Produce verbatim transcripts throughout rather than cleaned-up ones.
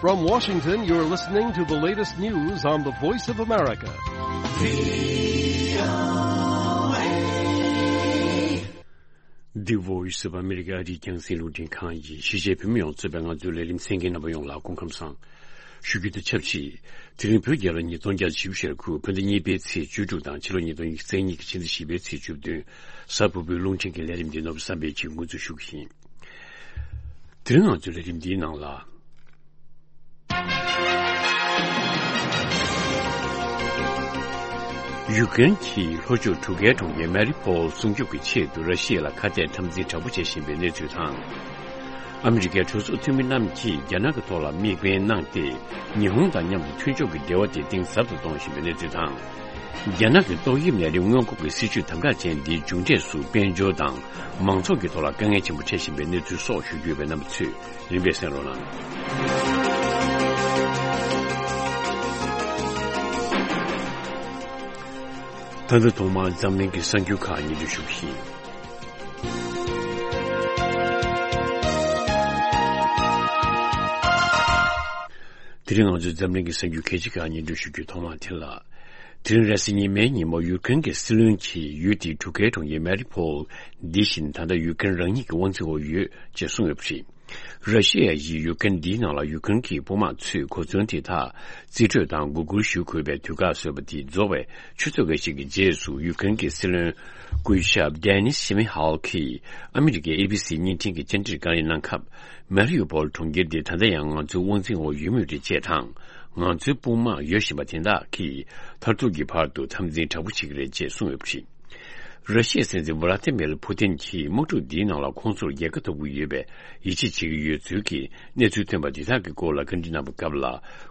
From Washington, you're listening to the latest news on the Voice of America. The Voice of America ཨ་རིའི་རྒྱང་སྲིང་རླུང་འཕྲིན་ཁང་ཡིན། གཞིས་བྱེས་བོད་མི་ཡོངས་གཙོས་པའི་ང་ཚོའི་ལས་རིམ་གསན་མཁན་རྣམ་པ་ཡོངས་ལ་སྐུ་ཁམས་བཟང་ཞུ་རྒྱུ་དང་ཆབས་ཅིག་དེ་རིང་བོད་རྒྱལ་ལོ་ཉིས་སྟོང་བརྒྱ་བཞི་བཅུ་ཞེ་དགུ་བོད་ཟླ་གཉིས་པའི་ཚེས་བཅུ་དྲུག་དང་ཕྱི་ལོ་ཉིས་སྟོང་ཉི་ཤུ་རྩ་གཉིས་ཀྱི་ཕྱི་ཟླ་བཞི་པའི་ཚེས་བཅུ་བདུན། གཟའ་ཕུར་བུའི་རླུང་འཕྲིན་གྱི་ལས་རིམ་འདི་ནོར་བུ་བསམ་འཕེལ་གྱིས་འགོ་འཛུགས་ཞུ་གི་ཡིན། དེ་རིང་ང་ཚོའི་ལས་རིམ་འདིའི་ནང་ལ། ཡུཀ་རེན་གྱི་ལྷོ་ཕྱོགས་གྲུ་ཁའི་གྲོང་ཁྱེར་མ་རི་པོལ་སྲུང་སྐྱོབ་ཀྱི་ཆེད་དུ་ར་ཤི་ཡ་ལ་ཁ་གཏད་འཐབ་འཛིང་དྲག་པོ་བྱེད་བཞིན་པའི་གནས་ཚུལ་དང་། ཨ་མི་རི་ཀའི་གྲོས་ཚོགས་འཐུས་མི་རྣམས་ཀྱིས་རྒྱ་ནག་གི་ཐོག་ལ་དམིགས་འབེན་གནང་སྟེ། ཉི་ཧོང་དང་མཉམ་དུ་མཐུན་ཕྱོགས་ཀྱི་འབྲེལ་བ་དེ་གཏིང་ཟབ་ཏུ་གཏོང་བཞིན་པའི་གནས་ཚུལ་དང་། རྒྱ་ནག་གི་ཏོག་དབྱིབས་ནད་རིགས་སྔོན་འགོག་གི་སྲིད་ཇུས་དམ་དྲག་ཅན་འདིའི་མཇུག་འབྲས་སུ་དཔལ་འབྱོར་དང་མང་ཚོགས་ཀྱི་ཐོག་ལ་དཀའ་ངལ་ཆེན་པོ་འཕྲད་བཞིན་པའི་གནས་ཚུལ་སོགས་ཞུ་རྒྱུ་ཡོད་པས། རྣམ་པ་ཚོས་རིམ་པས་གསན་རོགས་གནང་། ད་ལྟ་ཐོག་མར་འཛམ་གླིང་གི་གསར་འགྱུར་ཁག་སྙན་སྒྲོན་ཞུ་གི་ཡིན། དེ་རིང་ང་ཚོས་འཛམ་གླིང་གི་གསར་འགྱུར་གལ་ཆེ་ཁག་སྙན་སྒྲོན་ཞུ་རྒྱུའི་ཐོག་མ་དེ་ལ། དེ་རིང་རེས་གཟའ་ཉི་མའི་ཉིན་མོ་ཡུཀ་རེན་གྱི་སྲིད་བློན་གྱིས་ཡུལ་དེའི་གྲུ་ཁའི་གྲོང་ཁྱེར་མ་རི་ཕོལ་འདི་བཞིན་ད་ལྟ་ཡུཀ་རེན་རང་ཉིད་ཀྱི་དབང་འཛིན་འོག་ཡོད་ཅེས་གསུངས་ཡོད་པ་རེད། ར་ཤི་ཡ་ཡིས་ཡུཀ་རེན་འདིའི་ནང་ལ་ཡུཀ་རེན་གྱི་དཔུང་དམག་ཚོས་གོ་མཚོན་དེ་དག་རྩིས་སྤྲོད་དང་མགོ་སྒུར་ཞུ་དགོས་པའི་དུས་བཀག་བཟོས་པ་དེ་རྫོགས་པའི་ཆུ་ཚོད་འགའ་ཞིག་གི་རྗེས་སུ་ཡུཀ་རེན་གྱི་སྲིད་བློན་སྐུ་ཞབས་ཌེ་ནིས་ཤི་མི་ཧལ་གྱིས་ཨ་མི་རི་ཀའི་ཨེ་བི་སི་བརྙན་འཕྲིན་གྱི་བཅར་འདྲིར་བཀའ་ལན་གནང་སྐབས། མ་རི་ཡུ་པོལ་གྲོང་ཁྱེར་འདི་ད་ལྟ་ཡང་ང་ཚོའི་དབང་འཛིན་འོག་ཡོད་མུས་རེད་ཅེས་དང་། ང་ཚོའི་དཔུང་དམག་ཡོད་བཞིན་པ་དེ་དག་གིས་མཐར་ཐུག་གི་བར་དུ་འཐབ་འཛིང་དྲག་པོ་བྱེད་ཀྱི་རེད་ཅེས་གསུངས་ཡོད་པ་རེད། ར་ཤི་ཡའི་སྲིད་འཛིན་ཝ་ལ་ཏི་མིར་ཕུ་ཏིན་གྱིས་དམག་འཁྲུག་འདིའི་ནང་ལ་ཁོང་ཚོར་རྒྱལ་ཁ་ཐོབ་ཀྱི་ཡོད་པའི་ཡིད་ཆེས་བྱེད་ཀྱི་ཡོད་ཚུལ་གྱི་གནས་ཚུལ་ཐོན་པ་འདི་དག་གི་སྐོར་ལ་བཀའ་འདྲི་གནང་པའི་སྐབས་ལ།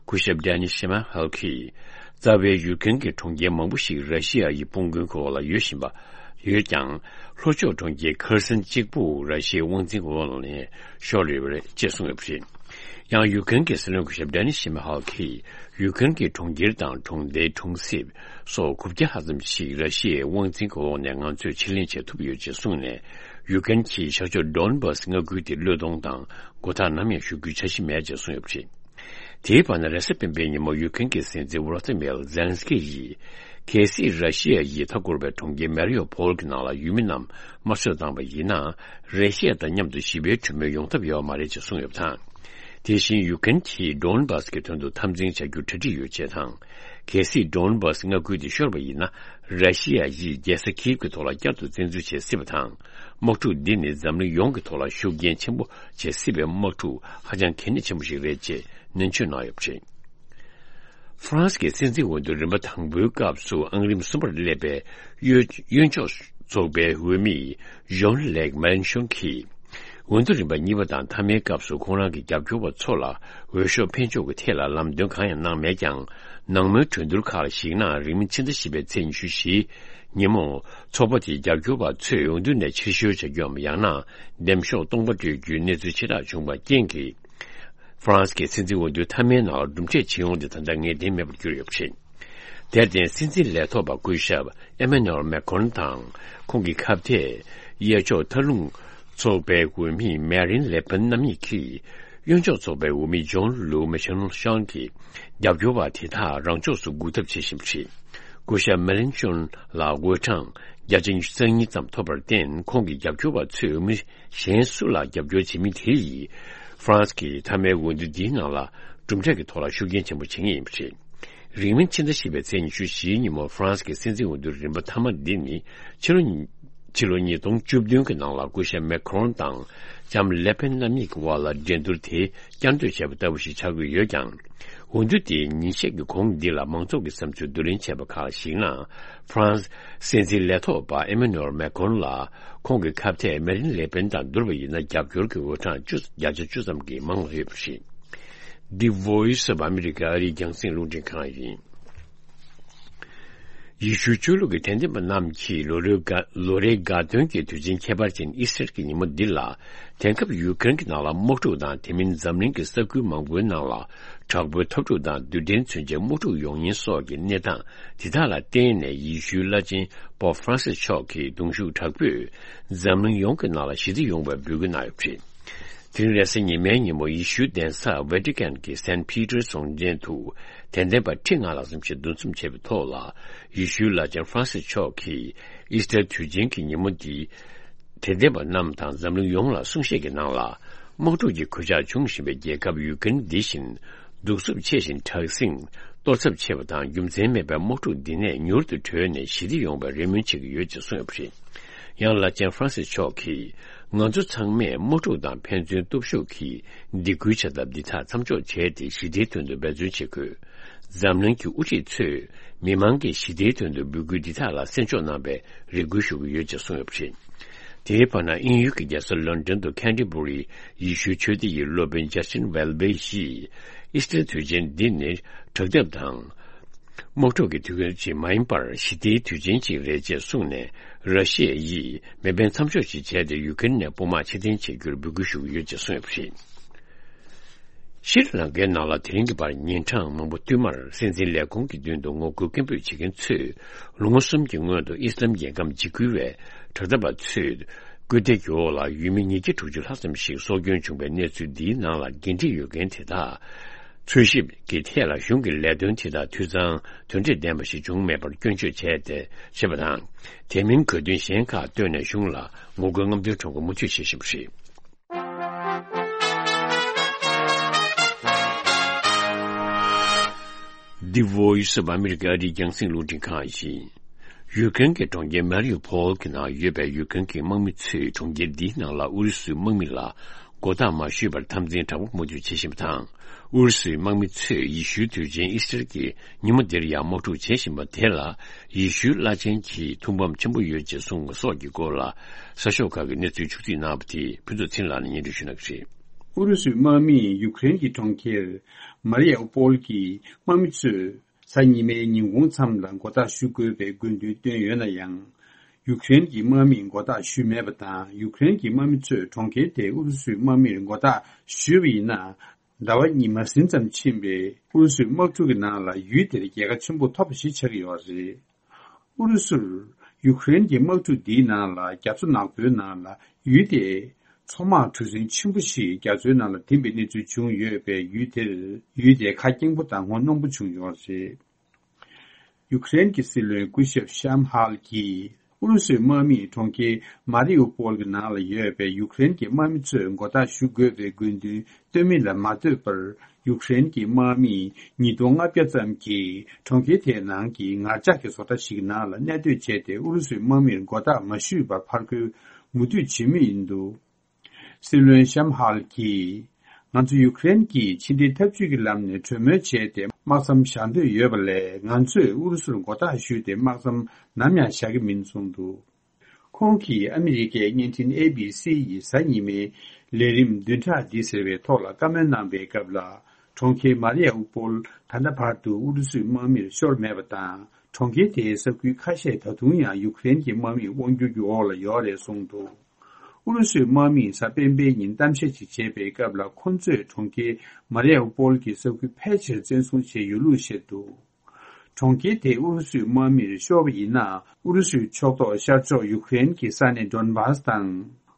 སྐུ་ཞབས་ཌེ་ནི་ཤི་མ་ཧལ་གྱིས། རྩ་བའི་ཡུཀ་རེན་གྱི་གྲོང་ཁྱེར་མང་པོ་ཞིག་ར་ཤི་ཡ་ཡི་དཔུང་དགོན་གྱི་འོག་ལ་ཡོད་བཞིན་པ་ཡོད་ཀྱང་། ལྷོ་ཕྱོགས་གྲོང་ཁྱེར་ཁར་སན་གཅིག་པུ་ར་ཤི་ཡའི་དབང་འཛིན་གྱི་འོག་ནས་ཤོར་ཡོད་པ་རེད་ཅེས་གསུངས་ཡོད་པ་རེད། ཡང་ཡུཀ་རེན་གྱི་སྲིད་བློན་སྐུ་ཞབས་ཌེ་ནི་ཤི་མ་ཧལ་གྱིས། ཡུཀ་རེན་གྱི་གྲོང་ཁྱེར་དང་གྲོང་རྡལ་གྲོང་གསེབ་སོགས་དགུ་བརྒྱ་ལྷག་ཙམ་ཞིག་ར་ཤི་ཡའི་དབང་འཛིན་གྱི་འོག་ནས་ང་ཚོས་ཕྱིར་ལེན་བྱེད་ཐུབ་ཡོད་ཅེས་གསུངས་ནས། ཡུཀ་རེན་གྱིས་ཤར་ཕྱོགས་ཌོན་བྷ་སི་མངའ་ཁུལ་དེ་བློས་གཏོང་དང་མགོ་ཐག་ནམ་ཡང་གཞུ་རྒྱུའི་འཆར་གཞི་མེད་ཅེས་གསུངས་ཡོད་པ་རེད། དེའི་བར་ན་རེས་གཟའ་སྤེན་པའི་ཉིན་མོ་ཡུཀ་རེན་གྱི་སྲིད་འཛིན་ཝོ་ལོ་ཏི་མིར་ཛེ་ལན་སི་ཀི་ཡིས། གལ་སྲིད་ར་ཤི་ཡ་ཡིས་མཐའ་བསྐོར་བའི་གྲོང་ཁྱེར་མེ་རི་ཡོ་ཕོལ་གྱི་ནང་ལ་ཡུལ་མི་རྣམས་དམར་གསོད་བཏང་བ་ཡིན་ན། ར་ཤི་ཡ་དང་མཉམ་དུ་ཞི་བའི་གྲོས་མོལ་ཡོང་ཐབས་ཡོད་མ་རེད་ཅེས་གསུངས་ཡོད་པ་དང་། དེ་བཞིན་ཡུཀ་རེན་གྱིས་ཌོན་བྷ་སི་གི་དོན་དུ་འཐབ་འཛིང་བྱ་རྒྱུར་གྲ་སྒྲིག་ཡོད་ཅེས་དང་། གལ་སྲིད་ཌོན་བྷ་སི་མངའ་ཁུལ་དེ་ཤོར་བ་ཡིན་ན། ར་ཤི་ཡ་ཡིས་རྒྱལ་ས་ཁིབ་ཀྱི་ཐོག་ལ་བསྐྱར་དུ་བཙན་འཛུལ་བྱེད་སྲིད་པ་དང་། དམག་འཁྲུག་འདི་ནི་འཛམ་གླིང་ཡོངས་ཀྱི་ཐོག་ལ་ཤུགས་རྐྱེན་ཆེན་པོ་བྱེད་སྲིད་པའི་དམག་འཁྲུག་ཧ་ཅང་གལ་གནད་ཆེན་པོ་ཞིག་རེད་ཅེས་ནན་བརྗོད་གནང་ཡོད་པ་རེད། ཧྥ་རན་སི་གི་སྲིད་འཛིན་འོས་བསྡུ་རིམ་པ་དང་པོའི་སྐབས་སུ་ཨང་རིམ་གསུམ་པར་སླེབས་པའི་གཡོན་གཡོན་ཕྱོགས་ཚོགས་པའི་འོས་མི་ཇོན་ལེག་མེ་ལན་ཤོན་གྱིས། འོས་བསྡུ་རིམ་པ་གཉིས་པ་དང་མཐའ་མའི་སྐབས་སུ་ཁོང་རང་གི་རྒྱབ་སྐྱོར་བ་ཚོ་ལ་འོས་ཤོག་འཕེན་ཕྱོགས་ཀྱི་ཐད་ལ་ལམ་སྟོན་གང་ཡང་གནང་མེད་ཀྱང་། ནང་མོལ་གྲོས་བསྡུར་ཁག་ལ་གཞིགས་ན། རིང་མིན་ཕྱི་ཟླ་བཞི་པའི་ཚེས་ཉི་ཤུ་བཞི་ཉིན་མོ། ཚོགས་པ་དེའི་རྒྱབ་སྐྱོར་བ་ཚོས་འོས་བསྡུ་ནས་ཕྱིར་བཤོལ་བྱ་རྒྱུའམ། ཡང་ན། འདེམས་ཤོག་སྟོང་པ་སྤྲོད་རྒྱུའི་གནས་ཚུལ་ཆེ་དྲགས་བྱུང་བ་རྐྱེན་གྱིས། ཧྥ་རན་སི་གི་སྲིད་འཛིན་འོས་བསྡུའི་མཐའ་མའི་ནང་ལ་གྲུབ་འབྲས་ཇི་ཡོང་དེ་ད་ལྟ་ངེས་གཏན་མེད་པར་གྱུར་ཡོད་པ་རེད། དེར་བརྟེན། སྲིད་འཛིན་ལས་ཐོག་པ་སྐུ་ཞབས་ཨེ་མ་ནུ་ཨེལ་མེ་ཁོན་དང་། ཁོང་གི་ཁ་གཏད། གཡས་ཕྱོགས་མཐའ་ལྷུང་ཚོགས་པའི་འོས་མི་མེ་རིན་ལེ་པན་རྣམ་གཉིས་ཀྱིས། གཡོན་ཕྱོགས་ཚོགས་པའི་འོས་མི་ཇོན་ལུའུ་མེ་ཤན་ཤང་གི་རྒྱབ་སྐྱོར་བ་དེ་དག་རང་ཕྱོགས་སུ་འགུག་ཐབས་བྱེད་བཞིན་པ་རེད། སྐུ་ཞབས་མེ་ལན་ཤོན་ལ་འོས་གྲངས་བརྒྱ་ཆ་ཉི་ཤུ་རྩ་གཉིས་ཙམ་ཐོབ་པར་བརྟེན། ཁོང་གི་རྒྱབ་སྐྱོར་བ་ཚོས་འོས་མི་གཞན་སུ་ལ་རྒྱབ་སྐྱོར་བྱེད་མིན་དེ་ཡིས། ཧྥ་རན་སི་གི་མཐའ་མའི་འོས་བསྡུ་འདིའི་ནང་ལ་གྲུབ་འབྲས་ཀྱི་ཐོག་ལ་ཤུགས་རྐྱེན་ཆེན་པོ་བྱེད་ངེས་ཡིན་པ་རེད། རིང་མིན་ཕྱི་ཟླ་བཞི་པའི་ཚེས་ཉི་ཤུ་བཞིའི་ཉིན་མོ་ཧྥ་རན་སི་གི་སྲིད་འཛིན་འོས་བསྡུ་རིམ་པ་མཐའ་མ་འདི་ནི་ཕྱི་ལོ་ཉིས་ཕྱི་ལོ་ཉིས་སྟོང་བཅུ་བདུན་གྱི་ནང་ལ་སྐུ་ཞབས་མེ་ཁོན་དང་ལྕམ་ལེ་པེན་རྣམ་གཉིས་ཀྱི་དབར་ལ་འགྲན་བསྡུར་དེ་བསྐྱར་ཟློས་བྱས་པ་ལྟ་བུ་ཞིག་ཆགས་ཀྱི་ཡོད་ཀྱང་། འོས་བསྡུ་དེའི་ཉིན་ཤས་ཀྱི་གོང་འདི་ལ་མང་ཚོགས་ཀྱི་བསམ་ཚུལ་བསྡུ་ལེན་བྱས་པ་ཁག་ལ་གཞིགས་ན། ཧྥ་རན་སི་སྲིད་འཛིན་ལས་ཐོག་པ་ཨེ་མ་ནུ་ཨེལ་མེ་ཁོན་ལ་ཁོང་གི་ཁ་གཏད་མེ་རིན་ལེ་པེན་དང་བསྡུར་བ་ཡིན་ན། རྒྱབ་སྐྱོར་གྱི་འོས་གྲངས་བཅུ་བརྒྱ་ཆ་བཅུ་ཙམ་གྱིས་མང་ལ་ཡོད་པ་རེད། The Voice of America ཨ་རིའི་རྒྱང་སྲིང་རླུང་འཕྲིན་ཁང་ཡིན། ཡེ་ཤུའི་ཆོས་ལུགས་ཀྱི་དད་ལྡན་པ་རྣམས་ཀྱིས་ལོ་རེའི་དགའ་ལོ་རེའི་དགའ་སྟོན་གྱི་དུས་ཆེན་ཁྱད་པར་ཅན་ཨི་སི་ཊར་གྱི་ཉིན་མོ་འདི་ལ། དེང་སྐབས་ཡུཀ་རེན་གྱི་ནང་ལ་དམག་འཁྲུག་དང་། དེ་མིན་འཛམ་གླིང་གི་ས་ཁུལ་མང་པོའི་ནང་ལ་དྲག་པོའི་འཐབ་འཁྲུག་དང་རྡུལ་ཕྲན་མཚོན་ཆའི་དམག་འཁྲུག་ཡོང་ཉེན་སོགས་ཀྱི་གནས་སྟངས་དེ་དག་ལ་བརྟེན་ནས། ཡེ་ཤུའི་བླ་ཆེན་པོབ་ཧྥ་རན་སིས་མཆོག་གིས་གདུང་ཤུགས་དྲག་པོས་འཛམ་གླིང་ཡོངས་ཀྱི་ནང་ལ་ཞི་བདེ་ཡོང་བའི་འབོད་སྐུལ་གནང་ཡོད་པ་རེད། དེ་རིང་རེས་གཟའ་ཉི་མའི་ཉིན་མོ། ཡེ་ཤུའི་གདན་ས་ཝེ་ཏི་ཀན་གྱི་སན་པི་ཏེར་གྲོང་ཁྱེར་དུ་དད་ལྡན་པ་ཁྲི་ལྔ་ལྷག་ཙམ་ཞིག་འདུ་འཛོམས་བྱས་པའི་ཐོག་ལ། ཡེ་ཤུའི་བླ་ཆེན་ཧྥ་རན་སིས་མཆོག་གིས་ཨིས་ཊར་དུས་ཆེན་གྱི་ཉིན་མོ་འདི་དད་ལྡན་པ་རྣམས་དང་འཛམ་གླིང་ཡོངས་ལ་གསུང་བཤད་ཀྱི་ནང་ལ། དམག་འཁྲུག་གི་གོད་ཆག་འབྱུང་བཞིན་པའི་རྒྱལ་ཁབ་ཡུ་ཀེ་རེན་འདི་བཞིན་གདུག་རྩུབ་ཆེ་ཞིང་དྲག་ཟིང་གཏོར་ཚབས་ཆེ་བ་དང་། རྒྱུ་མཚན་མེད་པའི་དམག་འཁྲུག་འདི་ནས་མྱུར་དུ་གྲོལ་ནས་ཞི་བདེ་ཡོང་བའི་རེ་སྨོན་བྱེད་ཀྱི་ཡོད་ཅེས་གསུངས་ཡོད་པ་རེད། ཡང་བླ་ཆེན་ཧྥ་རན་སིས་མཆོག་གིས། ང་ཚོ་ཚང་མས་དམག་འཁྲུག་དང་ཕན་ཚུན་སྟོབས་ཤུགས་ཀྱིས་སྡིགས་སྐུལ་བྱ་ཐབས་འདི་དག་མཚམས་འཇོག་བྱས་ཏེ། ཞི་བདེའི་དོན་དུ་འབད་བརྩོན་བྱེད་དགོས། འཛམ་གླིང་གི་དབུ་ཁྲིད་ཚོས་མི་མང་གི་ཞི་བདེའི་དོན་དུ་འབོད་སྐུལ་འདི་དག་ལ་གསན་འཇོག་གནང་བའི་རེ་སྐུལ་ཞུ་གི་ཡོད་ཅེས་གསུངས་ཡོད་པ་རེད། དེའི་བར་ན། དབྱིན་ཡུལ་གྱི་རྒྱལ་ས་ལོན་ཌོན་དུ་ཁེན་ཊི་བུ་རི་ཡེ་ཤུའི་ཆོས་སྡེ་ཡི་སློབ་དཔོན་ཇ་སི་ཊིན་ཝེལ་བེ་ཡིས། ཨིས་ཊར་དུས་ཆེན་འདི་ནི་དྲག་འཐབ་དང་། དམག་འཁྲུག་གི་དུས་ཆེན་ཞིག་མ་ཡིན་པར་ཞི་བདེའི་དུས་ཆེན་ཞིག་རེད་ཅེས་གསུངས་ནས། ར་ཤི་ཡ་ཡིས་མེ་འཕེན་མཚམས་འཇོག་ཅིག་བྱས་ཏེ། ཡུ་ཀེ་རེན་ནས་དཔུང་དམག་ཕྱིར་འཐེན་བྱེད་རྒྱུར་འབོད་སྐུལ་ཞུ་གི་ཡོད་ཅེས་གསུངས་ཡོད་པ་རེད། ཤྲི་ལང་ཀའི་ནང་ལ་དེ་རིང་གི་བར་ཉིན་གྲངས་མང་པོ་བསྟུད་མར་སྲིད་འཛིན་ལས་ཁུངས་ཀྱི་མདུན་དུ་ངོ་རྒོལ་སྐད་འབོད་བྱེད་མཁན་ཚོས། ལོ་ངོ་གསུམ་གྱི་སྔོན་དུ་ཨི་སི་ལམ་རྒྱལ་ཁམས་འཇིགས་སྐུལ་བའི་དྲག་འཐབ་པ་ཚོས། སྐུལ་འདེད་ཀྱི་འོག་ལ་ཡུལ་མི་ཉིས་བརྒྱ་དྲུག་ཅུ་ལྷག་ཙམ་ཞིག་སྲོག་སྐྱོན་བྱུང་བའི་གནས་ཚུལ་འདིའི་ནང་ལ་འགན་འཁྲི་ཡོད་མཁན་དེ་དག་འཚོལ་ཞིབ་ཀྱི་ཐད་ལ་གཞུང་གི་ལས་དོན་དེ་དག་འཐུས་ཚང་དོན་འབྲས་ལྡན་པ་ཞིག་བྱུང་མེད་པར་སྐྱོན་བརྗོད་བྱས་ཏེ་བྱས་པ་དང་། དེ་མིན་གྱི་དོན་གཞན་ཁག་བཏོན་ནས་གཞུང་ལ་ངོ་རྒོལ་རྔམ་སྟོན་ཁྲོམ་སྐོར་མུ་མཐུད་བྱེད་བཞིན་པ་རེད། The Voice of America ཨ་རིའི་རྒྱང་སྲིང་རླུང་འཕྲིན་ཁང་ཡིན། ཡུཀ་རེན་གྱི་གྲོང་ཁྱེར་མ་རི་ཡུ་ཕོལ་གྱི་ནང་ཡོད་པའི་ཡུཀ་རེན་གྱི་དམག་མི་ཚོས་གྲོང་ཁྱེར་འདིའི་ནང་ལ་ཨུ་རུ་སུའི་དམག་མི་ལ་མགོ་བཏགས་མ་ཞུས་པར་འཐབ་འཛིང་དྲག་པོ་མུ་མཐུད་བྱེད་བཞིན་པ་དང་། ཨུ་རུ་སུའི་དམག་མི་ཚོས་ཡེ་ཤུའི་དུས་ཆེན་ཨིས་ཊར་གྱི་ཉིན་མོ་འདིར་ཡང་དམག་འཁྲུག་བྱེད་བཞིན་པ་དེ་ལ། ཡེ་ཤུའི་བླ་ཆེན་གྱིས་ཐུགས་ཕམ་ཆེན་པོ་ཡོད་ཅེས་གསུངས་པ་སོགས་ཀྱི་སྐོར་ལ། གསར་ཤོག་ཁག་གི་གནས་ཚུལ་ཕྱོགས་བསྒྲིགས་གནང་བ་དེ་ཕུན་ཚོགས་ཚེ་རིང་ལགས་ནས་སྙན་སྒྲོན་ཞུ་གནང་གི་རེད། ཨུ་རུ་སུའི་དམག་མིས་ཡུཀ་རེན་གྱི་གྲོང་ཁྱེར་མ་རི་ཡ་ཨུ་པོལ་གྱི་དམག་མི་ཚོས་གཟའ་ཉི་མའི་ཉིན་གུང་མཚམས་ལ་མགོ་བཏགས་ཞུ་དགོས་པའི་དགོས་འདུན་བཏོན་ཡོད་ན་ཡང་། ཡུཀ་རེན་གྱི་དམག་མིས་མགོ་བཏགས་ཞུས་མེད་པ་དང་། ཡུཀ་རེན་གྱི་དམག་མི་ཚོས་གྲོང་ཁྱེར་དེ་ཨུ་རུ་སུའི་དམག་མིར་མགོ་བཏགས་ཞུས་པ་ཡིན་ན། ཟླ་བ་གཉིས་མ་ཟིན་ཙམ་ཕྱིན་པའི་ཨུ་རུ་སུའི་དམག་འཁྲུག་གི་ནང་ལ་ཡུལ་དེར་རྒྱལ་ཁ་ཆེན་པོ་ཐོབ་པ་ཞིག་ཆགས་ཀྱི་ཡོད་རེད། ཨུ་རུ་སུར་ཡུཀ་རེན་གྱི་དམག་འཁྲུག་འདིའི་ནང་ལ་རྒྱ་མཚོ་ནག་པོའི་ནང་ལ་ཡུལ་དེའི་མཚོ་དམག་གྲུ་གཟིངས་ཆེན་པོ་ཞིག་རྒྱ་མཚོའི་ནང་ལ་ཐིམ་པའི་གནས་ཚུལ་བྱུང་ཡོད་པས། ཡུལ་དེར་ཡུལ་དེ་ཁ་སྐྱེངས་པོ་དང་ངོ་གནོང་པོ་བྱུང་ཡོད་རེད། ཡུཀ་རེན་གྱི་སྲིད་བློན་སྐུ་ཞབས་ཤམ་ཧལ་གྱིས་ཨུ་རུ་སུའི་དམག་མིས་གྲོང་ཁྱེར་མ་རི་ཡུ་པོལ་གྱི་ནང་ལ་ཡོད་པའི་ཡུཀ་རེན་གྱི་དམག་མི་ཚོས་མགོ་བཏགས་ཞུ་དགོས་པའི་དགོས་འདུན་བཏོན་མིན་ལ་མ་ལྟོས་པར། ཡུཀ་རེན་གྱི་དམག་མིས་ཉིས་སྟོང་ལྔ་བརྒྱ་ཙམ་གྱིས་གྲོང་ཁྱེར་དེའི་ནང་གི་ངར་ལྕགས་ཀྱི་བཟོ་གྲྭ་ཞིག་ནང་ལ་གནས་སྡོད་བྱས་ཏེ། ཨུ་རུ་སུའི་དམག་མིར་མགོ་བཏགས་མ་ཞུས་པར་ཕར་རྒོལ་མུ་མཐུད་བྱེད་མུས་ཡིན་འདུག། སྲིད་བློན་ཤམ་ཧལ་གྱིས། ང་ཚོ་ཡུཀ་རེན་གྱིས་ཕྱི་འབྲེལ་འཐབ་ཇུས་ཀྱི་ལམ་ནས་གྲོས་མོལ་བྱས་ཏེ་དམག་མཚམས་བཞག་འདོད་ཡོད་པ་ལས། ང་ཚོས་ཨུ་རུ་སུར་མགོ་བཏགས་ཞུས་ཏེ་དམག་མཚམས་ནམ་ཡང་བཞག་གི་མིན་གསུངས་འདུག། ཁོང་གིས་ཨ་མི་རི་ཀའི་བརྙན་འཕྲིན་ཨེ་བི་སི་ཡི་གཟའ་ཉི་མའི་ལས་རིམ་བདུན་ཕྲག་འདི་ཟེར་བའི་ཐོག་ལ་བཀའ་མོལ་གནང་པའི་སྐབས་ལ། གྲོང་ཁྱེར་མ་རི་ཡ་ཨུ་པོལ་ད་ལྟ་བར་དུ་ཨུ་རུ་སུའི་དམག་མིར་ཤོར་མེད་པ་དང་། གྲོང་ཁྱེར་དེའི་ས་ཁུལ་ཁ་ཤས་ད་དུང་ཡང་ཡུཀ་རེན་གྱི་དམག་མིས་དབང་སྒྱུར་གྱི་འོག་ལ་ཡོད་རེད་གསུངས་འདུག། ཨུ་རུ་སུའི་དམག་མིས་གཟའ་སྤེན་པའི་ཉིན་གཏམ་བཤད་ཅིག་བྱས་པའི་སྐབས་ལ། ཁོ་ཚོས་གྲོང་ཁྱེར་མ་རི་ཡ་ཨུ་པོལ་གྱི་ས་ཁུལ་ཕལ་ཆེར་བཙན་བཟུང་བྱས་ཡོད་ལུགས་བཤད་འདུག། གྲོང་ཁྱེར་དེ་ཨུ་རུ་སུའི་དམག་མིར་ཤོར་བ་ཡིན་ན། ཨུ་རུ་སུའི་ཕྱོགས་གཏོགས་ཤར་ཕྱོགས་ཡུཀ་རེན་གྱི་ས་གནས་ཌོན་བྷ་སི་དང་།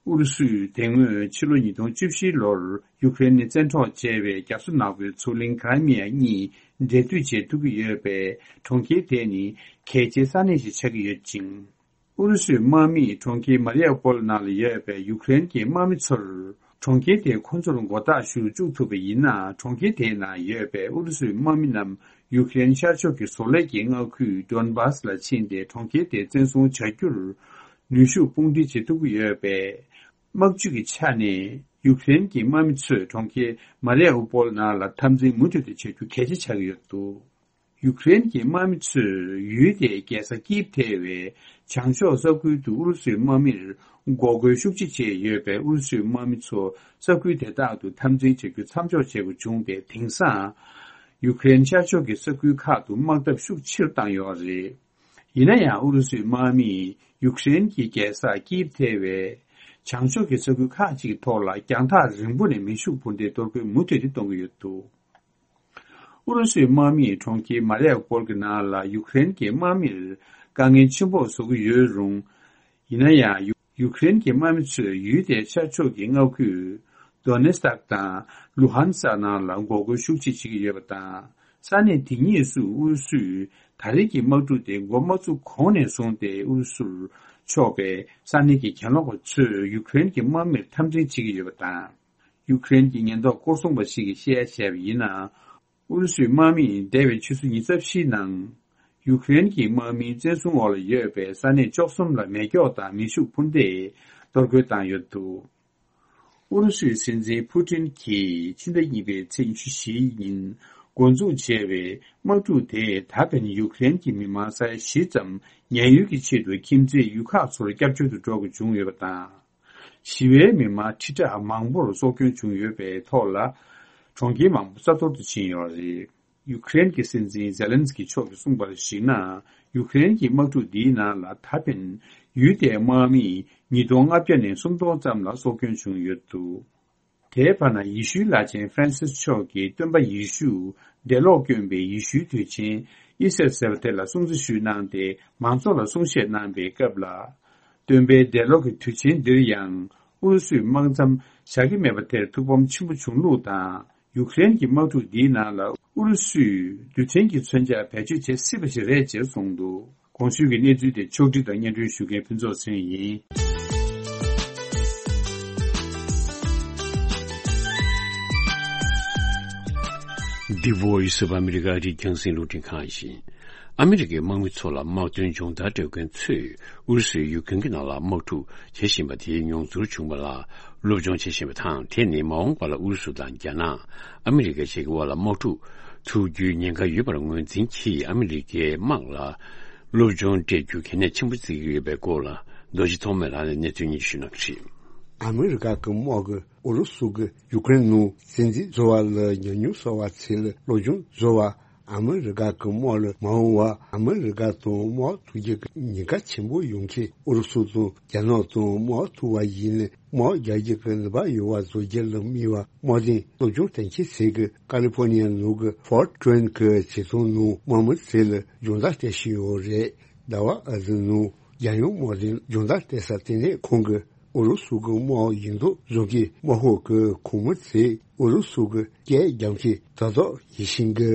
ཨུ་རུ་སུས་དེ་སྔོན་ཕྱི་ལོ་ཉིས་སྟོང་བཅུ་བཞི་ལོར་ཡུཀ་རེན་ནས་བཙན་འཕྲོག་བྱས་པའི་རྒྱ་མཚོ་ནག་པོའི་མཚོ་གླིང་ཀི་རི་མི་ཡ་གཉིས་འབྲེལ་མཐུད་བྱེད་ཐུབ་ཀྱི་ཡོད་པས། གྲོང་ཁྱེར་དེ་ནི་གལ་ཆེའི་ས་གནས་ཤིག་ཆགས་ཀྱི་ཡོད་ཅིང་། ཨུ་རུ་སུའི་དམག་མིས་གྲོང་ཁྱེར་མ་རི་ཡ་པོལ་ནང་ལ་ཡོད་པའི་ཡུཀ་རེན་གྱི་དམག་མི་ཚོར། གྲོང་ཁྱེར་དེ་ཁོ་ཚོར་མགོ་བཏགས་ཞུ་བཅུག་ཐུབ་པ་ཡིན་ན། གྲོང་ཁྱེར་དེའི་ནང་ཡོད་པའི་ཨུ་རུ་སུའི་དམག་མི་རྣམས་ཡུཀ་རེན་ཤར་ཕྱོགས་ཀྱི་བཟོ་ལས་ཀྱི་མངའ་ཁུལ་ཌོན་བྷ་སི་ལ་ཕྱིན་ཏེ། གྲོང་ཁྱེར་དེ་བཙན་བཟུང་བྱ་རྒྱུར་ནུས་ཤུགས་དཔུང་སྒྲིལ་བྱེད་ཐུབ་ཀྱི་ཡོད་པས། དམག་ཇུས་ཀྱི་ཆ་ནས་ཡུཀ་རེན་གྱི་དམག་མི་ཚོས་གྲོང་ཁྱེར་མ་རི་ཡ་ཨུ་པོལ་ནང་ལ་འཐབ་འཛིང་མུ་མཐུད་དུ་བྱ་རྒྱུ་གལ་ཆེ་ཆགས་ཀྱི་ཡོད་འདུག། ཡུཀ་རེན་གྱི་དམག་མི་ཚོས་ཡུལ་དེའི་རྒྱལ་ས་ཀིབ་ཐེ་བའི་བྱང་ཕྱོགས་ས་ཁུལ་དུ་ཨུ་རུ་སུའི་དམག་མིར་འགོག་རྒོལ་ཤུགས་ཆེ་བྱས་ཡོད་པས། ཨུ་རུ་སུའི་དམག་མི་ཚོ་ས་ཁུལ་དེ་དག་ཏུ་འཐབ་འཛིང་བྱ་རྒྱུ་མཚམས་འཇོག་བྱེད་དགོས་བྱུང་སྟེ། དེང་སང་ཡུཀ་རེན་ཤར་ཕྱོགས་ཀྱི་ས་ཁུལ་ཁག་ཏུ་དམག་འཐབ་ཤུགས་ཆེ་རུ་བཏང་ཡོད་རེད། ཡིན་ན་ཡང་། ཨུ་རུ་སུའི་དམག་མིས་ཡུཀ་རེན་གྱི་རྒྱལ་ས་ཀིབ་ཐེ་བའི་བྱང་ཕྱོགས་ཀྱི་ས་ཁུལ་ཁག་ཅིག་གི་ཐོག་ལ་རྒྱང་ཐག་རིང་པོ་ནས་མེ་ཤུགས་འཕུར་མདེལ་གཏོར་རྒོལ་མུ་མཐུད་དེ་གཏོང་གི་ཡོད་འདུག། ཨུ་རུ་སུའི་དམག་མིས་གྲོང་ཁྱེར་མ་རི་ཡ་པོལ་གྱི་ནང་ལ་ཡུཀ་རེན་གྱི་དམག་མིར་དཀའ་ངལ་ཆེན་པོ་བཟོ་གི་ཡོད་རུང་། ཡིན་ན་ཡང་། ཡུ་ཡུཀ་རེན་གྱི་དམག་མི་ཚོས་ཡུལ་དེའི་ཤར་ཕྱོགས་ཀྱི་མངའ་ཁུལ་ Donetsk་དང་Luhansk་ནང་ལ་འགོག་རྒོལ་ཤུགས་ཆེ་བྱེད་ཀྱི་ཡོད་པ་དང་། ས་གནས་དེ་གཉིས་སུ་ཨུ་རུ་སུས་ད་རེས་ཀྱི་དམག་འཁྲུག་དེ་འགོ་མ་བཙུགས་གོང་ནས་བཟུང་སྟེ་ཨུ་རུ་སུར་ཕྱོགས་པའི་ས་གནས་ཀྱི་གྱེན་ལོག་པ་ཚོས་ཡུ་ཀེ་རེན་གྱི་དམག་མིར་འཐབ་འཛིང་བྱེད་ཀྱི་ཡོད་པ་དང་། ཡུ་ཀེ་རེན་གྱི་ཉེན་རྟོག་སྐོར་སྲུང་པ་ཞིག་གིས་བཤད་ཡ་བྱས་པ་ཡིན་ན། ཨུ་རུ་སུའི་དམག་མིས་འདས་པའི་ཆུ་ཚོད་ཉི་ཤུ་རྩ་བཞིའི་ནང་། ཡུ་ཀེ་རེན་གྱི་དམག་མིའི་བཙན་བཟུང་འོག་ལ་ཡོད་པའི་ས་གནས་བཅུ་གསུམ་ལ་མེ་སྒྱོགས་དང་མེ་ཤུགས་འཕུར་མདེལ་གཏོར་རྒོལ་བཏང་ཡོད་འདུག་ཨུ་རུ་སུའི་སྲིད་འཛིན་ཕུ་ཏིན་གྱིས་ཕྱི་ཟླ་གཉིས་པའི་ཚེས་ཉི་ཤུ་བཞིའི་ཉིན་འགོ་འཛུགས་བྱས་པའི་དམག་འཁྲུག་དེས་ད་ཕན་ཡུ་ཀེ་རེན་གྱི་མི་མང་ས་ཡ་བཞི་ཙམ་ཉེན་གཡོལ་གྱི་ཆེད་དུ་ཁྱིམ་མཚེས་ཡུལ་ཁག་ཚོར་སྐྱབས་བཅོལ་དུ་འགྲོ་དགོས་བྱུང་ཡོད་པ་དང་། ཞི་བའི་མི་མང་ཁྲི་ཕྲག་མང་པོར་སྲོག་སྐྱོན་བྱུང་ཡོད་པའི་ཐོག་ལ། གྲོང་ཁྱེར་མང་པོ་ས་འཐོར་དུ་ཕྱིན་ཡོད་པ་རེད། ཡུ་ཀེ་རེན་གྱི་སྲིད་འཛིན་ཛེ་ལན་སི་ཀི་མཆོག་གིས་གསུངས་པར་གཞིགས་ན། ཡུ་ཀེ་རེན་གྱི་དམག་འཁྲུག་འདིའི་ནང་ལ་ད་ཕན་ཡུལ་དེའི་དམག་མི་ཉིས་སྟོང་ལྔ་བརྒྱ་ནས་སུམ་སྟོང་ཙམ་ལ་སྲོག་སྐྱོན་བྱུང་ཡོད་འདུག་དེའི་བར་ན་ཡེ་ཤུའི་བླ་ཆེན་ཧྥ་རན་སིས་མཆོག་གིས་སྟོན་པ་ཡེ་ཤུ་འདས་ལོག་བསྐྱོན་པའི་ཡེ་ཤུའི་དུས་ཆེན་ཨི་སེར་ཟེར་བ་དེ་ལ་སྲུང་བརྩི་ཞུས་གནང་སྟེ་མང་ཚོགས་ལ་གསུང་བཤད་གནང་པའི་སྐབས་ལ། སྟོན་པའི་འདས་ལོག་གི་དུས་ཆེན་འདིར་ཡང་ཨུ་རུ་སུའི་དམག་མཚམས་བཞག་གི་མེད་པ་དེར་ཐུགས་ཕམ་ཆེན་པོ་བྱུང་ལུགས་དང་། ཡུ་ཀེ་རེན་གྱི་དམག་འཁྲུག་འདིའི་ནང་ལ་ཨུ་རུ་སུས་རྡུལ་ཕྲན་གྱི་མཚོན་ཆ་བེད་སྤྱོད་བྱེད་སྲིད་པ་ཞིག་རེད་ཅེས་གསུངས་འདུག་གོང་ཞུས་ཀྱི་གནས་ཚུལ་དེ་ཕྱོགས་སྒྲིག་དང་སྙན་སྒྲོན་ཞུ་མཁན་ཕུན་ཚོགས་ཚེ་རིང་ཡིན། འདི་Voice of America རིགས་རྒྱང་སྲིང་རླུང་འཕྲིན་ཁང་ཡིན། ཨ་མི་རི་ཀའི་དམག་མི་ཚོ་ལ་དམག་དོན་སྦྱོང་བརྡར་སྤྲོད་མཁན་ཚོས་ཨུ་རུ་སུས་ཡུ་ཀེ་རེན་གྱི་ནང་ལ་དམག་འཁྲུག་བྱེད་བཞིན་པ་དེའི་མྱོང་ཚོར་བྱུང་བ་ལ་སློབ་སྦྱོང་བྱེད་བཞིན་པ་དང་། དེ་ནི་མ་འོངས་པ་ལ་ཨུ་རུ་སུ་དང་རྒྱ་ནག་ཨ་མི་རི་ཀ་བཅས་ཀྱི་དབར་ལ་དམག་འཁྲུག་ཐུག་རྒྱུའི་ཉེན་ཁ་ཡོད་པར་ངོས་འཛིན་གྱིས་ཨ་མི་རི་ཀའི་དམག་ལ་སློབ་སྦྱོང་སྤྲད་རྒྱུ་གལ་གནད་ཆེན་པོ་བརྩི་གི་ཡོད་པའི་སྐོར་ལ་རྡོ་རྗེ་ཐོགས་མེད་ལགས་ནས་གནས་ཚུལ་སྙན་ཞུ་གནང་གི་རེད། ཨ་མི་རི་ཀ་གི་དམག་གིས་ཨུ་རུ་སུ་གིས་ཡུ་ཀེ་རེན་ནང་བཙན་འཛུལ་བཟོ་བ་ལ་ཉམས་མྱོང་གསར་བ་ཚོ་ལ་སློབ་སྦྱོང་བཟོ་བ། ཨ་མི་རི་ཀ་གི་དམག་ལ་མ་འོངས་པར་ཨ་མི་རི་ཀ་དང་དམག་ཐུག་རྒྱུ་གི་ཉེན་ཁ་ཆེན་པོ་ཡོང་མཁན་ཨུ་རུ་སུ་དང་རྒྱ་ནག་དང་དམག་ཐུག་པ་ཡིན་ན་དམག་རྒྱག་རྒྱུ་གི་ནུས་པ་ཡོད་པ་བཟོ་རྒྱུ་ལ་དམིགས་པའི་དམག་དོན་སློབ་སྦྱོང་གཏན་འཁེལ་བྱེད་ཀྱི་ཀ་ལི་ཧྥོ་ནི་ཡ་ནང་གི་ཧྥོར་ཊི་ཝེན་གྱི་བྱེ་ཐང་ནང་དམག་མི་ཚོ་ལ་སྦྱོང་བརྡར་སྤྲད་བཞིན་ཡོད་རེད། ཟླ་བ་ཨ་ཟི་ནང་རྒྱལ་ཡོངས་དམག་དོན་སྦྱོང་བརྡར་སྤྲད་ས་ལྟེ་གནས་ཁང་གི་ཨུ་རུ་སུ་གི་དམག་ཡིན་མདོག་བཟོ་མཁན་དམག་ཁོངས་ཀྱི་ཁོངས་མི་ཚོས་ཨུ་རུ་སུ་གི་སྐད་རྒྱབ་མཁན་དོ་བདག་ཡིན་བཞིན་གི།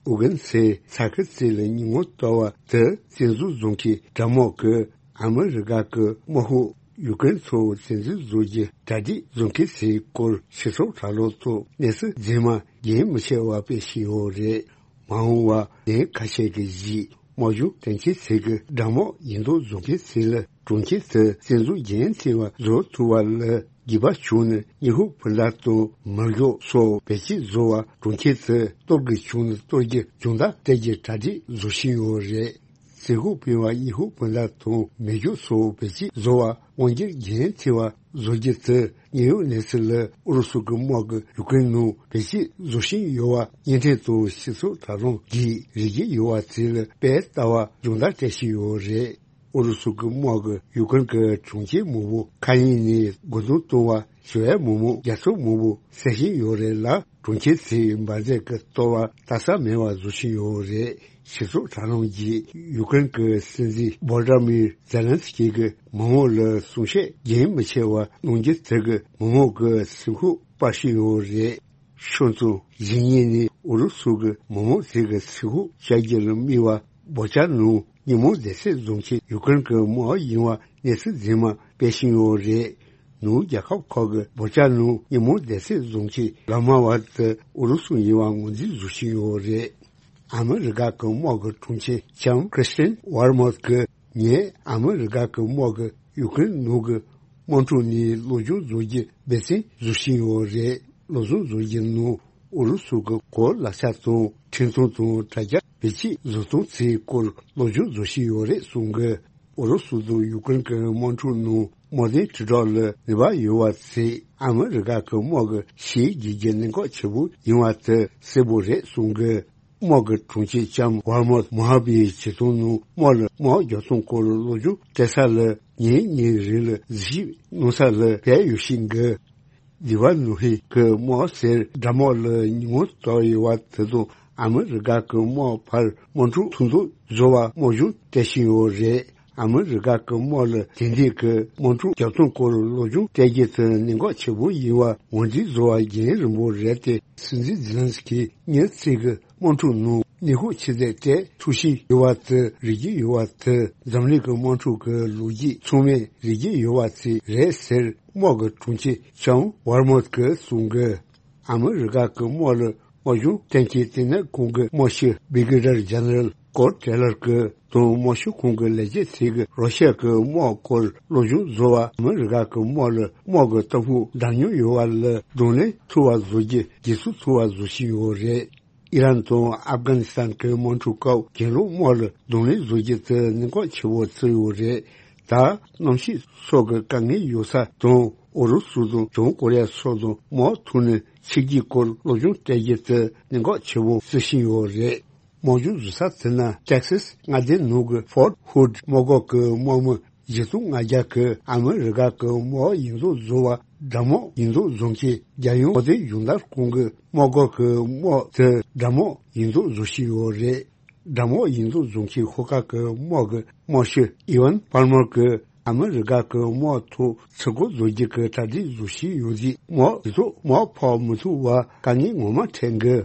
ཨུ་རྒན་ཚོས་ས་ཁུལ་ཚོ་ལ་ཉིན་མོ་ལྟ་བུ་དུ་བཙན་འཛུལ་བཟོ་མཁན་དགྲ་དམག་གིས་ཨ་མི་རི་ཀ་གི་དམག་དཔུང་ཡུ་ཀེ་རེན་ཚོ་བཙན་འཛུལ་བཟོ་རྒྱུ་གྲ་སྒྲིག་བཟོ་མཁན་ཚོའི་སྐོར་སྤྱི་ཚོགས་དྲ་ལམ་ཐོག་གནས་ཚུལ་རྫུན་མ་རྒྱུན་མི་ཆད་པར་སྤེལ་བཞིན་ཡོད་རེད། མ་འོངས་པར་ཉིན་ཁ་ཤས་ཀྱི་རྗེས་དམག་སྦྱོང་གཏན་འཁེལ་བྱེད་ཀྱི་དགྲ་དམག་ཡིན་མདོག་བཟོ་མཁན་ཚོ་ལ་གྲོང་ཁྱེར་དུ་བཙན་འཛུལ་རྒྱུན་མཐུད་པ་བཟོ་ཐུབ་པ་ལ་འགྱུར་བ་བྱུང་ནས་ཉི་ཧོང་སྤུན་ཟླ་དང་མེ་སྒྱོགས་སོགས་བེད་སྤྱོད་བཟོ་བ་གྲོང་ཁྱེར་དུ་གཏོར་དགོས་བྱུང་ན་གཏོར་རྒྱུ་སྦྱོང་བརྡར་སྤྲད་རྒྱུ་གྲ་སྒྲིག་བཟོ་བཞིན་ཡོད་རེད། ཟི་ཧོ་པིན་བ་ཉི་ཧོང་སྤུན་ཟླ་དང་མེ་སྒྱོགས་སོགས་བེད་སྤྱོད་བཟོ་བ་དབང་སྒྱུར་རྒྱུན་མཐུད་པ་བཟོ་རྒྱུ་དེ་དངོས་ཡོད་གནས་ཚུལ་ལ་ཨུ་རུ་སུ་གི་དམག་གིས་ཡུ་ཀེ་རེན་ནང་བེད་སྤྱོད་བཟོ་བཞིན་ཡོད་པ་བརྙན་འཕྲིན་དང་སྤྱི་ཚོགས་དྲ་ལམ་གྱིས་རིག་གི་ཡོད་པ་དེ་ལ་དཔེ་ལྟ་བ་སྦྱོང་བརྡར་སྤྲད་བཞིན་ཡོད་རེད། ཨུ་རུ་སུ་གི་དམག་གིས་ཡུ་ཀེ་རེན་གྱི་གྲོང་ཁྱེར་མང་པོ་མཁའ་དབྱིངས་ནས་རྒོལ་རྡུང་བཏང་བ། ཞི་བའི་མི་མང་རྒྱ་ཚོགས་མང་པོ་བསད་བཞིན་ཡོད་རེད་ལ། གྲོང་ཁྱེར་དེའི་འབར་རྫས་ཀྱི་གཏོར་བ་ལྟ་ས་མེད་པ་བཟོ་བཞིན་ཡོད་རེད། སྤྱི་ཚོགས་དྲ་ལམ་གྱིས་ཡུ་ཀེ་རེན་གྱི་སྲིད་འཛིན་བོ་ལོ་དི་མིར་ཛེ་ལན་སི་ཀི་གི་མི་མང་ལ་གསུང་བཤད་རྒྱུན་མི་ཆད་པར་གནང་རྒྱུ་དེ་གིས་མི་མང་གི་སེམས་ཤུགས་སྤར་བཞིན་ཡོད་རེད། ཆུ་ཚོད་བཞི་ཉིན་ནས་ཨུ་རུ་སུ་གི་མི་མང་དེ་གི་སེམས་ཤུགས་བཅག་རྒྱུ་ལ་དམིགས་པ་སྦོ་ཅ་ནང་ཉིན་མོ་བདེ་སྲུང་བཟོ་མཁན་ཡུ་ཀེ་རེན་གྱི་དམག་ཡིན་པ་གནས་ཚུལ་རྫུན་མ་སྤེལ་བཞིན་ཡོད་རེད། ནུབ་རྒྱལ་ཁབ་ཁག་གི་སྦོ་ཅ་ནང་ཉིན་མོ་བདེ་སྲུང་བཟོ་མཁན་ལག་དམར་བ་དེ་ཨུ་རུ་སུ་ཡིན་པ་ངོས་འཛིན་བཟོ་བཞིན་ཡོད་རེད། ཨ་མི་རི་ཀ་གི་དམག་གི་དྲུང་ཆེ་ལྕམ་ཁྲི་སི་ཏན་ཝར་མོཐ་གིས་ངས་ཨ་མི་རི་ཀ་གི་དམག་གིས་ཡུ་ཀེ་རེན་ནང་གི་དམག་འཁྲུག་ནས་སློབ་སྦྱོང་བཟོ་རྒྱུ་འབད་བརྩོན་བཟོ་བཞིན་ཡོད་རེད། སློབ་སྦྱོང་བཟོ་རྒྱུ་ནང་ཨུ་རུ་སུ་གི་གོ་ལག་ཆ་དང་འཕྲིན་ཐུང་དང་དྲ་རྒྱ་བེད་སྤྱོད་བཟོ་སྟངས་ཚོའི་སྐོར་སློབ་སྦྱོང་བཟོ་བཞིན་ཡོད་རེད་གསུངས་གི། ཨུ་རུ་སུ་དང་ཡུ་ཀེ་རེན་གྱི་དམག་འཁྲུག་ནང་དམག་དོན་དྲིལ་བསྒྲགས་ལ་ནུས་པ་ཡོད་པ་ཚོས་ཨ་མི་རི་ཀ་གི་དམག་གི་ཞི་བའི་གནད་འགག་ཆེན་པོ་ཡིན་པ་དེ་གསལ་པོ་རེད་གསུངས་གི། དམག་གི་དྲུང་ཆེ་ལྕམ་ཝར་མོཐ་མོ་ཧ་བི་ཡི་བྱེད་སྟངས་ནང་དམག་ལ་དམག་རྒྱག་སྟངས་སྐོར་སློབ་སྦྱོང་སྤྲད་ས་ལ་ཉིན་གཉིས་རིང་ལ་གཟིགས་ཞིབ་གནང་ས་ལ་ཕེབས་ཡོད་བཞིན་གི། ལི་བ་ནུ་ཧི་གི་དམག་སེར་དགྲ་དམག་ལ་ཉིན་མོ་གཏོར་ཡོད་པ་དེ་དང་ཨ་མི་རི་ཀ་གི་དམག་བར་དམག་འཁྲུག་ཐུག་མདོག་བཟོ་བ་དམག་སྦྱོང་སྤྲད་བཞིན་ཡོད་རེད། ཨ་མི་རི་ཀ་གི་དམག་ལ་དེ་འདྲའི་གི་དམག་འཁྲུག་བརྒྱབ་སྟངས་སྐོར་སློབ་སྦྱོང་སྤྲད་རྒྱུ་དེ་གནད་འགག་ཆེ་པོ་ཡིན་པ་ངོས་འཛིན་བཟོ་བ་རྒྱུན་རིང་པོ་རེད་དེ། སྲིད་འཛིན་ཛི་ལན་སི་ཀི་ཉིན་གཅིག་གི་དམག་འཁྲུག་ནང་ནད་ཁུག་ཆེ་ཚད་སྤྲད་ཐུག་བཞིན་ཡོད་པ་དེ་རིག་གི་ཡོད་པ་དེ་འཛམ་གླིང་གི་དམག་འཁྲུག་གི་ལོ་རྒྱུས་ཚང་མས་རིག་གི་ཡོད་པ་ཅིག་རེད་ཟེར། དམག་གི་དྲུང་ཆེ་ཅོན་ཝར་མོཐ་གིས་གསུངས་གི། ཨ་མི་རི་ཀ་གི་དམག་ལ་དམག་སྦྱོང་སྟོན་མཁན་དེ་ནི་ཁོང་གི་དམག་སྤྱི་བི་གི་རར་ཇེ་ནེ་རལ་ཀོར་ཊེ་ལར་གི་དང་དམག་སྤྱི་ཁོང་གི་ལས་བྱེད་ཚོས་གི་རོ་ཤ་གི་དམག་སྐོར་སློབ་སྦྱོང་བཟོ་བ། ཨ་མི་རི་ཀ་གི་དམག་ལ་དམག་གི་ལྟ་ཕུགས་འདྲ་མཉམ་ཡོད་པ་ལ་གདོང་ལེན་ཐུབ་པ་བཟོ་རྒྱུ་དགེ་མཚུངས་ཐུབ་པ་བཟོ་བཞིན་ཡོད་རེད། ཨི་རན་དང་ཨབ་གྷ་ནི་སི་ཐན་གྱི་དམག་འཁྲུག་སྐབས་གྱེན་ལོག་དམག་ལ་གདོང་ལེན་བཟོ་རྒྱུ་དེ་གནད་འགག་ཆེ་བོ་བརྩིས་ཡོད་རེད། ད་གནམ་གཤིས་སོགས་ཀྱི་དཀའ་ངལ་ཡོད་ས་དང་ཨུ་རུ་སུ་དང་བྱང་ཀོ་རི་ཡ་སོགས་དང་དམག་ཐུག་ནས་ཕྱིར་སྐྱེལ་སྐོར་སློབ་སྦྱོང་སྤྲད་རྒྱུ་དེ་གནད་འགག་ཆེ་བོ་བརྩི་བཞིན་ཡོད་རེད། དམག་སྦྱོང་བཟོ་ས་དེ་ནི་ཏེག་སཱས་མངའ་སྡེ་ནང་གི་ཧྥོར་ཧུད་དམག་སྒར་གྱི་དམག་མི་བཞི་སྟོང་ལྔ་བརྒྱ་གིས་ཨ་མི་རི་ཀ་གི་དམག་ཡིག་ཚང་བཟོ་བ། དགྲ་དམག་ཡིག་ཚང་བཟོ་མཁན་རྒྱལ་ཡོངས་དམག་སྡེ་སྦྱོང་བརྡར་ཁང་གི་དམག་སྒར་གྱི་དམག་དེ་དགྲ་དམག་ཡིག་ཚང་བཟོ་བཞིན་ཡོད་རེད། དགྲ་དམག་ཡིག་ཚང་བཟོ་མཁན་ཤོག་ཁག་གི་དམག་གི་དམག་སྤྱི་ཨི་ཝན་པཱལ་མར་གྱིས་ཨ་མི་རི་ཀ་གི་དམག་ཐོག་ཚུར་རྒོལ་བཟོ་རྒྱུ་གི་གྲ་སྒྲིག་བཟོ་བཞིན་ཡོད་དུས་དམག་དེ་ཚོ་དམག་ཕར་མི་ཐུག་པར་དཀའ་ངལ་ངོ་མ་འཕྲད་འགི།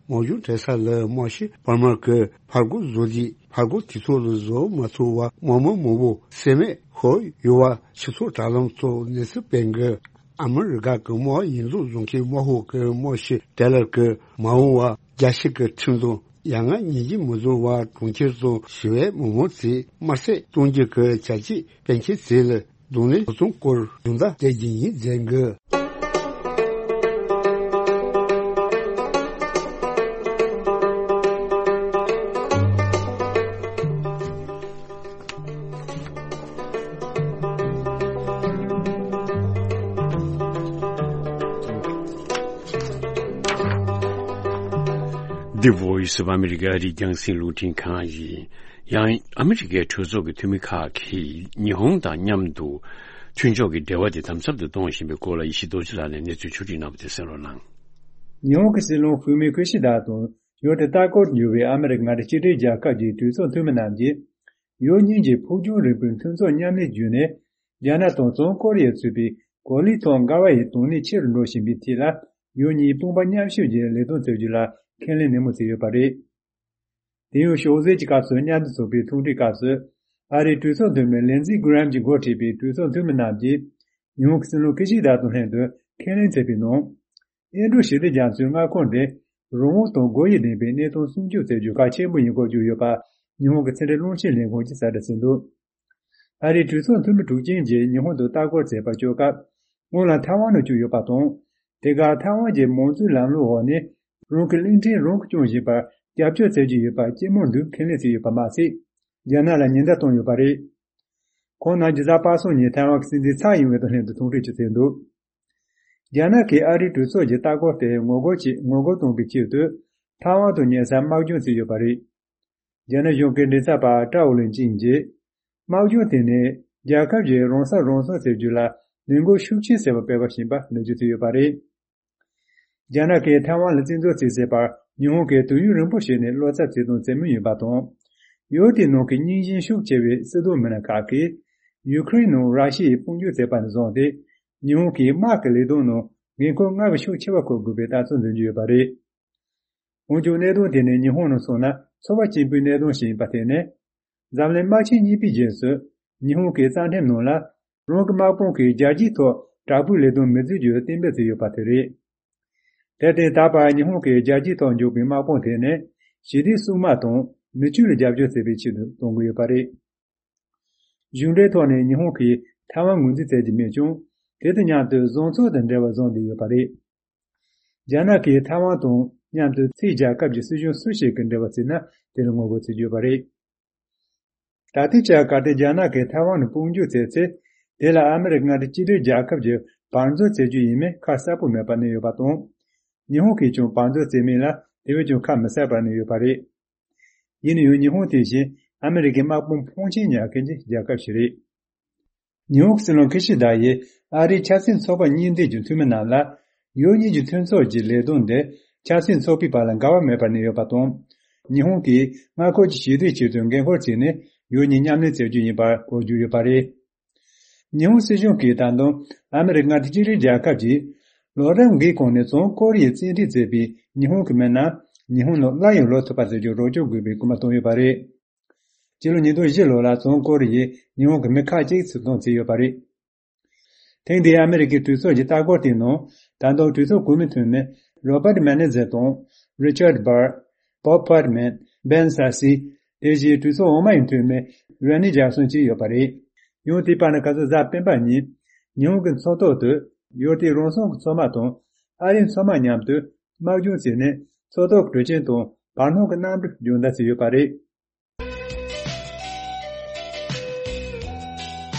དམག་སྦྱོང་སྤྲད་ས་ལ་དམག་སྤྱི་པར་མར་གྱིས་ཕར་རྒོལ་བཟོ་དུས་ཕར་རྒོལ་དུས་ཚོད་ལ་བཟོ་མ་ཐུབ་པར་དམག་མི་མང་པོ་བསད་རྨས་ཤོར་ཡོད་པ་སྤྱི་ཚོགས་དྲ་ལམ་ཐོག་གནས་ཚུལ་སྤེལ་འགི། ཨ་མི་རི་ཀ་གི་དམག་ཡིག་ཚང་བཟོ་མཁན་དམག་ཤོག་གི་དམག་སྤྱི་ཏེ་ལར་གྱིས་མ་འོངས་པར་རྒྱལ་སྤྱི་གི་ཁྲིམས་དང་ཡ་ང་ཉན་གྱིས་མི་བཟོ་བར་གྲོང་ཁྱེར་དང་ཞི་བའི་མི་མང་ཚོས་དམར་གསོད་གཏོང་རྒྱུ་གི་བྱ་སྤྱོད་སྤེལ་མཁན་ཚོ་ལ་གདོང་ལེན་ཧུར་ཐག་སྐོར་སྦྱོང་བརྡར་སྤྲད་རྒྱུ་ཡིན་ཟེར་འདུག། The Voice of America ཨ་རིའི་རྒྱང་སྲིང་རླུང་འཕྲིན་ཁང་ཡིན། ཡང་ཨ་མི་རི་ཀའི་གྲོས་ཚོགས་ཀྱི་འཐུས་མི་ཁག་གིས་ཉི་ཧོང་དང་མཉམ་དུ་མཐུན་ཕྱོགས་ཀྱི་འབྲེལ་བ་དེ་དམ་ཟབ་ཏུ་གཏོང་བཞིན་པའི་སྐོར་ལ་ཡེ་ཤེས་རྡོ་རྗེ་ལགས་ནས་གནས་ཚུལ་ཕྱོགས་སྒྲིག་གནང་བ་དེ་གསན་རོགས་གནང་། ཉི་ཧོང་གི་སྲིད་བློན་ཧྥུ་མི་ཁི་ཤི་དཱ་དང་ཡུལ་དེ་ལྟ་སྐོར་འགྱུར་བའི་ཨ་མི་རི་ཀ་མངའ་སྡེ་གཅིག་སྒྲིལ་རྒྱལ་ཁབ་ཀྱི་གྲོས་ཚོགས་འཐུས་མི་རྣམས་ཀྱིས་ཡུལ་གཉིས་ཀྱི་ཕུགས་རྒྱང་རིང་པོའི་མཐུན་ཚོགས་མཉམ་ལས་བརྒྱུད་ནས། རྒྱ་ནག་དང་བྱང་ཀོ་རི་ཡས་ཚུད་པའི་གོ་ལའི་ཐོག་འགལ་བ་ཡི་དོན་གནད་ཆེ་རུ་འགྲོ་བཞིན་པའི་ཐད་ལ། ཡུལ་གཉིས་དཔུང་པ་མཉམ་གཤིབ་ཀྱིས་ལས་དོན་སྤེལ་རྒྱུ་ལ་ཁས་ལེན་ནན་མོ་བྱས་ཡོད་པ་རེད། དེ་ཡང་ཞོགས་ཟས་ཀྱི་སྐབས་སུ་མཉམ་དུ་ཚོགས་པའི་ཐུག་འཕྲད་སྐབས་སུ། ཨ་རིའི་གྲོས་ཚོགས་འཐུས་མི་ལིན་ཛི་གྷི་རེམ་གྱིས་འགོ་ཁྲིད་པའི་གྲོས་ཚོགས་འཐུས་མི་རྣམས་ཀྱིས་ཉི་ཧོང་གི་སྲིད་བློན་ཁི་ཤི་དཱ་དང་ལྷན་དུ་ཁས་ལེན་མཛད་པའི་ནང་། ཨིན་ཌོ་ཞི་བདེ་རྒྱ་མཚོའི་མངའ་ཁོངས་དེ་རང་དབང་དང་དགོས་ཡིད་ལྡན་པའི་གནས་སྟངས་སྲུང་སྐྱོབ་བྱེད་རྒྱུ་གལ་ཆེན་པོ་ཡིན་སྐོར་བརྗོད་ཡོད་པ། ཉི་ཧོང་གི་ཕྱི་འབྲེལ་རླུང་འཕྲིན་ལས་ཁང་གིས་གསལ་བསྒྲགས་བྱས་འདུག། ཨ་རིའི་གྲོས་ཚོགས་འཐུས་མི་དྲུག་ཅན་གྱིས་ཉི་ཧོང་དུ་ལྟ་སྐོར་མཛད་པར་བསྐྱོད་སྐབས། སྔོན་ལ་ཐའེ་ཝན་དུ་བསྐྱོད་ཡོད་པ་དང་། དེ་གར་ཐའེ་ཝན་གྱི་མང་གཙོའི་ལམ་ལུགས་འོག་ནས་རང་གི་གླིང་ཕྲན་རང་གིས་སྐྱོང་བཞིན་པར་རྒྱབ་སྐྱོར་བྱེད་ཀྱི་ཡོད་པ་སྤྱི་དམངས་འདུས་ཁས་ལེན་བྱས་ཡོད་པ་མ་ཟད། རྒྱ་ནག་ལ་ཉེན་བརྡ་བཏང་ཡོད་པ་རེད། ཁོང་རྣམས་རྒྱུ་ཟླ་པ་སངས་ཉིན་ཐའེ་ཝན་གྱི་སྲིད་འཛིན་ཚའེ་ཡིན་ཝེ་དང་ལྷན་དུ་ཐུག་འཕྲད་ཀྱི་མཛད་འདུག། རྒྱ་ནག་གིས་ཨ་རིའི་གྲོས་ཚོགས་ཀྱི་ལྟ་སྐོར་དེར་ངོ་རྒོལ་བྱེད་ངོ་རྒོལ་གཏོང་བའི་ཆེད་དུ། ཐའེ་ཝན་དུ་ཉེ་སར་དམག་སྦྱོང་བྱས་ཡོད་པ་རེད། རྒྱ་ནག་གཞུང་གི་མགྲིན་ཚབ་པ་ཀྲའོ་ལིན་ཅིན་གྱིས། དམག་སྦྱོང་དེ་ནི་རྒྱལ་ཁབ་ཀྱིས་རང་ས་རང་སྲུང་བྱེད་རྒྱུ་ལ་ནུས་འགོག་ཤུགས་ཆེ་བྱས་པ་སྤེལ་བ་ཞིག་ཡིན་པ་ནན་བརྗོད་བྱས་ཡོད་པ་རེད། རྒྱ་ནག་གིས་ཐའེ་ཝན་ལ་བཙན་འཛུལ་བྱས་ཟེར་བར་ཉི་ཧོང་གིས་དུས་ཡུན་རིང་པོ་ཞིག་ནས་བློ་འཚབ་བྱས་དང་བྱེད་མུས་ཡིན་པ་དང་། ཡུལ་དེའི་ནང་གི་རྙིང་ཞེན་ཤུགས་ཆེ་བའི་སྲིད་དོན་མི་སྣ་ཁག་གིས་ཡུ་ཁུ་རེན་ནང་ར་ཤི་ཡའི་དཔུང་འཇུག་བྱས་པ་ནས་བཟུང་སྟེ། ཉི་ཧོང་གིས་དམག་གི་ལས་དོན་ནང་འགན་ཁུར་སྔར་བས་ཤུགས་ཆེ་བ་འཁུར་དགོས་པའི་ལྟ་ཚུལ་འཛིན་གྱི་ཡོད་པ་རེད། འོན་ཀྱང་གནད་དོན་དེ་ནི་ཉི་ཧོང་ནང་མཚོན་ན་ཚོར་བ་སྐྱེན་པོའི་གནད་དོན་ཞིག་ཡིན་པ་དེ་ནི། འཛམ་གླིང་དམག་ཆེན་གཉིས་པའི་རྗེས་སུ་ཉི་ཧོང་གི་རྩ་ཁྲིམས་ནང་ལ་རང་གི་དམག་དཔུང་གིས་རྒྱལ་སྤྱིའི་ཐོག་དྲག་པོའི་ལས་དོན་མི་བྱེད་རྒྱུ་གཏན་འབེབས་བྱས་ཡོད་པ་དེ་རེད། དེར་བརྟེན་ད་བར་ཉི་ཧོང་གིས་རྒྱལ་སྤྱིའི་ཐོག་འཇོག་པའི་དམག་དཔུང་དེ་ནི་ཞི་བདེའི་སྲུང་དམག་དང་མི་ཆོས་ལ་རྒྱབ་སྐྱོར་བྱེད་པའི་ཆེད་དུ་གཏོང་གི་ཡོད་པ་རེད། གཞུང་འབྲེལ་ཐོག་ནས་ཉི་ཧོང་གིས་ཐའེ་ཝན་ངོས་འཛིན་བྱེད་ཀྱི་མེད་ཀྱང་། དེ་དང་མཉམ་དུ་བཟང་ཕྱོགས་དང་འབྲེལ་བ་བཟུང་བསྡད་ཡོད་པ་རེད། རྒྱ་ནག་གིས་ཐའེ་ཝན་དང་མཉམ་དུ་ཕྱིའི་རྒྱལ་ཁབ་ཀྱི་སྲིད་གཞུང་སུ་ཞིག་གིས་འབྲེལ་བ་བྱས་ན་དེ་ལ་ངོ་རྒོལ་བྱེད་ཀྱི་ཡོད་པ་རེད། ད་ལྟའི་ཆར་གལ་ཏེ་རྒྱ་ནག་གིས་ཐའེ་ཝན་ལ་དཔུང་འཇུག་བྱས་ཚེ། དེ་ལ་ཨ་མི་རི་ཀ་མངའ་སྡེ་གཅིག་སྒྲིལ་རྒྱལ་ཁབ་ཀྱིས་བར་འཛུལ་བྱེད་རྒྱུ་ཡིན་མིན་ཁ་གསལ་པོ་མེད་པར་གནས་ཡོད་པ་དང་། ཉི་ཧོང་གིས་ཀྱང་བར་འཛུལ་བྱེད་མིན་ལ་དེ་བས་ཀྱང་ཁ་མི་གསལ་བར་གནས་ཡོད་པ་རེད། ཡིན་ན་ཡང་ཉི་ཧོང་དེ་བཞིན་ཨ་མི་རི་ཀའི་དམག་དཔུང་ཕོན་ཆེན་ཉར་མཁན་གྱི་རྒྱལ་ཁབ་ཞིག་རེད། ཉི་ཧོང་གི་སྲིད་བློན་ཁི་ཤི་དཱ་ཡིས་ཨ་རིའི་ཆབ་སྲིད་ཚོགས་པ་གཉིས་ལྡན་གྱི་འཐུས་མི་རྣམས་ལ། ཡུལ་གཉིས་ཀྱི་མཐུན་ཚོགས་ཀྱི་ལས་དོན་དེ་ཆབ་སྲིད་ཚོགས་པའི་བར་ལ་འགལ་བ་མེད་པར་གནས་ཡོད་པ་དང་། ཉི་ཧོང་གིས་མངའ་ཁོངས་ཀྱི་ཞི་བདེའི་ཆེད་དུ་འགན་འཁུར་བྱས་ནས་ ཡུལ་གཉིས་མཉམ་ལེན་བྱེད་རྒྱུ་ཡིན་པ་གོ་རྒྱུ་ཡོད་པ་རེད། ཉི་ཧོང་སྲིད་གཞུང་གིས་ད་དུང་ཨ་མི་རི་ཀ་མངའ་སྡེ་གཅིག་སྒྲིལ་རྒྱལ་ཁབ་ཀྱིས་ལོ་རབས་འགའི་གོང་ནས་བྱང་ཀོ་རི་ཡའི་རྩིས་ཁྲ་བརྩིས་པའི་ཉི་ཧོང་གི་མི་རྣམས་ཉི་ཧོང་ནང་སླར་ཡང་ལོག་ཐུབ་པ་བྱེད་རྒྱུར་རོགས་སྐྱོར་དགོས་པའི་སྐུལ་མ་བཏང་ཡོད་པ་རེད། སྤྱི་ལོ་ཉིས་སྟོང་བཞི་ལོ་ལ་བྱང་ཀོ་རི་ཡས་ཉི་ཧོང་གི་མི་ཁག་ཅིག་ཚུར་གཏོང་བྱས་ཡོད་པ་རེད། ཐེངས་འདིའི་ཨ་མི་རི་ཀའི་གྲོས་ཚོགས་ཀྱི་ལྟ་སྐོར་དེའི་ནང་ད་དུང་གྲོས་ཚོགས་གོང་མའི་འཐུས་མི་Robert Menendez དང་Richard Burr, Bob Fetterman, Ben Sasse དེ་བཞིན་གྲོས་ཚོགས་འོག་མའི་འཐུས་མི་Ronny Jackson བཅས་ཡོད་པ་རེད། ཡང་དེའི་བར་ན་ཁ་སང་གཟའ་སྤེན་པ་ཉིན་ཉི་ཧོང་གི་མཚོ་ཐོག་ཏུ་ཡུལ་དེའི་རང་སྲུང་གི་མཚོ་དམག་དང་ཨ་རིའི་མཚོ་དམག་མཉམ་དུ་དམག་སྦྱོང་བྱས་ནས་མཚོ་ཐོག་གི་དྲོད་ཆེན་དང་བར་སྣང་གི་གནམ་གྲུ་སྦྱོང་བརྡར་བྱས་ཡོད་པ་རེད།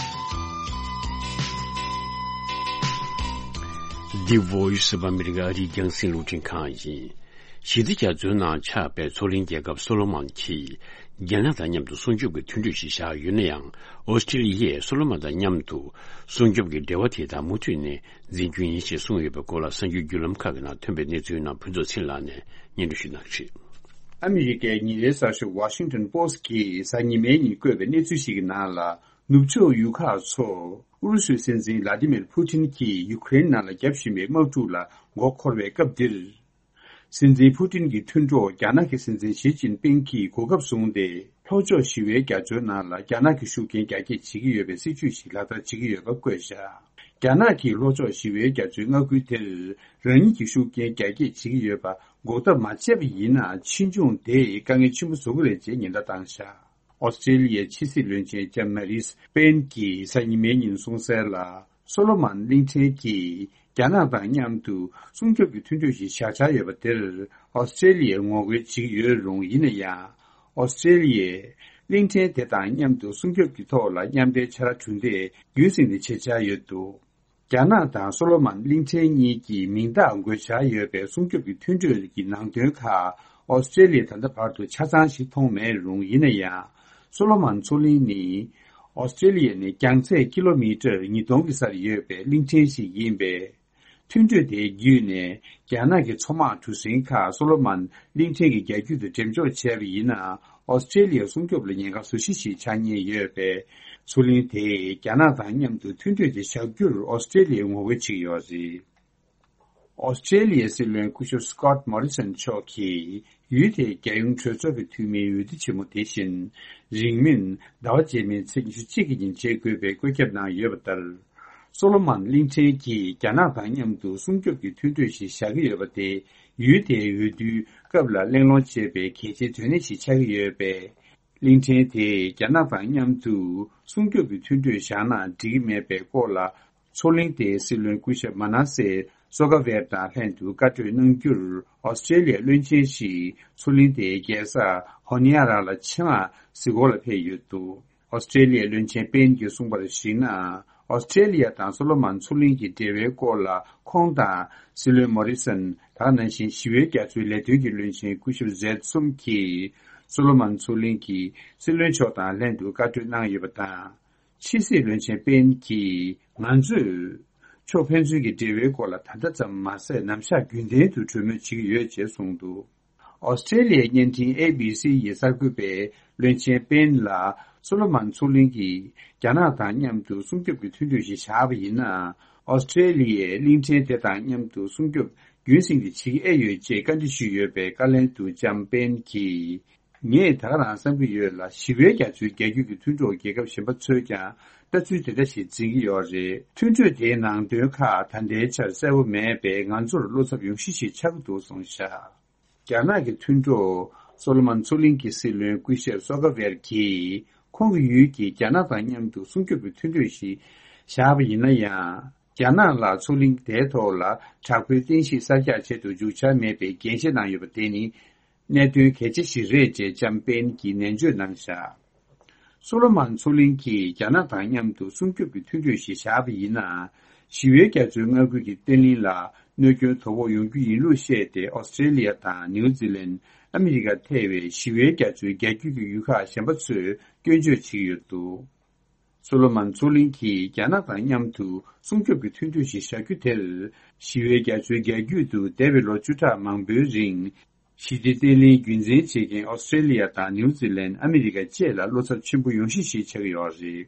The Voice of America ཨ་རིའི་རྒྱང་སྲིང་རླུང་འཕྲིན་ཁང་ཡིན། ཞི་བདེ་རྒྱ་མཚོའི་ནང་ཆགས་པའི་མཚོ་གླིང་རྒྱལ་ཁབ་སོ་ལོ་མོན་གྱིས་རྒྱ་ནག་དང་མཉམ་དུ་སྲུང་སྐྱོབ་ཀྱི་མཐུན་གྲོས་ཤིག་བཞག་ཡོད་ན་ཡང་། ཨོ་སི་ཀྲི་ལི་ཡས་སོ་ལོ་མོན་དང་མཉམ་དུ་སྲུང་སྐྱོབ་ཀྱི་འབྲེལ་བ་དེ་དག་མུ་མཐུད་ནས་འཛིན་རྒྱུ་ཡིན་ཞེས་གསུངས་ཡོད་པའི་སྐོར་ལ་གསར་འགྱུར་བརྒྱུད་ལམ་ཁག་གི་ནང་ཐོན་པའི་གནས་ཚུལ་རྣམས་ཕུན་ཚོགས་ཚེ་ལགས་ནས་སྙན་སྒྲོན་ཞུ་གནང་གི་རེད། ཨ་མི་རི་ཀའི་ཉིན་རེའི་གསར་ཤོག་Washington Post གིས་གཟའ་ཉི་མའི་ཉིན་བཀོད་པའི་གནས་ཚུལ་ཞིག་གི་ནང་ལ། ནུབ་ཕྱོགས་ཡུལ་ཁག་ཚོར་ཨུ་རུ་སུའི་སྲིད་འཛིན་ལ་ཏི་མིར་ཕུ་ཏིན་གྱིས་ཡུ་ཀེ་རེན་ནང་ལ་བརྒྱབ་བཞིན་པའི་དམག་འཁྲུག་ལ་མགོ་འཁོར་བའི་སྐབས་འདིར། སྲིད་འཛིན་ཕུ་ཏིན་གྱི་མཐུན་གྲོགས་རྒྱ་ནག་གི་སྲིད་འཛིན་ཞི་ཅིན་ཕིང་གིས་གོ་སྐབས་བཟུང་སྟེ། ལྷོ་ཕྱོགས་ཞི་བའི་རྒྱ་མཚོའི་ནང་ལ་རྒྱ་ནག་གི་ཤུགས་རྐྱེན་རྒྱ་སྐྱེད་བྱེད་ཀྱི་ཡོད་པའི་སྲིད་ཇུས་ཤིག་ལག་བསྟར་བྱེད་ཀྱི་ཡོད་པ་བཀོད་བཞག་རྒྱ་ནག་གིས་ལྷོ་ཕྱོགས་ཞི་བའི་རྒྱ་མཚོའི་མངའ་ཁུལ་དེར་རང་ཉིད་ཀྱི་ཤུགས་རྐྱེན་རྒྱ་སྐྱེད་བྱེད་ཀྱི་ཡོད་པ་འགོག་ཐབས་མ་བྱས་པ་ཡིན་ན། ཕྱིས་འབྱུང་དེས་དཀའ་ངལ་ཆེན་པོ་བཟོ་གི་རེད་ཅེས་ཉེན་བརྡ་བཏང་བཞག་ཨོ་སི་ཀྲེ་ལི་ཡའི་ཕྱི་སྲིད་བློན་ཆེན་ལྕམ་མ་རིས་པེན་གྱིས་གཟའ་ཉི་མའི་ཉིན་གསུངས་གསལ་ལ། སོ་ལོ་མོན་གླིང་ཕྲན་གྱིས་རྒྱ་ནག་དང་མཉམ་དུ་སྲུང་སྐྱོབ་ཀྱི་མཐུན་གྲོས་ཤིག་བཞག་འཆར་ཡོད་པ་དེར་ཨོ་སི་ཀྲེ་ལི་ཡས་ངོ་རྒོལ་བྱེད་ཀྱི་ཡོད་རུང་། ཡིན་ན་ཡང་། ཨོ་སི་ཀྲེ་ལི་ཡས་གླིང་ཕྲན་དེ་དང་མཉམ་དུ་སྲུང་སྐྱོབ་ཀྱི་ཐོག་ལ་མཉམ་འབྲེལ་ཕྱག་ལས་གྲུ་འདེགས་རྒྱུན་སྲིང་དུ་བྱེད་འཆར་ཡོད་འདུག་རྒྱ་ནག་དང་སོ་ལོ་མོན་གླིང་ཕྲན་གཉིས་ཀྱི་མིང་རྟགས་འགོད་འཆར་ཡོད་པའི་སྲུང་སྐྱོབ་ཀྱི་མཐུན་གྲོས་ཀྱི་ནང་དོན་ཁག་ཨོ་སི་ཀྲེ་ལི་ཡས་ད་ལྟ་བར་དུ་ཆ་ཚང་ཞིག་མཐོང་མེད་རུང་། ཡིན་ན་ཡང་། སོ་ལོ་མོན་མཚོ་གླིང་ནི་ཨོ་སི་ཀྲེ་ལི་ཡ་ནས་རྒྱང་ཚད་ཀི་ལོ་མི་ཊར་ཉིས་སྟོང་གི་སར་ཡོད་པའི་གླིང་ཕྲན་ཞིག་ཡིན་པས། མཐུན་གྲོས་དེའི་བརྒྱུད་ནས་རྒྱ་ནག་གི་མཚོ་དམག་གྲུ་གཟིངས་ཁག་སོ་ལོ་མོན་གླིང་ཕྲན་གྱི་རྒྱ་རྒྱུད་དུ་འགྲེམས་འཇོག་བྱས་པ་ཡིན་ན། ཨོ་སི་ཀྲེ་ལི་ཡའི་སྲུང་སྐྱོབ་ལ་ཉེན་ཁ་བཟོ་གཞི་ཞིག་ཆགས་ཉེན་ཡོད་པས། མཚོ་གླིང་དེས་རྒྱ་ནག་དང་མཉམ་དུ་མཐུན་གྲོས་དེ་བཞག་རྒྱུར་ཨོ་སི་ཀྲེ་ལི་ཡས་ངོ་རྒོལ་བྱེད་ཀྱི་ཡོད་རེད། ཨོ་སི་ཀྲེ་ལི་ཡའི་སྲིད་བློན་སྐུ་ཞབས་Scott Morrison མཆོག་གིས་ཡུལ་དེའི་རྒྱལ་ཡོངས་གྲོས་ཚོགས་ཀྱི་འཐུས་མིའི་འོས་བསྡུ་ཆེན་མོ་དེ་བཞིན་རིང་མིན་ཟླ་བ་རྗེས་མའི་ཚེས་ཉི་ཤུ་གཅིག་གི་ཉིན་བྱེད་དགོས་པའི་བཀོད་ཁྱབ་གནང་ཡོད་པ་ལྟར། སོ་ལོ་མོན་གླིང་ཕྲན་གྱིས་རྒྱ་ནག་དང་མཉམ་དུ་སྲུང་སྐྱོབ་ཀྱི་མཐུན་གྲོས་ཤིག་བཞག་གི་ཡོད་པ་དེ་ཡུལ་དེའི་འོས་བསྡུའི་སྐབས་ལ་གླེང་སློང་བྱེད་པའི་གལ་ཆེའི་དོན་གནད་ཞིག་ཆགས་ཀྱི་ཡོད་པས། གླིང་ཕྲན་དེས་རྒྱ་ནག་དང་མཉམ་དུ་སྲུང་སྐྱོབ་ཀྱི་མཐུན་གྲོས་བཞག་ན་འགྲིག་གི་མེད་པའི་སྐོར་ལ། མཚོ་གླིང་དེའི་སྲིད་བློན་སྐུ་ཞབས་མ་ན་སེ་སོ་ཀ་ཝེར་དང་ལྷན་དུ་བཀའ་གྲོས་གནང་རྒྱུར། ཨོ་སི་ཀྲེ་ལི་ཡའི་བློན་ཆེན་ཞིག་མཚོ་གླིང་དེའི་རྒྱལ་ས་ཧོ་ནི་ཡ་ར་ལ་ཕྱེ་མར་གཟིགས་སྐོར་ལ་ཕེབས་ཡོད་འདུག་ཨོ་སི་ཀྲེ་ལི་ཡའི་བློན་ཆེན་པེན་གྱིས་གསུངས་པར་གཞིགས་ན། ཨོ་སི་ཀྲེ་ལི་ཡ་དང་སོ་ལོ་མོན་མཚོ་གླིང་གི་འབྲེལ་བའི་སྐོར་ལ། ཁོང་དང་སྲིད་བློན་མོ་རི་སན། ད་ག་ནང་བཞིན་ཞི་བའི་རྒྱ་མཚོའི་ལས་དོན་གྱི་བློན་ཆེན་སྐུ་ཞབས་ཟེད་གསུམ་གྱིས། སོ་ལོ་མོན་མཚོ་གླིང་གི་སྲིད་བློན་མཆོག་དང་ལྷན་དུ་བཀའ་གྲོས་གནང་ཡོད་པ་དང་། ཕྱི་སྲིད་བློན་ཆེན་པེན་གྱིས། ང་ཚོས་ཕྱོགས་ཕན་ཚུན་གྱི་འབྲེལ་བའི་སྐོར་ལ་ད་ལྟ་ཙམ་མ་ཟད། ནམ་ཞག་རྒྱུན་ལྡན་དུ་གྲོས་མོལ་བྱེད་ཀྱི་ཡོད་ཅེས་གསུངས་འདུག་ཨོ་སི་ཀྲེ་ལི་ཡའི་བརྙན་འཕྲིན་ཨེ་བི་སི་ཡིས་གསར་འགོད་པས། བློན་ཆེན་པེན་ལ། སོ་ལོ་མོན་མཚོ་གླིང་གིས་རྒྱ་ནག་དང་མཉམ་དུ་སྲུང་སྐྱོབ་ཀྱི་མཐུན་གྲོས་ཤིག་བཞག་པ་ཡིན་ན། ཨོ་སི་ཀྲེ་ལི་ཡས་གླིང་ཕྲན་དེ་དང་མཉམ་དུ་སྲུང་སྐྱོབ་རྒྱུན་སྲིང་དུ་བྱེད་ཀྱི་ཨེ་ཡོད་ཅེས་བཀའ་འདྲི་ཞུས་ཡོད་པའི་བཀའ་ལན་དུ། ལྕམ་པེན་གྱིས། ངས་ད་ག་རང་བསམ་གྱི་ཡོད་ལ། ཞི་བའི་རྒྱ་མཚོའི་རྒྱ་རྒྱུད་ཀྱི་མཐུན་གྲོགས་རྒྱལ་ཁབ་གཞན་པ་ཚོས་ཀྱང་ལྟ་ཚུལ་དེ་འདྲ་ཞིག་འཛིན་གྱི་ཡོད་རེད། མཐུན་གྲོས་དེའི་ནང་དོན་ཁག་ད་ལྟའི་ཆར་གསལ་པོ་མེད་པས། ང་ཚོར་བློ་འཚབ་ཡོང་གཞི་ཞིག་ཆགས་ཀྱི་འདུག་གསུངས་བཞག་རྒྱ་ནག་གི་མཐུན་གྲོགས་སོ་ལོ་མོན་མཚོ་གླིང་གི་སྲིད་བློན་སྐུ་ཞབས་སོ་ཀ་ཝེར་གྱིས། ཁོང་གི་ཡུལ་གྱིས་རྒྱ་ནག་དང་མཉམ་དུ་སྲུང་སྐྱོབ་ཀྱི་མཐུན་གྲོས་ཤིག་བཞག་པ་ཡིན་ན་ཡང་། རྒྱ་ནག་ལ་མཚོ་གླིང་དེའི་ཐོག་ལ་དྲག་པོའི་རྟེན་གཞི་གསར་རྒྱག་བྱེད་དུ་འཇུག་འཆར་མེད་པའི་འགན་བཞེས་གནང་ཡོད་པ་དེ་ནི། གནད་དོན་གལ་ཆེ་ཞིག་རེད་ཅེས་ལྕམ་པེན་གྱིས་ནན་བརྗོད་གནང་བཞག་སོ་ལོ་མོན་མཚོ་གླིང་གིས་རྒྱ་ནག་དང་མཉམ་དུ་སྲུང་སྐྱོབ་ཀྱི་མཐུན་གྲོས་ཤིག་བཞག་པ་ཡིན་ན། ཞི་བའི་རྒྱ་མཚོའི་མངའ་ཁུལ་གྱི་བརྟན་ལྷིང་ལ་གནོད་སྐྱོན་དོ་ཕོག་ཡོང་རྒྱུ་ཡིན་ལུགས་བཤད་དེ། ཨོ་སི་ཀྲེ་ལི་ཡ་དང་ནིའུ་ཛི་ལན། ཨ་མི་རི་ཀ་ཐེ་བའི་ཞི་བའི་རྒྱ་མཚོའི་རྒྱ་རྒྱུད་ཀྱི་ཡུལ་ཁག་གཞན་པ་ཚོས་སྐྱོན་བརྗོད་བྱེད་ཀྱི་ཡོད་འདུག་སོ་ལོ་མོན་མཚོ་གླིང་གིས་རྒྱ་ནག་དང་མཉམ་དུ་སྲུང་སྐྱོབ་ཀྱི་མཐུན་གྲོས་ཤིག་བཞག་རྒྱུ་དེར། ཞི་བའི་རྒྱ་མཚོའི་རྒྱ་རྒྱུད་དུ་འདས་པའི་ལོ་བཅུ་ཕྲག་མང་པོའི་རིང་། ཞི་བདེ་བརྟན་ལྷིང་རྒྱུན་འཛིན་བྱེད་མཁན་ཨོ་སི་ཀྲེ་ལི་ཡ་དང་ནིའུ་ཛི་ལན། ཨ་མི་རི་ཀ་བཅས་ལ་བློ་འཚབ་ཆེན་པོ་ཡོང་གཞི་ཞིག་ཆགས་ཀྱི་ཡོད་རེད།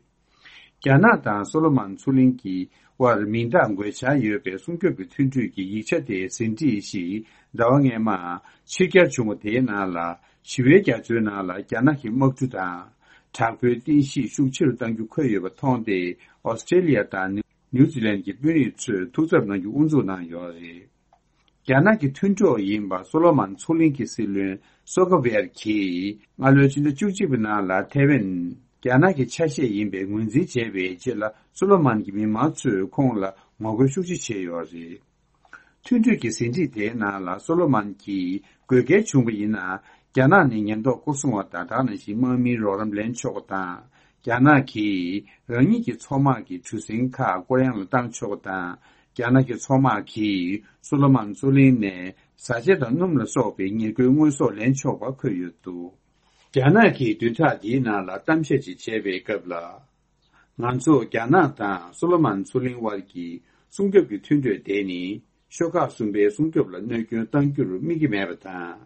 རྒྱ་ནག་དང་སོ་ལོ་མོན་མཚོ་གླིང་གི་དབར་མིང་རྟགས་འགོད་འཆར་ཡོད་པའི་སྲུང་སྐྱོབ་ཀྱི་མཐུན་གྲོས་ཀྱི་ཡིག་ཆ་དེའི་ཟིན་བྲིས་ཤིག་ཟླ་བ་སྔོན་མ་ཕྱིར་གྱར་བྱུང་བ་དེའི་ནང་ལ། ཞི་བའི་རྒྱ་མཚོའི་ནང་ལ་རྒྱ་ནག་གི་དམག་གྲུ་དང་། དྲག་པོའི་རྟེན་གཞི་ཤུགས་ཆེ་རུ་གཏང་རྒྱུ་འཁོད་ཡོད་པ་མཐོང་སྟེ། ཨོ་སི་ཀྲེ་ལི་ཡ་དང་ནིའུ་ཛི་ལན་གྱི་དཔོན་རིགས་ཚོས་ཐུགས་འཚབ་གནང་རྒྱུ་དབུ་འཛུགས་གནང་ཡོད་རེད། རྒྱ་ནག་གི་མཐུན་གྲོགས་ཡིན་པ་སོ་ལོ་མོན་མཚོ་གླིང་གི་སྲིད་བློན་སོ་ཀ་ཝེར་གྱིས་སྔ་ལོའི་ཕྱི་ཟླ་བཅུ་གཅིག་པའི་ནང་ལ་ཐེ་ཝན་རྒྱ་ནག་གི་ཆ་ཤས་ཡིན་པའི་ངོས་འཛིན་བྱས་པའི་རྗེས་ལ། སོ་ལོ་མོན་གྱི་མི་མང་ཚོས་ཁོང་ལ་ངོ་རྒོལ་ཤུགས་ཆེ་བྱས་ཡོད་རེད། མཐུན་གྲོས་ཀྱི་ཟིན་བྲིས་དེའི་ནང་ལ། སོ་ལོ་མོན་གྱིས་དགོས་གལ་བྱུང་བ་ཡིན་ན། རྒྱ་ནག་ནས་ཉེན་རྟོག་སྐོར་སྲུང་བ་དང་། དེ་ནང་བཞིན་དམག་མིའི་རོགས་རམ་ལེན་ཆོག་པ་དང་། རྒྱ་ནག་གིས་རང་ཉིད་ཀྱི་མཚོ་དམག་གི་གྲུ་གཟིངས་ཁག་སྐོར་གཡང་ལ་བཏང་ཆོག་པ་དང་། རྒྱ་ནག་གི་མཚོ་དམག་གིས་སོ་ལོ་མོན་མཚོ་གླིང་ནས་བཟའ་བཅའ་དང་སྣུམ་ལ་སོགས་པའི་ཉེར་མཁོའི་དངོས་ཟོག་ལེན་ཆོག་པ་འཁོད་ཡོད་འདུག་རྒྱ་ནག་གིས་བདུན་ཕྲག་འདིའི་ནང་ལ་གཏམ་བཤད་ཅིག་བྱས་པའི་སྐབས་ལ། ང་ཚོ་རྒྱ་ནག་དང་སོ་ལོ་མོན་མཚོ་གླིང་དབར་གྱི་སྲུང་སྐྱོབ་ཀྱི་མཐུན་གྲོས་དེ་ནི། ཤོག་ཁག་གསུམ་པའི་སྲུང་སྐྱོབ་ལ་གནོད་སྐྱོན་གཏང་རྒྱུར་དམིགས་ཀྱི་མེད་པ་དང་།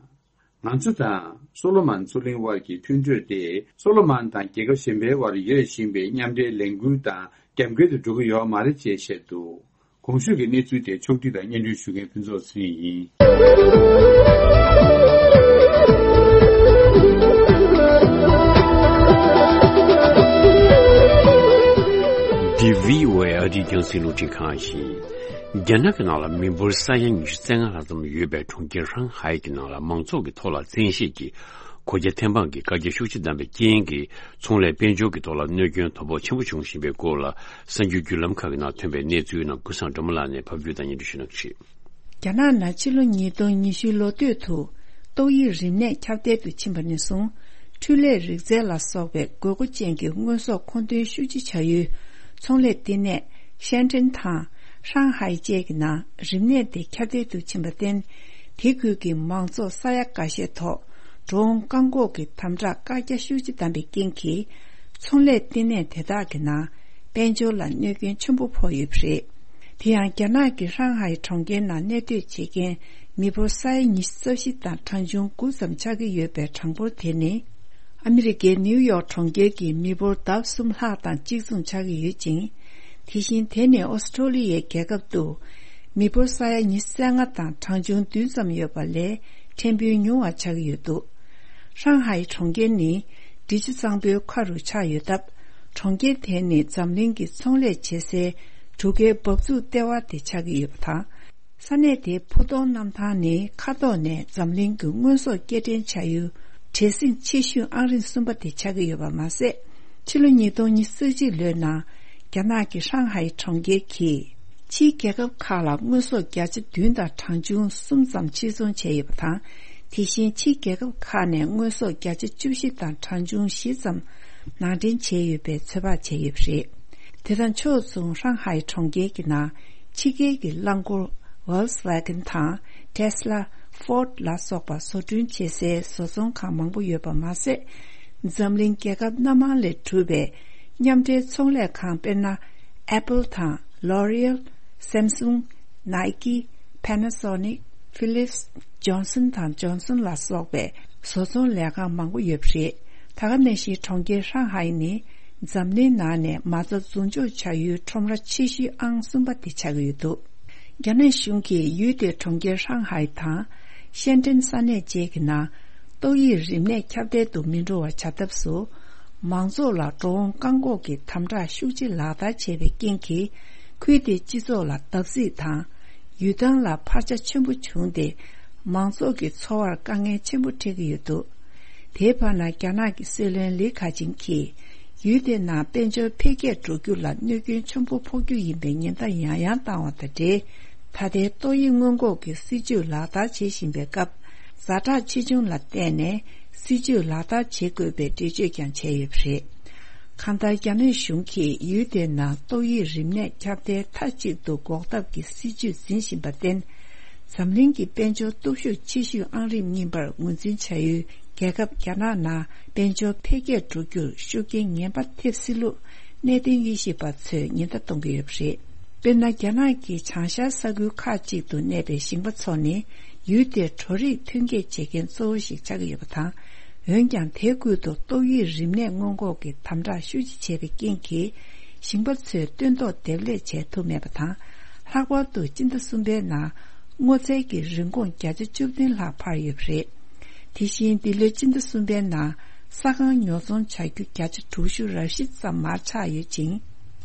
ང་ཚོ་དང་སོ་ལོ་མོན་མཚོ་གླིང་དབར་གྱི་མཐུན་གྲོས་དེ། སོ་ལོ་མོན་དང་རྒྱལ་ཁབ་གཞན་པའི་དབར་ཡོད་བཞིན་པའི་མཉམ་འབྲེལ་ལས་འགུལ་དང་རྒྱབ་འགལ་དུ་འགྲོ་གི་ཡོད་མ་རེད་ཅེས་བཤད་འདུག་གོང་ཞུས་ཀྱི་གནས་ཚུལ་དེ་ཕྱོགས་སྒྲིག་དང་སྙན་སྒྲོན་ཞུ་མཁན་ཕུན་ཚོགས་ཚེ་རིང་ཡིན། འདི་བྷི་ཨོ་ཨེ་ཨ་རིའི་རྒྱང་སྲིང་རླུང་འཕྲིན་ཁང་ཡིན། རྒྱ་ནག་གི་ནང་ལ་མི་འབོར་ས་ཡ་ཉི་ཤུ་རྩ་ལྔ་ལྷག་ཙམ་ཡོད་པའི་གྲོང་ཁྱེར་ཧྲང་ཧའེ་གི་ནང་ལ་མང་ཚོགས་ཀྱི་ཐོག་ལ་བཙན་ཤེད་ཀྱིས་གོད་རྒྱ་ཐེབས་དབང་གིས་བཀག་རྒྱ་ཤུགས་ཆེ་བཏང་པའི་རྐྱེན་གྱིས། ཚོང་ལས་དཔལ་འབྱོར་གྱི་ཐོག་ལ་གནོད་སྐྱོན་དོ་ཕོག་ཆེན་པོ་བྱུང་བཞིན་པའི་སྐོར་ལ། གསར་འགྱུར་བརྒྱུད་ལམ་ཁག་གི་ནང་ཐོན་པའི་གནས་ཚུལ་རྣམས་ཀུན་བཟང་སྒྲོལ་མ་ལགས་ནས་ཕབ་སྒྱུར་དང་སྙན་སྒྲོན་ཞུ་གནང་གི་རེད། རྒྱ་ནག་ནང་ཕྱི་ལོ་ཉིས་སྟོང་ཉི་ཤུ་ལོ་སྟོད་དུ་ཏོག་དབྱིབས་རིམས་ནད་ཁྱབ་གདལ་དུ་ཕྱིན་པ་ནས་བཟུང་། འཕྲུལ་ལས་རིག་རྩལ་ལ་སོགས་པའི་དགོས་མཁོ་ཅན་གྱི་དངོས་ཟོག་མཁོ་འདོན་ཤུགས་ཆེ་བྱ་ཡུལ་ཚོང་ལས་བསྟི་གནས་ཤན་ཀྲེན་དང་ཧྲང་ཧའེ་བཅས་ཀྱི་ནང་རིམས་ནད་དེ་ཁྱབ་གདལ་དུ་ཕྱིན་པར་བརྟེན། དེ་ཁུལ་གྱི་མང་ཚོགས་ས་ཡ་འགའ་ཤས་ཐོག་འགྲོ་འོང་བཀག་འགོག་གི་དམ་དྲག་བཀག་རྒྱ་ཤུགས་ཆེ་བཏང་པའི་རྐྱེན་གྱིས། ཚོང་ལས་བསྟི་གནས་དེ་དག་གི་ནང་དཔལ་འབྱོར་ལ་གནོད་སྐྱོན་ཆེན་པོ་ཕོག་ཡོད་པ་རེད། དེ་ཡང་རྒྱ་ནག་གི་ཧྲང་ཧའེ་གྲོང་ཁྱེར་ནང་གནས་སྡོད་བྱེད་མཁན་མི་འབོར་ས་ཡ་ཉི་ཤུ་རྩ་བཞི་དང་གྲངས་ཆུང་དགུ་ཙམ་ཆགས་ཀྱི་ཡོད་པའི་གྲངས་འབོར་དེ་ནི། ཨ་མི་རི་ཀའི་ནིའུ་ཡོག་གྲོང་ཁྱེར་གྱི་མི་འབོར་ལྡབ་གསུམ་ལྷག་དང་གཅིག་མཚུངས་ཆགས་ཀྱི་ཡོད་ཅིང་། དེ་བཞིན་དེ་ནི་ཨོ་སི་ཀྲོ་ལི་ཡའི་རྒྱལ་ཁབ་ཏུ་མི་འབོར་ས་ཡ་ཉི་ཤུ་རྩ་ལྔ་དང་གྲངས་ཆུང་བདུན་ཙམ་ཡོད་པ་ལས་ཕྲན་བུ་ཉུང་བ་ཆགས་ཀྱི་ཡོད་འདུག་ཧྲང་ཧའེ་གྲོང་ཁྱེར་ནི་འབྲི་ཆུ་གཙང་པོའི་ཁ་རུ་ཆགས་ཡོད་སྟབས། གྲོང་ཁྱེར་དེ་ནི་འཛམ་གླིང་གི་ཚོང་ལས་བྱེད་སའི་གྲུ་ཁའི་འབབ་ཚུགས་ལྟེ་བ་དེ་ཆགས་ཀྱི་ཡོད་པ་དང་། ས་གནས་དེའི་ཕུ་མདོག་གནམ་ཐང་ནི་མཁའ་ཐོག་ནས་འཛམ་གླིང་གི་དངོས་ཟོག་སྐྱེལ་འདྲེན་བྱ་ཡུལ་བྲེལ་ཟིང་ཆེ་ཤོས་ཨང་རིམ་གསུམ་པ་དེ་ཆགས་ཀྱི་ཡོད་པ་མ་ཟད། ཕྱི་ལོ་ཉིས་སྟོང་ཉི་ཤུ་རྩ་གཅིག་ལོའི་ནང་རྒྱ་ནག་གི་ཧྲང་ཧའེ་གྲོང་ཁྱེར་གྱིས་ཕྱིའི་རྒྱལ་ཁབ་ཁག་ལ་དངོས་ཟོག་བརྒྱ་ཆ་བདུན་དང་གྲངས་ཆུང་གསུམ་ཙམ་ཕྱིར་ཚོང་བྱས་ཡོད་པ་དང་། དེ་བཞིན་ཕྱིའི་རྒྱལ་ཁབ་ཁག་ནས་དངོས་ཟོག་བརྒྱ་ཆ་བཅུ་བཞི་དང་གྲངས་ཆུང་བཞི་ཙམ་ནང་འདྲེན་བྱས་ཡོད་པའི་ཚོད་དཔག་བྱས་ཡོད་པ་རེད། དེ་དང་ཕྱོགས་མཚུངས་ཧྲང་ཧའེ་གྲོང་ཁྱེར་གྱི་ནང་ཕྱི་རྒྱལ་གྱི་རླངས་འཁོར་Volkswagen་དང་Tesla། Ford་ལ་སོགས་པ་བཟོ་སྐྲུན་བྱེད་སའི་བཟོ་ཚོང་ཁང་མང་པོ་ཡོད་པ་མ་ཟད། འཛམ་གླིང་རྒྱལ་ཁབ་སྣ་མང་ལས་གྲུབ་པའི་མཉམ་འབྲེལ་ཚོང་ལས་ཁང་དཔེར་ན། Apple་དང་L'Oreal། Samsung། Nike། Panasonic། Philips། Johnson་དང་Johnson་ལ་སོགས་པའི་བཟོ་ཚོང་ལས་ཁང་མང་པོ་ཡོད་པ་རེད། ད་ག་ནང་བཞིན་གྲོང་ཁྱེར་ཧྲང་ཧའེ་ནི་འཛམ་གླིང་ནང་ནས་མ་རྩ་རྫུན་སྦྱོར་བྱ་ཡུལ་ཁྲོམ་ར་ཆེ་ཤོས་ཨང་གསུམ་པ་དེ་ཆགས་ཀྱི་ཡོད་འདུག་རྒྱ་ནག་གཞུང་གིས་ཡུལ་དེའི་གྲོང་ཁྱེར་ཧྲང་ཧའེ་དང་ཤན་ཀྲེན་ས་གནས་བཅས་ཀྱི་ནང་ཏོག་དབྱིབས་རིམས་ནད་ཁྱབ་གདལ་དུ་མི་འགྲོ་བ་བྱ་ཐབས་སུ། མང་ཚོགས་ལ་འགྲོ་འོང་བཀག་འགོག་གི་དམ་དྲག་ཤུགས་ཆེ་ལག་བསྟར་བྱས་པའི་རྐྱེན་གྱིས། ཁུལ་དེའི་སྤྱི་ཚོགས་ལ་བརྡབ་གསིག་དང་། ཡུལ་ཐང་ལ་འཕར་ཆ་ཆེན་པོ་བྱུང་སྟེ། མང་ཚོགས་ཀྱི་འཚོ་བར་དཀའ་ངལ་ཆེན་པོ་འཕྲད་ཀྱི་ཡོད་འདུག་དེའི་བར་ན། རྒྱ་ནག་གི་སྲིད་བློན་ལི་ཁེ་ཆང་གིས་ཡུལ་དེའི་ནང་དཔལ་འབྱོར་འཕེལ་རྒྱས་འགྲོ་རྒྱུ་ལ་གནོད་སྐྱོན་ཆེན་པོ་ཕོག་རྒྱུ་ཡིན་པའི་ཉེན་བརྡ་ཡང་ཡང་བཏང་བ་དང་འབྲེལ། ད་ལྟའི་ཏོག་དབྱིབས་སྔོན་འགོག་གི་སྲིད་ཇུས་ལག་བསྟར་བྱེད་བཞིན་པའི་སྐབས། ཛ་དྲག་ཆེ་ཆུང་ལ་བལྟས་ནས་སྲིད་ཇུས་ལག་བསྟར་བྱེད་དགོས་པའི་འགྲེལ་བརྗོད་ཀྱང་བྱས་ཡོད་པ་རེད། གང་ལྟར། རྒྱ་ནག་གཞུང་གིས་ཡུལ་དེའི་ནང་ཏོག་དབྱིབས་རིམས་ནད་ཁྱབ་གདལ་མཐའ་གཅིག་ཏུ་འགོག་ཐབས་ཀྱི་སྲིད་ཇུས་འཛིན་བཞིན་པར་བརྟེན། འཛམ་གླིང་གི་དཔལ་འབྱོར་སྟོབས་ཤུགས་ཆེ་ཤོས་ཨང་རིམ་གཉིས་པར་ངོས་འཛིན་བྱ་ཡུལ་རྒྱལ་ཁབ་རྒྱ་ནག་ནང་དཔལ་འབྱོར་འཕེལ་རྒྱས་འགྲོ་རྒྱུར་ཤུགས་རྐྱེན་ངན་པ་ཐེབས་སྲིད་ལུགས་གནད་དོན་དབྱེ་ཞིབ་པ་ཚོས་ཉེན་བརྡ་གཏོང་གི་ཡོད་པ་རེད། དཔེར་ན། རྒྱ་ནག་གི་བྱང་ཤར་ས་ཁུལ་ཁག་ཅིག་ཏུ་གནས་པའི་ཞིང་པ་ཚོ་ནི། ཡུལ་དེར་བྲོ་རིགས་ཐོན་སྐྱེད་བྱེད་མཁན་གཙོ་བོ་ཞིག་ཆགས་ཀྱི་ཡོད་པ་དང་། འོན་ཀྱང་། དེའི་ཁུལ་དུ་ཏོག་དབྱིབས་རིམས་ནད་སྔོན་འགོག་གི་དམ་དྲག་ཤུགས་ཆེ་བྱས་པའི་རྐྱེན་གྱིས། ཞིང་པ་ཚོས་སྟོན་ཐོག་འདེབས་ལས་བྱེད་ཐུབ་མེད་པ་དང་། ལྷག་པར་དུ་སྤྱི་ཟླ་གསུམ་པའི་ནང་། སྔོ་ཚལ་གྱི་རིན་གོང་བརྒྱ་ཆ་བཅུ་བདུན་ལྷག་འཕར་ཡོད་པ་རེད། དེ་བཞིན། འདི་ལོའི་སྤྱི་ཟླ་གསུམ་པའི་ནང་། ས་ཁང་ཉོ་ཚོང་བྱ་རྒྱུ་བརྒྱ་ཆ་དྲུག་ཅུ་རེ་བཞི་ཙམ་མར་ཆག་ཡོད་ཅིང་།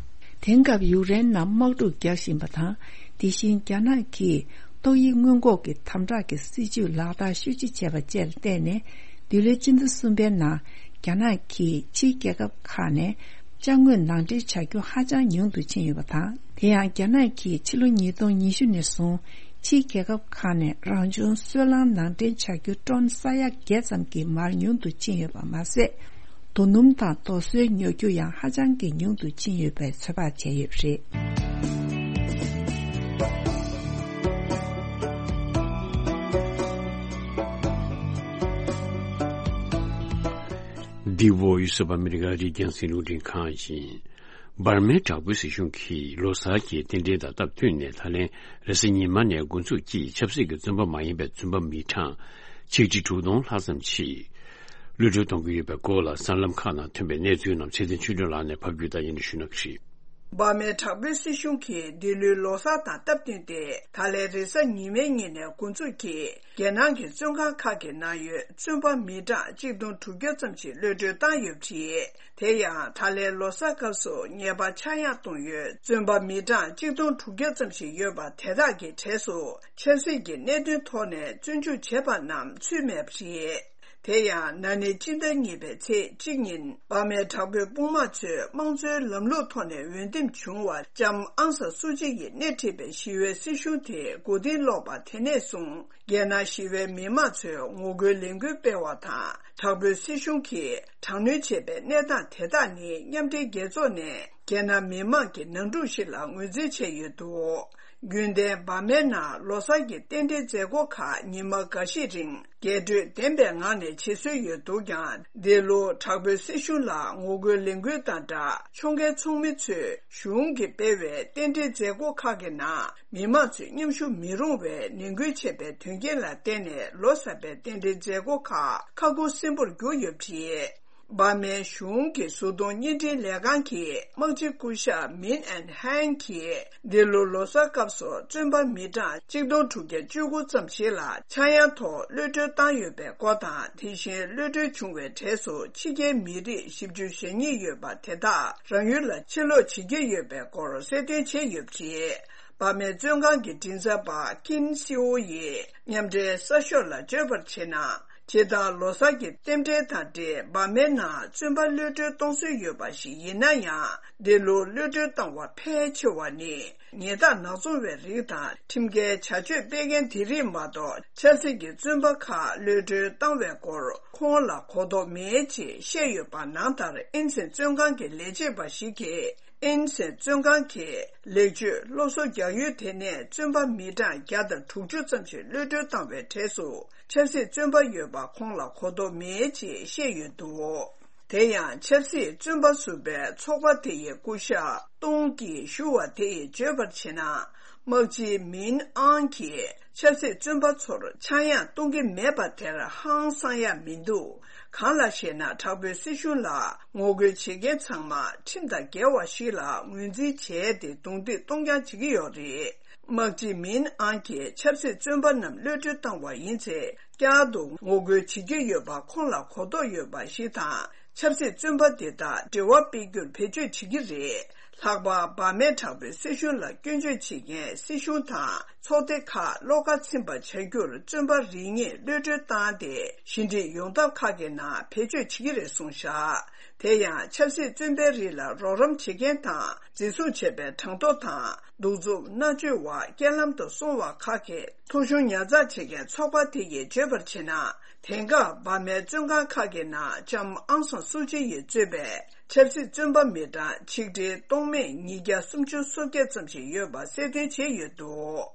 དེང་སྐབས་ཡུཀ་རེན་ནང་དམག་འཁྲུག་རྒྱག་བཞིན་པ་དང་། དེ་བཞིན། རྒྱ་ནག་གིས་ཏོག་དབྱིབས་སྔོན་འགོག་གི་དམ་དྲག་གི་སྲིད་ཇུས་ལག་བསྟར་ཤུགས་ཆེ་བྱས་པ་བཅས་ལ་བརྟེན་ནས། འདི་ལོའི་སྤྱི་ཟླ་གསུམ་པའི་ནང་། རྒྱ་ནག་གིས་ཕྱིའི་རྒྱལ་ཁབ་ཁག་ནས་ཅ་དངོས་ནང་འདྲེན་བྱ་རྒྱུ་ཧ་ཅང་ཉུང་དུ་ཕྱིན་ཡོད་པ་དང་། དེ་ཡང་། རྒྱ་ནག་གིས་ཕྱི་ལོ་ཉིས་སྟོང་ཉི་ཤུ་ནས་བཟུང་། ཕྱིའི་རྒྱལ་ཁབ་ཁག་ནས་རང་བྱུང་སོལ་རླངས་ནང་འདྲེན་བྱ་རྒྱུ་ཊོན་ས་ཡ་བརྒྱད་ཙམ་གྱིས་མར་ཉུང་དུ་ཕྱིན་ཡོད་པ་མ་ཟད། རྡོ་སྣུམ་དང་རྡོ་སོལ་ཉོ་རྒྱུ་ཡང་ཧ་ཅང་གི་ཉུང་དུ་ཕྱིན་ཡོད་པའི་ཚོད་དཔག་བྱས་ཡོད་པ་རེད། འདི་བོ་ཡུ་སུབ་ཨ་མི་རི་ཀ་རིགས་རྒྱང་སྲིང་རླུང་འཕྲིན་ཁང་ཡིན། འབར་མའི་དྲག་པོའི་སྲིད་གཞུང་གིས་ལོ་གསར་གྱི་རྟེན་འབྲེལ་དང་སྟབས་བསྟུན་ནས། ད་ལན་རེས་གཟའ་ཉི་མ་ནས་འགོ་འཛུགས་ཀྱིས་ཆབ་སྲིད་ཀྱི་བཙོན་པ་མ་ཡིན་པའི་བཙོན་པ་མི་གྲངས་ཆིག་ཁྲི་དྲུག་སྟོང་ལྷག་ཙམ་ཞིག་གློད་གྲོལ་གཏོང་གི་ཡོད་པའི་སྐོར་ལ། གསར་ལམ་ཁག་ནང་ཐོན་པའི་གནས་ཚུལ་རྣམས་ཚེ་བརྟན་ཆོས་སྒྲོན་ལགས་ནས་ཕབ་སྒྱུར་དང་སྙན་སྒྲོན་ཞུ་གནང་གི་རེད། འབར་མའི་དྲག་པོའི་སྲིད་གཞུང་གིས་འདི་ལོའི་ལོ་གསར་དང་སྟབས་བསྟུན་ཏེ། ད་ལན་རེས་གཟའ་ཉི་མའི་ཉིན་ནས་འགོ་འཛུགས་ཀྱིས་རྒྱལ་ནང་གི་བཙོན་ཁང་ཁག་གི་ནང་ཡོད་བཙོན་པ་མི་གྲངས་གཅིག་སྟོང་དྲུག་བརྒྱ་ཙམ་ཞིག་གློད་གྲོལ་བཏང་ཡོད་པ་རེད། དེ་ཡང་། ད་ལན་ལོ་གསར་སྐབས་སུ་ཉེས་པ་ཆག་ཡང་གཏོང་ཡོད་བཙོན་པ་མི་གྲངས་གཅིག་སྟོང་དྲུག་བརྒྱ་ཙམ་ཞིག་ཡོད་པ་དེ་དག་གི་གྲས་སུ། ཆབ་སྲིད་ཀྱི་གནད་དོན་ཐོག་ནས་བཙོན་འཇུག་བྱས་པ་རྣམས་ཚུད་མེད་པ་རེད། དེ་ཡང་། ན་ནིང་སྤྱི་ཟླ་གཉིས་པའི་ཚེས་གཅིག་ཉིན། འབར་མའི་དྲག་པོའི་དཔུང་དམག་ཚོས་དམངས་གཙོའི་ལམ་ལུགས་ཐོག་ནས་འོས་འདེམས་བྱུང་བ་ལྕམ་ཨང་སན་སུ་ཅི་ཡིས་སྣེ་ཁྲིད་པའི་ཞི་བའི་སྲིད་གཞུང་དེ་མགོ་རྟིང་སློག་པ་དེ་ནས་བཟུང་། རྒྱལ་ནང་ཞི་བའི་མི་མང་ཚོས་ངོ་རྒོལ་ལས་འགུལ་སྤེལ་བ་དང་། དྲག་པོའི་སྲིད་གཞུང་གིས་དྲག་གནོན་བྱས་པའི་གནས་སྟངས་དེ་དག་ནི། མཉམ་འབྲེལ་རྒྱལ་ཚོགས་ནས་རྒྱལ་ནང་མི་མང་གི་ནང་འཁྲུག་ཞིག་ལ་ངོས་འཛིན་བྱས་ཡོད་འདུག་རྒྱུན་ལྡན་འབར་མའི་ནང་ལོ་གསར་གྱི་རྟེན་འབྲེལ་མཛད་སྒོ་ཁག་ཉི་མ་འགའ་ཤས་རིང་རྒྱས་སྤྲོས་ལྡན་པའི་ངང་ནས་བྱེད་སྲོལ་ཡོད་འདུག་ཀྱང་། འདི་ལོ་དྲག་པོའི་སྲིད་གཞུང་ལ་ངོ་རྒོལ་ལས་འགུལ་དང་སྦྲགས། ཕྱོགས་འགལ་ཚོགས་མི་ཚོས་གཞུང་གིས་སྤེལ་བའི་རྟེན་འབྲེལ་མཛད་སྒོ་ཁག་གི་ནང་མི་མང་ཚོས་མཉམ་ཞུགས་མི་རུང་བའི་ནན་སྐུལ་བྱས་པའི་དོན་རྐྱེན་ལ་བརྟེན་ནས། ལོ་གསར་པའི་རྟེན་འབྲེལ་མཛད་སྒོ་ཁག་ཁ་ཁུ་སིམ་པོར་གྱུར་ཡོད་པ་རེད། འབར་མའི་གཞུང་གི་གཟུགས་མཐོང་བརྙན་འཕྲིན་ལས་ཁང་གི་དམག་སྤྱི་སྐུ་ཞབས་མིན་ཨན་ཧན་གྱིས། འདི་ལོ་ལོ་གསར་སྐབས་སུ་བཙོན་པ་མི་གྲངས་གཅིག་སྟོང་དྲུག་བརྒྱ་བཅུ་དགུ་ཙམ་ཞིག་ལ་ཆག་ཡང་ཐོག་གློད་གྲོལ་བཏང་ཡོད་པའི་སྐོར་དང་། དེ་བཞིན་གློད་གྲོལ་བྱུང་བའི་གྲས་སུ་ཕྱི་རྒྱལ་མི་རིགས་བཞི་བཅུ་ཞེ་གཉིས་ཡོད་པ་དེ་དག་རང་ཡུལ་ལ་ཕྱིར་ལོག་བྱེད་ཀྱི་ཡོད་པའི་སྐོར་གསལ་སྟོན་བྱས་ཡོད་པ་རེད། འབར་མའི་བཙོན་ཁང་གི་མགྲིན་ཚབ་པ་ཀིན་སི་ཨོ་ཡིས་མཉམ་འབྲེལ་གསར་ཤོག་ལ་བརྗོད་པར་བྱས་ན། སྤྱིར་བཏང་ལོ་གསར་གྱི་རྟེན་འབྲེལ་དང་འབྲེལ་འབར་མའི་ནང་བཙོན་པ་གློད་གྲོལ་གཏོང་སྲོལ་ཡོད་པ་ཞིག་ཡིན་ན་ཡང་། འདི་ལོ་གློད་གྲོལ་བཏང་བ་ཕལ་ཆེ་བ་ནི་ཉལ་ཐ་ནག་ཚོང་བའི་རིགས་དང་། ཁྲིམས་འགལ་བྱ་སྤྱོད་སྤེལ་མཁན་དེ་རིགས་མ་གཏོགས། ཆབ་སྲིད་ཀྱི་བཙོན་པ་ཁག་གློད་གྲོལ་བཏང་བའི་སྐོར་ཁོང་ལ་གོ་རྟོགས་མེད་ཅེས་བཤད་ཡོད་པ་ནང་ལྟར། ཨིན་སན་བཙོན་ཁང་གི་ལས་བྱེད་པ་ཞིག་གིས། ཨིན་སན་བཙོན་ཁང་གི་ལེགས་བཅོས་སློབ་གསོ་རྒྱག་ཡུལ་དེ་ནས་བཙོན་པ་མི་གྲངས་བརྒྱ་དང་དྲུག་ཅུ་ཙམ་ཞིག་གློད་གྲོལ་བཏང་བའི་གྲས་སུ་ཆབ་སྲིད་བཙོན་པ་ཡོད་པ་ཁོང་ལ་གོ་རྟོགས་མེད་ཅེས་བཤད་ཡོད་འདུག་དེ་ཡང་ཆབ་སྲིད་བཙོན་པ་ཟུར་པའི་ཚོགས་པ་དེ་ཡི་སྐུ་ཞབས་ཏུང་གིས་ཞུ་བ་དེ་ཡིས་བརྗོད་པར་བྱས་ན། དམག་སྤྱི་མིན་ཨང་གིས་ཆབ་སྲིད་བཙོན་པ་ཚོར་ཆག་ཡང་གཏོང་གི་མེད་པ་དེར་ཧང་སང་ཡ་མི་འདུག་གང་ལགས་ཤེ་ན། དྲག་པོའི་སྲིད་གཞུང་ལ་ངོ་རྒོལ་བྱེད་མཁན་ཚང་མ་ཁྲིམས་དང་འགལ་བ་ཞིག་ལ་ངོས་འཛིན་བྱས་ཏེ་རྡུང་རྡེག་གཏོང་རྐྱང་བྱེད་ཀྱི་ཡོད་རེད། དམག་སྤྱི་མིན་ཨང་གིས་ཆབ་སྲིད་བཙོན་པ་རྣམས་གློད་གྲོལ་བཏང་བ་ཡིན་ཚེ། བསྐྱར་དུ་ངོ་རྒོལ་བྱེད་ཀྱི་ཡོད་པ་ཁོང་ལ་གོ་རྟོགས་ཡོད་པ་ཞིག་དང་། ཆབ་སྲིད་བཙོན་པ་འདི་དག་འབྲེལ་བ་སྤེལ་རྒྱུར་བེད་སྤྱོད་བྱེད་ཀྱི་རེད། ལྷག་པར་འབར་མའི་དྲག་པོའི་སྲིད་གཞུང་ལ་སྐྱོན་བརྗོད་བྱེད་མཁན་སྲིད་གཞུང་དང་ཚོགས་སྡེ་ཁག་བློ་ཁ་ཚིམ་པ་བྱ་རྒྱུར་བཙོན་པ་རེ་གཉིས་གློད་གྲོལ་བཏང་སྟེ། ཞི་འགྲིག་ཡོང་ཐབས་ཁག་གི་ནང་བེད་སྤྱོད་བྱེད་ཀྱི་རེད་གསུངས་བཞག་དེ་ཡང་ཆབ་སྲིད་བཙོན་པའི་རིགས་ལ་རོགས་རམ་བྱེད་མཁན་དང་། འཛིན་བཟུང་བྱས་པའི་གྲངས་ཐོ་དང་། གདུག་རྩུབ་མནར་གཅོད་པ་རྐྱེན་ལམ་དུ་སོང་བ་ཁག་གི་ཐོ་གཞུང་ཉར་ཚགས་བྱེད་མཁན་ཚོགས་པ་དེ་ཡིས་བརྗོད་པར་བྱས་ན། དེང་སྐབས་འབར་མའི་བཙོན་ཁང་ཁག་གི་ནང་ལྕམ་ཨང་སང་སུ་ཅི་ཡིས་གཙོས་པའི་ཆབ་སྲིད་བཙོན་པ་མི་གྲངས་ཆིག་ཁྲི་སྟོང་མེད་ཉིས་བརྒྱ་སུམ་ཅུ་སོ་བརྒྱད་ཙམ་ཞིག་ཡོད་པ་གསལ་སྟོན་བྱས་ཡོད་འདུག་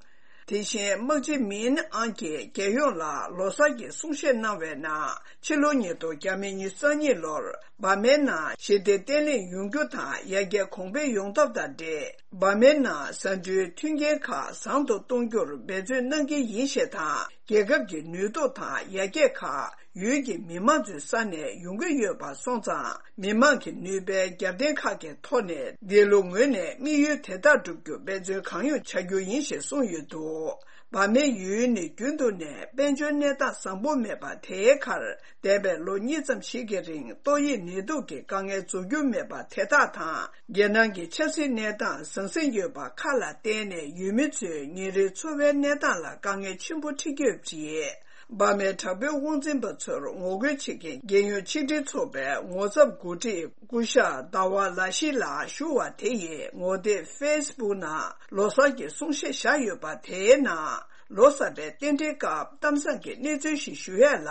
དེ་བཞིན་དམག་སྤྱི་མིན་ཨང་གིས་རྒྱལ་ཡོངས་ལ་ལོ་གསར་གྱི་གསུང་བཤད་གནང་བའི་ནང་། ཕྱི་ལོ་ཉིས་སྟོང་ཉི་ཤུ་རྩ་གཉིས་ལོར་འབར་མའི་ནང་ཞི་བདེ་བརྟན་ལྷིང་ཡོང་རྒྱུ་དང་ཡར་རྒྱས་གོང་འཕེལ་ཡོང་ཐབས་དང་འབྲེལ། འབར་མའི་ནང་ཟ་འབྲུའི་མཐུན་རྐྱེན་ཁག་བཟང་དུ་གཏོང་རྒྱུར་འབད་བརྩོན་གནང་གི་ཡིན་ཞེས་དང་། རྒྱལ་ཁབ་ཀྱི་ནུས་སྟོབས་དང་ཡར་རྒྱས་ཁག་ཡུལ་གྱི་མི་མང་ཚོའི་ས་ནས་ཡོང་གི་ཡོད་པ་སོང་ཙང་། མི་མང་གི་ནུས་པའི་རྒྱབ་རྟེན་ཁག་གི་ཐོག་ནས། འདི་ལོ་ངོས་ནས་དམིགས་ཡུལ་དེ་དག་བསྒྲུབ་རྒྱུར་འབད་བརྩོན་གང་ཡོང་བྱ་རྒྱུ་ཡིན་ཞེས་གསུངས་ཡོད་འདུག་འབར་མའི་ཡུལ་ནི་རྒྱུན་དུ་ནས་དཔལ་འབྱོར་གནས་སྟངས་བཟང་པོ་མེད་པ་དེའི་ཁར། འདས་པའི་ལོ་གཉིས་ཙམ་ཞིག་གི་རིང་ཏོག་དབྱིབས་ནད་དུག་གི་དཀའ་ངལ་རྫོགས་རྒྱུ་མེད་པ་དེ་དག་དང་། རྒྱལ་ནང་གི་ཆབ་སྲིད་གནས་སྟངས་ཟང་ཟིང་ཡོད་པ་ཁག་ལ་བརྟེན་ནས། ཡུལ་མི་ཚོའི་ཉིན་རེའི་འཚོ་བའི་གནས་སྟངས་ལ་དཀའ་ངལ་ཆེན་པོ་འཕྲད་ཀྱི་ཡོད་པ་རེད། འབར་མའི་དྲག་པོའི་དབང་འཛིན་པ་ཚོར་ངོ་རྒོལ་བྱེད་མཁན་རྒྱལ་ཡོངས་ཆིག་སྒྲིལ་ཚོགས་པའི་ངོ་ཚབ་འགོ་ཁྲིད་སྐུ་ཞབས་ཟླ་བ་ལ་ཤི་ལགས་ཞུ་བ་དེ་ཡིས་ངོ་དེབ་ཕེ་སི་བུག་ནང་ལོ་གསར་གྱི་གསུང་བཤད་བཞག་ཡོད་པ་དེའི་ནང་། ལོ་གསར་པའི་རྟེན་འབྲེལ་སྐབས་གཏམ་བཟང་གི་གནས་ཚུལ་ཞིག་ཞུ་ཡས་ལ།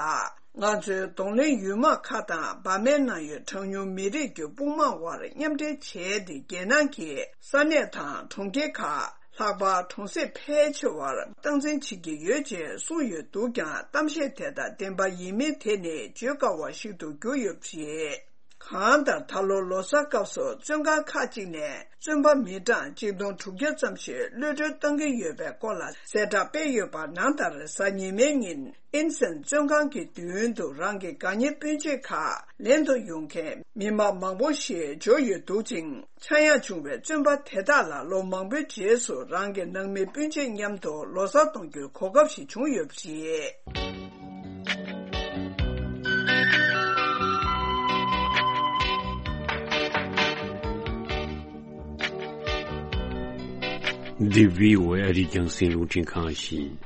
ང་ཚོའི་གདོང་ལེན་ཡུལ་དམག་ཁག་དང་འབར་མའི་ནང་ཡོད་གྲངས་ཉུང་མི་རིགས་ཀྱི་དཔུང་དམག་དབར་མཉམ་འབྲེལ་བྱས་ཏེ། རྒྱལ་ནང་གི་ས་གནས་དང་གྲོང་ཁྱེར་ཁག་ལྷག་པར་གྲོང་གསེབ་ཕལ་ཆེ་བར་སྟངས་འཛིན་བྱེད་ཀྱི་ཡོད་ཅེས་གསུངས་ཡོད་འདུག་ཀྱང་། གཏམ་བཤད་དེ་དག་བདེན་པ་ཡིན་མིན་དེ་ནི་བརྗོད་དཀའ་བ་ཞིག་ཏུ་གྱུར་ཡོད་པ་རེད། གང་ལྟར། ད་ལོ་ལོ་གསར་སྐབས་སུ་བཙོན་ཁང་ཁག་ཅིག་ནས་བཙོན་པ་མི་གྲངས་གཅིག་སྟོང་དྲུག་བརྒྱ་ཙམ་ཞིག་གློད་གྲོལ་གཏང་གི་ཡོད་པའི་སྐོར་ལ་གསལ་བསྒྲགས་སྤེལ་ཡོད་པ་ནང་ལྟར། གཟའ་ཉི་མའི་ཉིན་ཨིན་སན་བཙོན་ཁང་གི་མདུན་དུ་རང་གི་དགའ་ཉེ་སྤུན་མཆེད་ཁག་ལེན་དུ་ཡོང་མཁན་མི་མང་མང་པོ་ཞིག་འབྱོར་ཡོད་འདུག་ཅིང་། ཆག་ཡང་བྱུང་བའི་བཙོན་པ་དེ་དག་ལ་ལོ་མང་པོའི་རྗེས་སུ་རང་གི་ནང་མི་སྤུན་མཆེད་མཉམ་དུ་ལོ་གསར་གཏོང་རྒྱུའི་གོ་སྐབས་ཤིག་བྱུང་ཡོད་པ་རེད། འདི་བྷི་ཨོ་ཨེ་ཨ་རིའི་རྒྱང་སྲིང་རླུང་འཕྲིན་ཁང་ཡིན།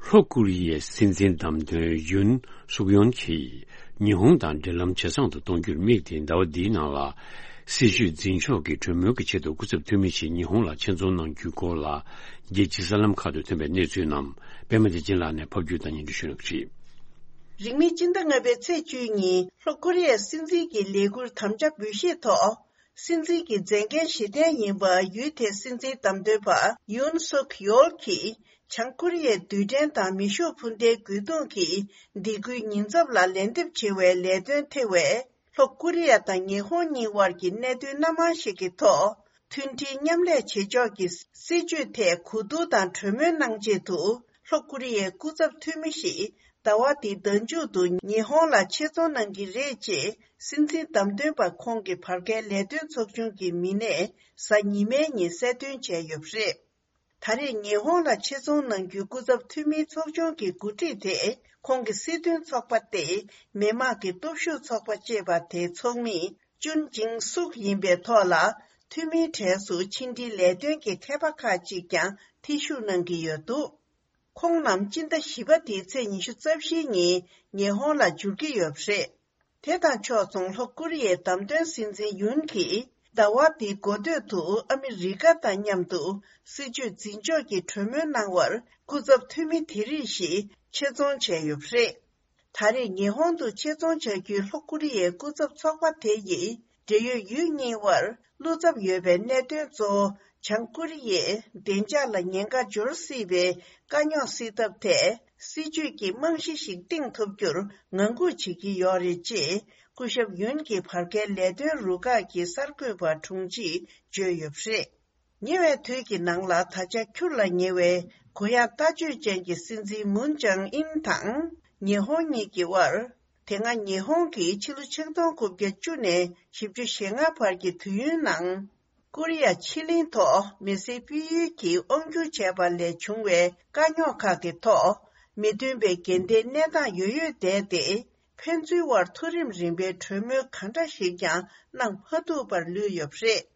ལྷོ་ཀོ་རི་ཡའི་སྲིད་འཛིན་བདམས་ཐོན་ཡུན་སུག་ཡོན་གྱིས་ཉི་ཧོང་དང་འབྲེལ་ལམ་ཇེ་བཟང་དུ་གཏོང་རྒྱུར་དམིགས་ཏེ། ཟླ་བ་འདིའི་ནང་ལ་སྲིད་བྱུས་འཛིན་ཕྱོགས་ཀྱི་གྲོས་མོལ་གྱི་ཆེད་དུ་སྐུ་ཚབ་འཐུས་མི་ཞིག་ཉི་ཧོང་ལ་ཆེད་རྫོང་གནང་རྒྱུའི་སྐོར་ལ། རྒྱལ་སྤྱིའི་གསར་ལམ་ཁག་ཏུ་ཐོན་པའི་གནས་ཚུལ་རྣམས་པད་མ་བདེ་ཆེན་ལགས་ནས་ཕབ་བསྒྱུར་དང་སྙན་སྒྲོན་ཞུ་གནང་གི་རེད། རིང་མིན་སྤྱི་ཟླ་ལྔ་པའི་ཚེས་བཅུ་གཉིས། ལྷོ་ཀོ་རི་ཡའི་སྲིད་འཛིན་གྱི་ལས་འཁུར་དམ་བཅའ་འབུལ་བཞེས་ཐོག་སྲིད་འཛིན་གྱི་མཛད་འགན་བཞེས་གཏན་ཡིན་པ། ཡུལ་དེའི་སྲིད་འཛིན་བདམས་ཐོན་པ་ཡུན་སུག་ཡོལ་གྱིས་བྱང་ཀོ་རི་ཡའི་རྡུལ་ཕྲན་དང་མེ་ཤུགས་འཕུར་མདེལ་རྒོལ་རྡུང་གི་སྡིགས་སྐུལ་ཉེན་ཚབས་ལ་ལན་འདེབས་བྱེད་པའི་ལས་དོན་ཐེ་བའི་ལྷོ་ཀོ་རི་ཡ་དང་ཉི་ཧོང་གཉིས་དབར་གྱི་གནད་དོན་སྣ་མང་ཞིག་གི་ཐོག་མཐུན་སྒྲིལ་མཉམ་ལས་བྱེད་ཕྱོགས་ཀྱི་སྲིད་བྱུས་ཐད་གོ་བསྡུར་དང་གྲོས་མོལ་གནང་ཆེད་དུ། ལྷོ་ཀོ་རི་ཡའི་སྐུ་ཚབ་འཐུས་མི་ཞིག་ཟླ་བ་འདིའི་ཟླ་མཇུག་ཏུ་ཉི་ཧོང་ལ་ཆེད་རྫོང་གནང་གི་རེད་ཅེས་སྲིད་འཛིན་བདམས་ཐོན་པ་ཁོང་གི་བར་བརྒལ་ལས་དོན་ཚོགས་ཆུང་གི་མི་སྣས་གཟའ་ཉི་མའི་ཉིན་གསལ་སྟོན་བྱས་ཡོད་པ་རེད། ད་རེས་ཉི་ཧོང་ལ་ཆེད་རྫོང་གནང་རྒྱུའི་སྐུ་ཚབ་འཐུས་མིའི་ཚོགས་ཆུང་གི་འགོ་ཁྲིད་དེ། ཁོང་གི་སྲིད་དོན་ཚོགས་པ་སྟེ། མི་དམངས་ཀྱི་སྟོབས་ཤུགས་ཚོགས་པ་ཅེས་པ་དེའི་ཚོགས་མི་ཅུན་ཅིང་སུག་ཡིན་པའི་ཐོག་ལ། འཐུས་མིའི་གྲས་སུ་ཕྱི་འབྲེལ་ལས་དོན་གྱི་མཁས་པ་ཁག་ཅིག་ཀྱང་ཐེ་ཞུགས་གནང་གི་ཡོད་འདུག་ཁོང་རྣམས་སྤྱི་ཟླ་བཞི་པ་འདིའི་ཚེས་ཉི་ཤུ་རྩ་བཞིའི་ཉིན་ཉི་ཧོང་ལ་འབྱོར་གྱི་ཡོད་པ་རེད། དེ་དང་ཕྱོགས་མཚུངས། ལྷོ་ཀོ་རི་ཡའི་བདམས་ཐོན་སྲིད་འཛིན་ཡུན་གྱིས་ཟླ་བ་འདིའི་འགོ་སྟོད་དུ་ཨ་མི་རི་ཀ་དང་མཉམ་དུ་སྲིད་བྱུས་འཛིན་ཕྱོགས་ཀྱི་གྲོས་མོལ་གནང་བར་སྐུ་ཚབ་འཐུས་མི་དེ་རིགས་ཤིག་ཆེད་རྫོང་བྱས་ཡོད་པ་རེད། ད་རེས་ཉི་ཧོང་དུ་ཆེད་རྫོང་བྱ་རྒྱུའི་ལྷོ་ཀོ་རི་ཡའི་སྐུ་ཚབ་ཚོགས་པ་དེ་ཡིས་འབྲེལ་ཡོད་ཡུལ་གཉིས་དབར་བློ་འཚབ་ཡོད་པའི་གནད་དོན་གཙོ་བོ། བྱང་ཀོ་རི་ཡས་བདེ་འཇགས་ལ་ཉེན་ཁ་འབྱོར་སྲིད་པའི་དཀའ་རྙོག་སེལ་ཐབས་ཐད། སྲིད་བྱུས་ཀྱི་རྨང་གཞི་ཞིག་བཏིང་ཐུབ་རྒྱུར་ངང་སྒུག་བྱེད་ཀྱི་ཡོད་རེད་ཅེས། སྐུ་ཞབས་ཡུན་གྱི་བར་བརྒལ་ལས་དོན་རུ་ཁག་གི་གསར་འགོད་པ་དྲུང་ཆེས་བརྗོད་ཡོད་པ་རེད། ཉེ་བའི་དུས་ཀྱི་ནང་ལ་ད་ཆ་འཁྱུར་ལ་ཉེ་བའི་གུ་ཡངས་ལྟ་སྤྱོད་ཅན་གྱི་སྲིད་འཛིན་མུན་ཅང་ཨིན་དང་ཉི་ཧོང་གཉིས་ཀྱི་དབར། དེ་སྔ་ཉི་ཧོང་གིས་ཕྱི་ལོ་ཆིག་སྟོང་དགུ་བརྒྱ་བཅུ་ནས་བཞི་བཅུ་ཞེ་ལྔ་བར་གྱི་དུས་ཡུན་ནང་། ཀོ་རི་ཡ་ཕྱེད་གླིང་ཐོག་མི་སེར་སྤེལ་ཡུལ་གྱིས་དབང་སྒྱུར་བྱས་པ་ལས་བྱུང་བའི་དཀའ་རྙོག་ཁག་གི་ཐོག་མི་མཐུན་པའི་འགལ་ཟླའི་གནས་སྟངས་ཡོད་ཡོད་བསྡད་དེ། ཕན་ཚུན་དབར་མཐོ་རིམ་རིམ་པའི་གྲོས་མོལ་གང་འདྲ་ཞིག་ཀྱང་གནང་མ་ཐུབ་པར་ལུས་ཡོད་པ་རེད།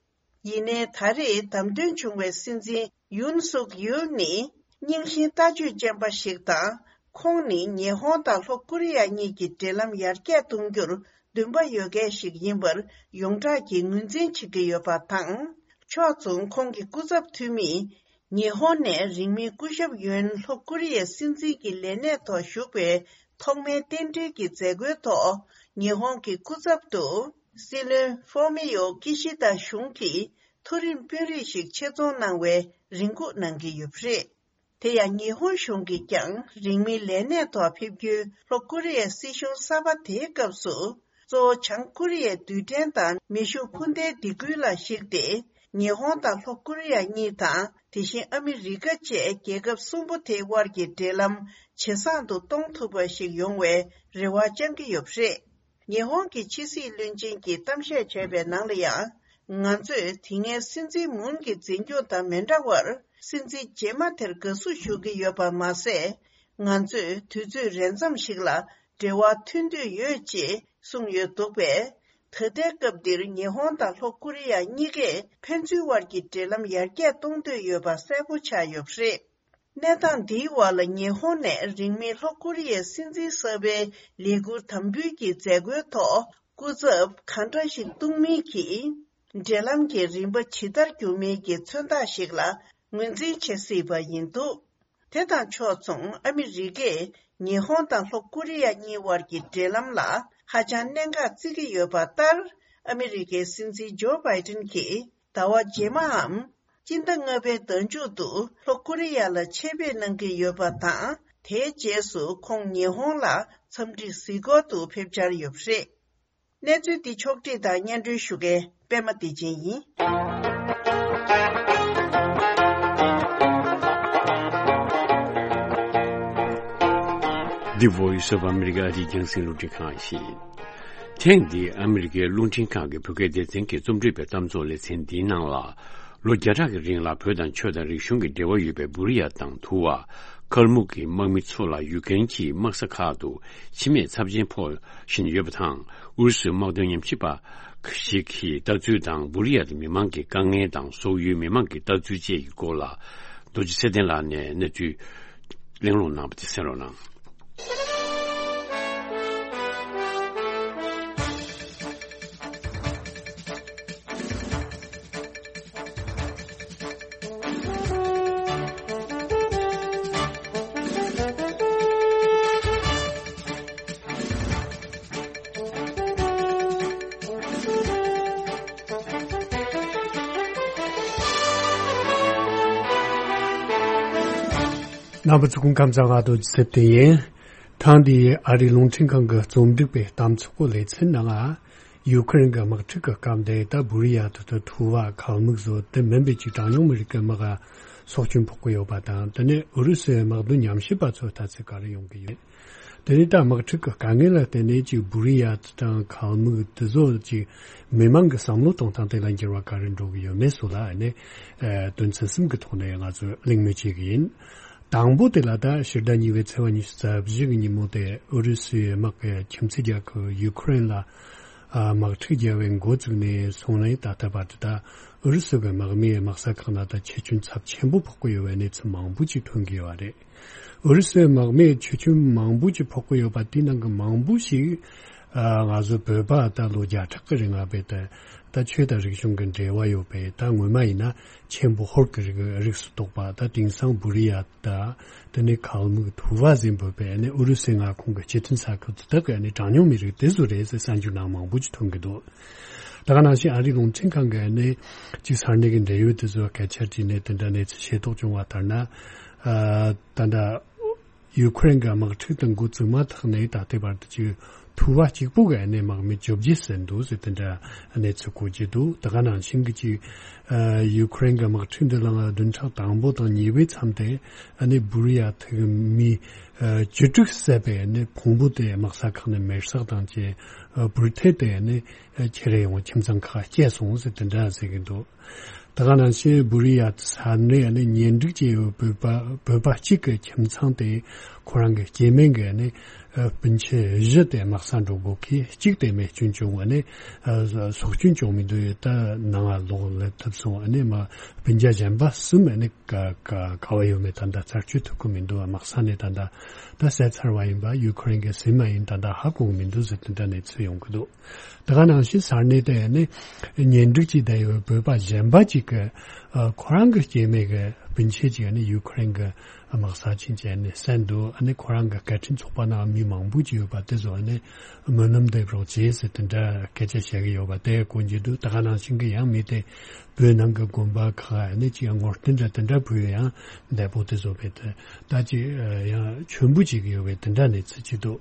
ཡིན་ནའི་ད་རེས་བདམས་ཐོན་བྱུང་བའི་སྲིད་འཛིན་ཡུན་སུག་ཡུལ་ནི་རྙིང་ཞེན་ལྟ་སྤྱོད་ཅན་པ་ཞིག་དང་། ཁོང་ནི་ཉི་ཧོང་དང་ལྷོ་ཀོ་རི་ཡ་གཉིས་ཀྱི་འབྲེལ་ལམ་ཡར་རྒྱས་གཏོང་རྒྱུར་འདུན་པ་ཡོད་མཁན་ཞིག་ཡིན་པར་ཡོངས་གྲགས་ཀྱིས་ངོས་འཛིན་བྱེད་ཀྱི་ཡོད་པ་དང་། ཕྱོགས་མཚུངས། ཁོང་གི་སྐུ་ཚབ་འཐུས་མིས་ཉི་ཧོང་ནས་རིང་མིན་སྐུ་ཞབས་ཡོན་ལྷོ་ཀོ་རི་ཡའི་སྲིད་འཛིན་གྱི་ལས་གནས་ཐོག་ཞུགས་པའི་ཐོག་མའི་རྟེན་འབྲེལ་གྱི་མཛད་སྒོའི་ཐོག་ཉི་ཧོང་གི་སྐུ་ཚབ་ཏུ་སྲིད་བློན་ཧྥོ་མི་ཡོ་ཀི་ཤི་ད་གཞུང་གི་མཐོ་རིམ་དཔོན་རིགས་ཤིག་ཆེད་རྫོང་གནང་བའི་རེ་སྒུག་གནང་གི་ཡོད་པ་རེད། དེ་ཡང་ཉི་ཧོང་གཞུང་གིས་ཀྱང་རིང་མིན་ལས་གནས་ཐོག་ཕེབས་རྒྱུའི་ལྷོ་ཀོ་རི་ཡའི་སྲིད་གཞུང་གསར་པ་དེའི་སྐབས་སུ། གཙོ་བོ་བྱང་ཀོ་རི་ཡའི་རྡུལ་ཕྲན་དང་མེ་ཤུགས་འཕུར་མདེལ་སྡིགས་སྐུལ་ལ་གཞིགས་ཏེ། ཉི་ཧོང་དང་ལྷོ་ཀོ་རི་ཡ་གཉིས་དང་། དེ་བཞིན་ཨ་མི་རི་ཀ་བཅས་རྒྱལ་ཁབ་གསུམ་པོ་དེའི་དབར་གྱི་འབྲེལ་ལམ་ཇེ་བཟང་དུ་གཏོང་ཐུབ་པ་ཞིག་ཡོང་བའི་རེ་བ་བཅང་གི་ཡོད་པ་རེད། ཉི་ཧོང་གི་ཕྱི་སྲིད་བློན་ཆེན་གྱིས་གཏམ་བཤད་བྱས་པའི་ནང་ལ་ཡང་། ང་ཚོས་དེ་སྔའི་སྲིད་འཛིན་མུན་གྱི་འཛིན་སྐྱོང་དང་མི་འདྲ་བར། སྲིད་འཛིན་རྗེས་མ་དེར་དགའ་བསུ་ཞུ་གི་ཡོད་པ་མ་ཟད། ང་ཚོས་དུས་ཚོད་རན་ཙམ་ཞིག་ལ་འབྲེལ་བ་མཐུད་འདོད་ཡོད་ཅེས་གསུངས་ཡོད་འདུག་པས། ད་ལྟའི་སྐབས་འདིར་ཉི་ཧོང་དང་ལྷོ་ཀོ་རི་ཡ་གཉིས་ཀས་ཕན་ཚུན་དབར་གྱི་འབྲེལ་ལམ་ཡར་རྒྱས་གཏོང་འདོད་ཡོད་པ་གསལ་པོ་ཆགས་ཡོད་པ་རེད། གནས་སྟངས་འདིའི་འོག་ལ་ཉི་ཧོང་ནས་རིང་མིན་ལྷོ་ཀོ་རི་ཡའི་སྲིད་འཛིན་གསར་པའི་ལས་འཁུར་དམ་འབུལ་གྱི་མཛད་སྒོའི་ཐོག་སྐུ་ཚབ་གང་འདྲ་ཞིག་གཏོང་མིན་གྱིས། འབྲེལ་ལམ་གྱི་རིམ་པ་ཇི་ལྟར་འགྱུར་མིན་གྱི་མཚོན་རྟགས་ཤིག་ལ་ངོས་འཛིན་བྱེད་སྲིད་པ་ཡིན་འདུག་དེ་དང་ཕྱོགས་མཚུངས། ཨ་མི་རི་ཀས་ཉི་ཧོང་དང་ལྷོ་ཀོ་རི་ཡ་གཉིས་དབར་གྱི་འབྲེལ་ལམ་ལ་ཧ་ཅང་གནད་འགག་བརྩི་གི་ཡོད་པ་ལྟར། ཨ་མི་རི་ཀའི་སྲིད་འཛིན་ཇོ་བྷའི་ཏིན་གྱིས་ཟླ་བ་རྗེས་མའམ། སྤྱི་ཟླ་ལྔ་པའི་ཟླ་མཇུག་ཏུ་ལྷོ་ཀོ་རི་ཡ་ལ་ཆེད་ཕེབས་གནང་གི་ཡོད་པ་དང་། དེའི་རྗེས་སུ་ཁོང་ཉི་ཧོང་ལ་འཚམས་འདྲི་གཟིགས་སྐོར་དུ་ཕེབས་འཆར་ཡོད་པ་རེད། གནས་ཚུལ་འདི་ཕྱོགས་བསྒྲིགས་དང་སྙན་སྒྲོན་ཞུ་མཁན་པད་མ་བདེ་ཆེན་ཡིན། འདི་Voice of America ཨ་རིའི་རྒྱང་སྲིང་རླུང་འཕྲིན་ཁང་ཡིན། ཐེངས་འདིའི་ཨ་མི་རི་ཀའི་རླུང་འཕྲིན་ཁང་གི་བོད་སྐད་སྡེ་ཚན་གྱི་རྩོམ་སྒྲིག་པའི་གཏམ་ཚོགས་ལེ་ཚན་འདིའི་ནང་ལ། ལོ་བརྒྱ་ཕྲག་གི་རིང་ལ་བོད་དང་ཆོས་དང་རིག་གཞུང་གི་འབྲེལ་བ་ཡོད་པའི་བུ་རི་ཡ་དང་དུ་བ། ཁལ་མུག་གི་དམག་མི་ཚོ་ལ་ཡུཀ་རེན་གྱི་དམག་ས་ཁག་ཏུ་འཆི་རྨས་ཚབས་ཆེན་ཕོག་བཞིན་ཡོད་པ་དང་། ཨུ་རུ་སུའི་དམག་དོན་ཉམས་ཞིབ་པ་ཞིག་གི་ལྟ་ཚུལ་དང་། བུ་རི་ཡ་མི་མང་གི་དཀའ་ངལ་དང་སོག་ཡུལ་མི་མང་གི་ལྟ་ཚུལ་བཅས་ཀྱི་སྐོར་ལ། རྡོ་རྗེ་ཚེ་བརྟན་ལགས་ནས་གནས་ཚུལ་གླེང་སློང་གནང་བ་དེ་གསན་རོགས་གནང་། རྣམ་པ་ཚོ་སྐུ་ཁམས་བཟང་། རྡོ་རྗེ་ཚེ་བརྟན་ཡིན། ཐེངས་འདིའི་ཨ་རིའི་རླུང་འཕྲིན་ཁང་གི་རྩོམ་སྒྲིག་པའི་གཏམ་ཚོགས་ལེ་ཚན་ནང་། ཡུ་ཁུ་རེན་གྱི་དམག་འཁྲུག་གི་སྐབས་འདིར་ད་བུ་རི་ཡ་དེ་ཚོ་ཐུ་བ་ཁལ་མུག་བཟོ་དེ་མིན་པའི་ཅིག་གྲངས་ཉུང་མི་རིགས་ཀྱི་དམག་སྲོག་སྐྱོན་ཕོག་གི་ཡོད་པ་དང་། དེ་ནས་ཨུ་རུ་སུའི་དམག་དོན་ཉམས་ཞིབ་པ་ཚོས་ལྟ་ཚུལ་ག་རེ་ཡོང་གི་ཡོད། དེ་ནས་ད་དམག་འཁྲུག་གི་དཀའ་ངལ་ལ་བརྟེན་ནས་ཅིག་བུ་རི་ཡ་དང་ཁལ་མུག་དེ་ཚོ་ཅིག་མི་མང་གི་བསམ་བློ་གཏོང་སྟངས་དེ་ལ་འགྱུར་བ་ག་རེ་འགྲོ་གི་ཡོད་མེད་སོགས་ལ་ནས་དོན་ཚན་གསུམ་གྱི་ཐོག་ནས་ང་ཚོས་གླེང་མོལ་བྱེད་ཀྱི་ཡིན། དང་པོ་དེ་ལ་ད་ཕྱི་ཟླ་གཉིས་པའི་ཚེས་པ་ཉི་ཤུ་རྩ་བཞི་གི་ཉིན་མོ་དེ་ཨུ་རུ་སུའི་དམག་གིས་ཁྱིམ་མཚེས་རྒྱལ་ཁབ་ཡུ་ཁུ་རེན་ལ་དམག་འཁྲུག་བརྒྱབ་པའི་འགོ་བཙུགས་ནས་བཟུང་ནས་ད་ལྟ་བར་དུ་ད་ཨུ་རུ་སུ་གི་དམག་མིའི་དམག་ས་ཁག་ནང་ད་འཆི་སྐྱོན་ཚབས་ཆེན་པོ་ཕོག་གི་ཡོད་པའི་གནས་ཚུལ་མང་པོ་ཅིག་ཐོན་གྱི་ཡོད་པ་རེད། ཨུ་རུ་སུའི་དམག་མིའི་འཆི་སྐྱོན་མང་པོ་ཅིག་ཕོག་གི་ཡོད་པ་དེའི་ནང་གི་མང་པོ་ཞིག་ང་ཚོ་བོད་པ་ད་ལོ་བརྒྱ་ཕྲག་གི་རིང་ལ་བས་ད་ད་ཆོས་དང་རིག་གཞུང་གི་འབྲེལ་བ་ཡོད་པའི་ད་སྔོན་མ་ཡིན་ན་ཆེན་པོ་ཧོར་གྱི་རིགས་རིགས་སུ་གཏོགས་པ། ད་དེང་སང་བུ་རི་ཡ་ད་དེ་ནས་ཁལ་མུག་ཐུ་བ་ཟིན་བོད་པའི་ནས་ཨུ་རུ་སུའི་མངའ་ཁོངས་ཀྱི་སྤྱི་མཐུན་ས་ཁུལ་དུ་ད་གི་ནས་གྲངས་ཉུང་མི་རིགས་དེ་ཚོ་རེད་ཟེར་གསར་འགྱུར་ནང་མང་པོ་ཅིག་ཐོན་གྱི་འདུག་ད་ག་ནང་བཞིན་ཨ་རིའི་རླུང་འཕྲིན་ཁང་གི་ནས་ཅིག་ས་གནས་ཀྱི་འབྲེལ་ཡོད་དེ་ཚོ་སྐད་ཆ་དྲིས་ནས་དེ་འདྲ་གནས་ཚུལ་ཤེས་རྟོགས་བྱུང་བ་ལྟར་ན། ད་ལྟ་ཡུ་ཁུ་རེན་གྱི་དམག་འཁྲུག་དང་འགོ་བཙུགས་མ་ཐག་ནས་ད་ལྟའི་བར་དུ་ཅིག་ཐུ་བ་གཅིག་པུ་གི་ནས་དམག་མི་བཅོ་བརྒྱད་ཟིན་འདུག་ཟེར་དེ་འདྲ་གནས་ཚུལ་གོ་རྒྱུ་འདུག་ད་ག་ནང་བཞིན་གྱི་ཅིག་ཡུ་ཁུ་རེན་གྱི་དམག་འཁྲུག་འདི་ལ་བདུན་ཕྲག་དང་པོ་དང་གཉིས་པའི་མཚམས་དེ་ནས་བུ་རི་ཡ་ཐིག་མི་བཅུ་དྲུག་བསད་པའི་ནས་ཕུང་པོ་དེ་དམག་ས་ཁག་ནས་མེར་སྲེག་དང་བཅས་འབུར་ཐེལ་དེ་ནས་ཁྱེར་ཡོང་ཁྱིམ་ཚང་ཁག་བསྐྱལ་སོང་ཟེར་དེ་འདྲ་ཟེར་གྱི་འདུག་ད་ག་ནང་བཞིན་བུ་རི་ཡ་ས་གནས་ནས་གཉེན་སྒྲིག་བྱས་ཡོད་བོད་པ་བོད་པ་གཅིག་གི་ཁྱིམ་ཚང་དེ་ཁོ་རང་གི་སྐྱེ་དམན་གྱི་ནས་སྤུན་མཆེད་བཞི་དེ་དམག་ས་འགྲོ་དགོས་ཀྱི་གཅིག་དེ་རྨས་སྐྱོན་བྱུང་བ་ནས་སྲོག་སྐྱོན་བྱུང་མི་འདུག་ད་ནང་ལ་ལོག་སླེབས་ཐུབ་སོང་ནས་མ་སྤུན་ཀྱག་གཞན་པ་གསུམ་ནས་ག་ག་ག་བ་ཡོད་མེད་ད་ལྟ་རྩད་གཅོད་ཐུབ་ཀྱི་མི་འདུག་དམག་ས་ནས་ད་ལྟ་ད་བསད་ཚར་བ་ཡིན་པ་ཡུ་ཁུ་རེན་གྱི་ཟིན་མ་ཡིན་ད་ལྟ་ཧ་གོ་གི་མི་འདུག་ཟེར་དེ་འདྲ་གནས་ཚུལ་ཡོང་གི་འདུག་ད་ག་ནང་བཞིན་ས་གནས་དེ་ནི་གཉེན་སྒྲིག་བྱས་བསྡད་ཡོད་བོད་པ་གཞན་པ་ཅིག་གིས་ཁོ་རང་གི་སྐྱེ་དམན་གྱི་ རྒྱུན་ཆད་ཅིག་ཨ་ནི་ཡུ་ཁུ་རེན་གྱི་དམག་ས་ཆེན་གྱི་ཨ་ནི་གསན་འདུག་ཨ་ནི་ཁོ་རང་གི་སྐད་འཕྲིན་ཚོགས་པ་ནང་མི་མང་པོ་ཅིག་ཡོད་པ་དེ་ཚོ་ཨ་ནི་སྨོན་ལམ་འདེབས་རོགས་བྱེད་ཟེར་དེ་འདྲ་སྐད་ཆ་བཤད་ཀྱི་ཡོད་པ་དེ་གོ་རྒྱུ་འདུག་ད་ག་ནང་བཞིན་གྱི་ཡང་མི་དེ་བོད་ནང་གི་དགོན་པ་ཁག་ཨ་ནི་ཅིག་ངོ་རྟིང་འདྲ་དེ་འདྲ་བུད་ཡང་འདས་པོ་དེ་ཚོ་བས་དེ་ད་ཅིག་ཡང་མཆོད་འབུལ་བྱེད་ཀྱི་ཡོད་པའི་དེ་འདྲ་གནས་ཚུལ་ཅིག་འདུག་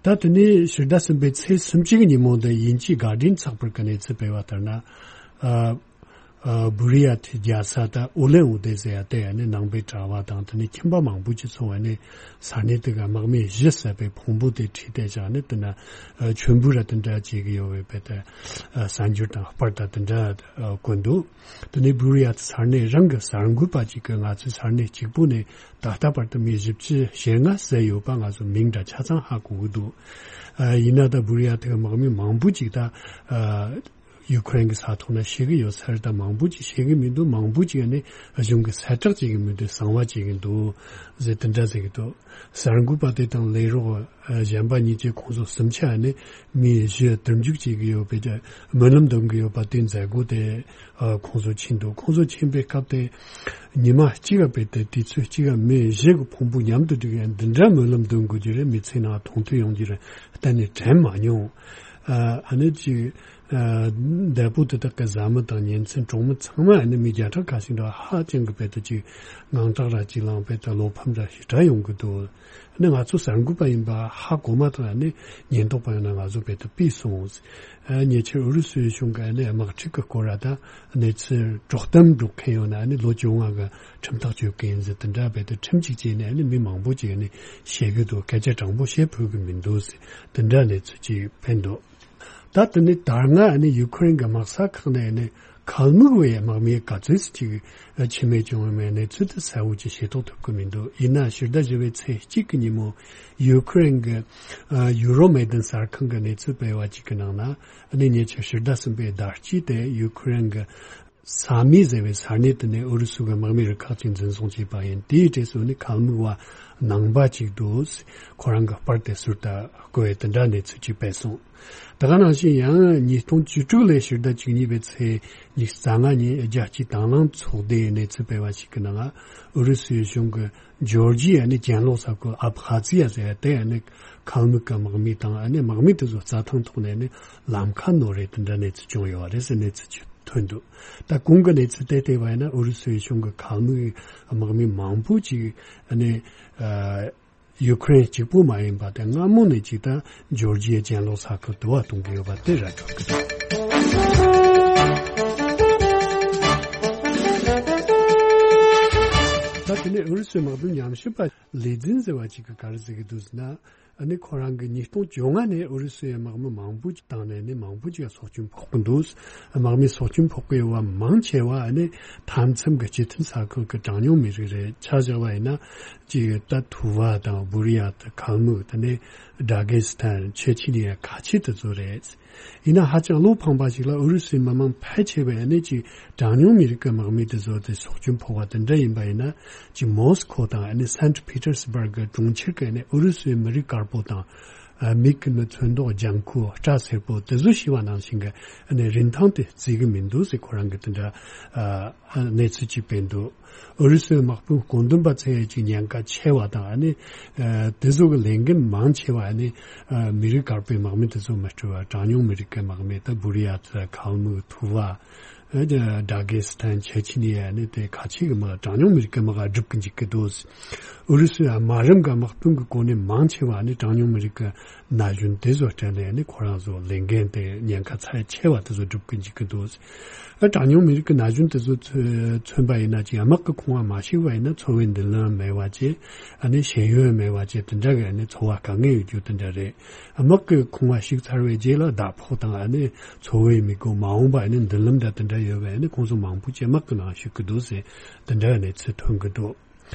ད་དེ་ནས་ཕྱི་ཟླ་གསུམ་པའི་ཚེས་སུམ་ཅུ་གི་ཉིན་མོ་འདི་དབྱིན་ཇིའི་གྷར་ཌིན་ཚགས་པར་གྱི་གནས་ཚུལ་སྤེལ་བ་ལྟར་ན། ཨ། ཨ། བུ་རི་ཡ་ཐི་རྒྱལ་ས་ད་ཨུ་ལན་ཨུ་དེ་ཟེར་ཡ་དེ་ཡ་ནི་ནང་པའི་གྲྭ་བ་དང་དེ་ནས་ཁྱིམ་པ་མང་པོ་ཅིག་ཚོགས་པ་ནས་ས་གནས་དེ་ག་དམག་མི་བཞི་བསད་པའི་ཕུང་པོ་དེ་ཁྲིད་དེ་བཞག་ནས་དེ་ན་མཆོད་འབུལ་ར་དེ་འདྲ་བྱེད་ཀྱི་ཡོད་པའི་བས་ཏེ་གསར་འགྱུར་དང་པར་དང་དེ་འདྲ་བཀོད་འདུག་དེ་ནས་བུ་རི་ཡ་ཐི་ས་གནས་རང་གི་གསར་འགོད་པ་ཅིག་གིས་ང་ཚོའི་ས་གནས་གཅིག་པུ་ནས་ད་ལྟ་བར་དུ་མི་བཞི་བཅུ་ཞེ་ལྔ་བསད་ཡོད་པ་ང་ཚོ་མིང་འདྲ་ཆ་ཚང་ཧ་གོ་གི་འདུག་ཨ། ཡིན་ན་ད་བུ་རི་ཡ་ཐི་གི་དམག་མི་མང་པོ་ཅིག་ད་ཨ། ཡུ་ཁུ་རེན་གྱི་ས་ཐོག་ན་ཤི་གི་ཡོད་ས་རེད། ད་མང་པོ་ཅིག་ཤི་གི་མི་འདུག་མང་པོ་ཅིག་ནི་གཞུང་གི་གསལ་བསྒྲགས་བྱེད་གི་མི་འདུག་གསང་བ་བྱེད་གི་འདུག་ཟེར་དེ་འདྲ་ཟེར་གི་འདུག་གསར་འགོད་པ་དེ་དང་ལས་རོགས་གཞན་པ་གཉིས་ཀྱིས་ཁོང་ཚོ་སུམ་ཆ་ནི་མི་བཞི་དུར་འཇུག་བྱེད་གི་ཡོད་པའི་སྨོན་ལམ་འདོན་གི་ཡོད་པ་དེ་མཛད་སྒོ་དེ་ཁོང་ཚོ་ཕྱིན་འདུག་ཁོང་ཚོ་ཕྱིན་པའི་སྐབས་དེ་ཉི་མ་གཅིག་ག་བས་ཏེ་དུས་ཚོད་གཅིག་ག་མི་བཞི་གི་ཕུང་པོ་མཉམ་དུ་སྒྲིག་ཡང་འདི་འདྲ་སྨོན་ལམ་འདོན་དགོས་རྒྱུ་རེད། མི་ཚེ་ནང་མཐོང་ཐོས་ཡོང་རྒྱུ་རེད། གཏན་ནས་དྲན་མ་མྱོང་། ཨ་ནི་ཅིག་ཨ། འདས་པོ་དེ་དག་གི་བཟའ་མི་དང་ཉེ་ཚན་གྲོགས་མི་ཚང་མ་ཨ་ནི་མི་བརྒྱ་ཕྲག་ཁ་ཤས་འདྲ་ཧ་ཅང་གི་བས་ཏེ་ཅིག་དངངས་སྐྲག་ར་ཅིག་ལངས་བས་ཏེ་བློ་ཕམ་ར་ཞེ་དྲག་ཡོང་གི་འདུག་ཨ་ནི་ང་ཚོ་གསར་འགོད་པ་ཡིན་པ་ཧ་གོ་མ་ཐག་ཨ་ནི་ཉེན་རྟོག་པ་ཡིན་ན་ང་ཚོ་བས་ཏེ་ཕུད་སོང་། ཨ། ཉེ་ཆར་ཨུ་རུ་སུའི་གཞུང་གི་ཨ་ནི་དམག་འཁྲུག་གི་སྐོར་ར་དང་གནས་ཚུལ་དཀྲོག་གཏམ་སྒྲོག་མཁན་ཡོད་ན་ཨ་ནི་ལོ་བཅོ་ལྔ་གི་ཁྲིམས་ཐག་གཅོད་མཁན་ཟེར་དེ་འདྲ་བས་ཏེ་ཁྲིམས་གཅིག་བཅད་ནས་ཨ་ནི་མི་མང་པོ་ཅིག་ཨ་ནི་ཤི་གི་འདུག་སྐད་ཆ་དྲང་པོ་བཤད་ཕོད་གི་མི་འདུག་ཟེར་དེ་འདྲ་གནས་ཚུལ་ཅིག་ཕེབས་འདུག་ད་དེ་ནས་ད་སྔ་ཨ་ནི་ཡུ་ཁུ་རེན་གྱི་དམག་ས་ཁག་ནས་ཨ་ནི་ཁལ་མུག་བའི་དམག་མིའི་ག་ཚོད་ཅིག་འཆི་རྨས་བྱུང་བའི་གནས་ཚུལ་དེ་གསལ་བོ་ཅིག་ཤེས་རྟོགས་ཐུབ་ཀྱི་མི་འདུག་ཡིན་ན་ཕྱི་ཟླ་བཞི་པའི་ཚེས་གཅིག་གི་ཉིན་མོ་ཡུ་ཁུ་རེན་གྱི་ཡུ་རོ་མེ་དན་གསར་ཁང་གི་གནས་ཚུལ་སྤེལ་བ་ཅིག་གི་ནང་ན་ཨ་ནི་ཉེ་ཆར་ཕྱི་ཟླ་གསུམ་པའི་ཟླ་དཀྱིལ་དེ་ཡུ་ཁུ་རེན་གྱི་ས་མི་ཟེར་བའི་ས་གནས་དེ་ནས་ཨུ་རུ་སུ་གི་དམག་མི་རུ་ཁག་ཅིག་འཛིན་བཟུང་བྱས་པ་ཡིན། དེའི་གྲས་སུ་ནི་ཁལ་མུག་བ་ནང་པ་ཅིག་འདུག་ཁོ་རང་གི་པར་དེ་ཟུར་དུ་བཀོད་དེ་འདྲ་གནས་ཚུལ་ཅིག་སྤེལ་སོང་། ད་ག་ནང་བཞིན་ཡང་ཉིས་སྟོང་བཅུ་དྲུག་ལོའི་ཕྱི་ཟླ་བཅུ་གཉིས་པའི་ཚེས་ཉི་ཤུ་རྩ་ལྔ་ཉིན་རྒྱལ་སྤྱིའི་དྭང་བླངས་ཚོགས་སྡེའི་གནས་ཚུལ་སྤེལ་བ་ཞིག་གི་ནང་ཨུ་རུ་སུའི་གཞུང་གིས་ཇོར་ཇི་ཡ་ནི་གྱེན་ལོག་ས་ཁུལ་ཨབ་ཁ་ཛི་ཡ་ཟེར་ཡ་དེ་ཡ་ནི་ཁལ་མུག་གི་དམག་མི་དང་ཨ་ནི་དམག་མི་དེ་ཚོ་རྩྭ་ཐང་ཐོག་ནས་ནི་ལམ་ཁ་ནོར་རེད་དེ་འདྲ་གནས་ཚུལ་བྱུང་ཡོད་པ་རེད་ཟེར་གནས་ཚུལ་ཅིག་ཐོན་འདུག་ད་གོང་གི་གནས་ཚུལ་དེ་བལྟས་པ་ཡིན་ན་ཨུ་རུ་སུའི་གཞུང་གི་ཁལ་མུག་དམག་མི་མང་པོ་ཅིག་ཨ་ནི་ཨ། ཡུ་ཁུ་རེན་གཅིག་པུ་མ་ཡིན་པ་དེ་སྔ་མོ་ནས་ཅིག་ད་ཇོར་ཇི་ཡའི་གྱེན་ལོག་ས་ཁུལ་དུ་བ་གཏོང་གི་ཡོད་པ་དེ་ར་འཕྲོད་ཀྱི་འདུག་ད་དེ་ནས་ཨུ་རུ་སུའི་དམག་དོན་ཉམས་ཞིབ་པ་ལི་ཛིན་ཟེར་བ་ཅིག་གིས་ག་རེ་ཟེར་གྱི་འདུག་ཟེར་ན། ཨ་ནི་ཁོ་རང་གིས་ཉིས་སྟོང་བཅོ་ལྔ་ནས་ཨུ་རུ་སུའི་དམག་མི་མང་པོ་ཅིག་བཏང་ནས་ནི་མང་པོ་ཅིག་སྲོག་སྐྱོན་ཕོག་གི་འདུག་དམག་མི་སྲོག་སྐྱོན་ཕོག་གི་ཡོད་པ་མང་ཆེ་བ་ཨ་ནི་མཐའ་མཚམས་ཀྱི་སྤྱི་མཐུན་ས་ཁུལ་གྱི་གྲངས་ཉུང་མི་རིགས་རེད། ཆ་བཞག་པ་ཡིན་ན་ཅིག་ད་ཐུ་བ་དང་བུ་རི་ཡ་དང་ཁལ་མུག་དེ་ནས་ཌ་གེ་སི་ཐན་ཆེ་ཆི་ནི་ཡ་ཁ་ཆེ་དེ་ཚོ་རེད། ཡིན་ན་ཧ་ཅང་བློ་ཕངས་པ་ཞིག་ལ་ཨུ་རུ་སུའི་མི་མང་ཕལ་ཆེ་བས་ཨ་ནི་ཅིག་གྲངས་ཉུང་མི་རིགས་ཀྱི་དམག་མི་དེ་ཚོ་དེ་སྲོག་སྐྱོན་ཕོག་པ་དེ་འདྲ་ཡིན་པ་ཡིན་ན་ཅིག་མོ་སི་ཁོ་དང་ཨ་ནི་སན་ཊི་ཕི་ཏར་སི་བར་གི་གྲོང་ཁྱེར་གྱི་ཨ་ནི་ཨུ་རུ་སུའི་མི་རིགས་དཀར་པོ་དང་། ཨ། མིག་གི་ནི་ཚོན་མདོག་ལྗང་ཁུ་སྐྲ་སེར་པོ་དེ་ཚོ་ཤི་བ་ནང་བཞིན་གྱི་ཨ་ནི་རིན་ཐང་དེ་བརྩི་གི་མི་འདུག་ཟེར་ཁོ་རང་གིས་དེ་འདྲ་ཨ་གནས་ཚུལ་ཅིག་སྤེལ་འདུག་ཨུ་རུ་སུའི་དམག་དཔོན་བཀོད་འདོམས་པ་ཚོས་ཀྱི་ཉེན་ཁ་ཆེ་བ་དང་ཨ་ནི་ཨ་དེ་ཚོ་གི་ལས་འགན་མང་ཆེ་བ་ཨ་ནི་ཨ་མི་རིགས་དཀར་པོའི་དམག་མི་དེ་ཚོ་མི་སྤྲོད་པར་གྲངས་ཉུང་མི་རིགས་ཀྱི་དམག་མི་ད་བུ་རི་ཡ་ཐི་ཁལ་མུག་ཐུ་བ། ཨ་ཌ་གེ་སི་ཐན་ཆེ་ཆི་ནི་ཡ་ནི་དེ་ཁ་ཆེ་གི་དམག་གྲངས་ཉུང་མི་རིགས་ཀྱི་དམག་སྒྲུབ་ཀྱི་འཇུག་གི་འདུག་ཨུ་རུ་སུའི་དམག་རིམ་གྱི་དམག་དཔོན་གྱི་གོ་གནས་མང་ཆེ་བ་ནི་གྲངས་ཉུང་མི་རིགས་ཀྱི་ན་གཞོན་དེ་ཚོ་སྤྲད་ནས་ནི་ཁོ་རང་ཚོ་ལས་འགན་དེ་ཉེན་ཁ་ཚབས་ཆེ་བ་དེ་ཚོ་སྒྲུབ་ཀྱི་འཇུག་གི་འདུག་ཨ་གྲངས་ཉུང་མི་རིགས་ཀྱི་ན་གཞོན་དེ་ཚོ་མཚོན་པ་ཡིན་ན་ཅིག་དམག་གི་ཁང་བ་མ་ཞིག་པ་ཡིན་ན་འཚོ་བའི་མདུན་ལམ་མེད་པ་བཅས་ཨ་ནི་ཤེས་ཡོན་མེད་པ་བཅས་དེ་འདྲ་གི་ཨ་ནི་འཚོ་བ་དཀའ་ངལ་ཡོད་རྒྱུ་དེ་འདྲ་རེད། དམག་གི་ཁང་བ་ཞིག་ཚར་བའི་རྗེས་ལ་ཟླ་ཕོགས་དང་ཨ་ནི་འཚོ་བའི་དམིགས་ཡུལ་མ་འོངས་པ་ཨ་ནི་མདུན་ལམ་འདྲ་དེ་འདྲ་ཡོད་པས་ཨ་ནི་ཁོང་ཚོ་མང་པོ་ཅིག་དམག་གི་ནང་ཞུགས་ཀྱི་འདུག་ཟེར་དེ་འདྲ་གནས་ཚུལ་ཐོན་གྱི་འདུག་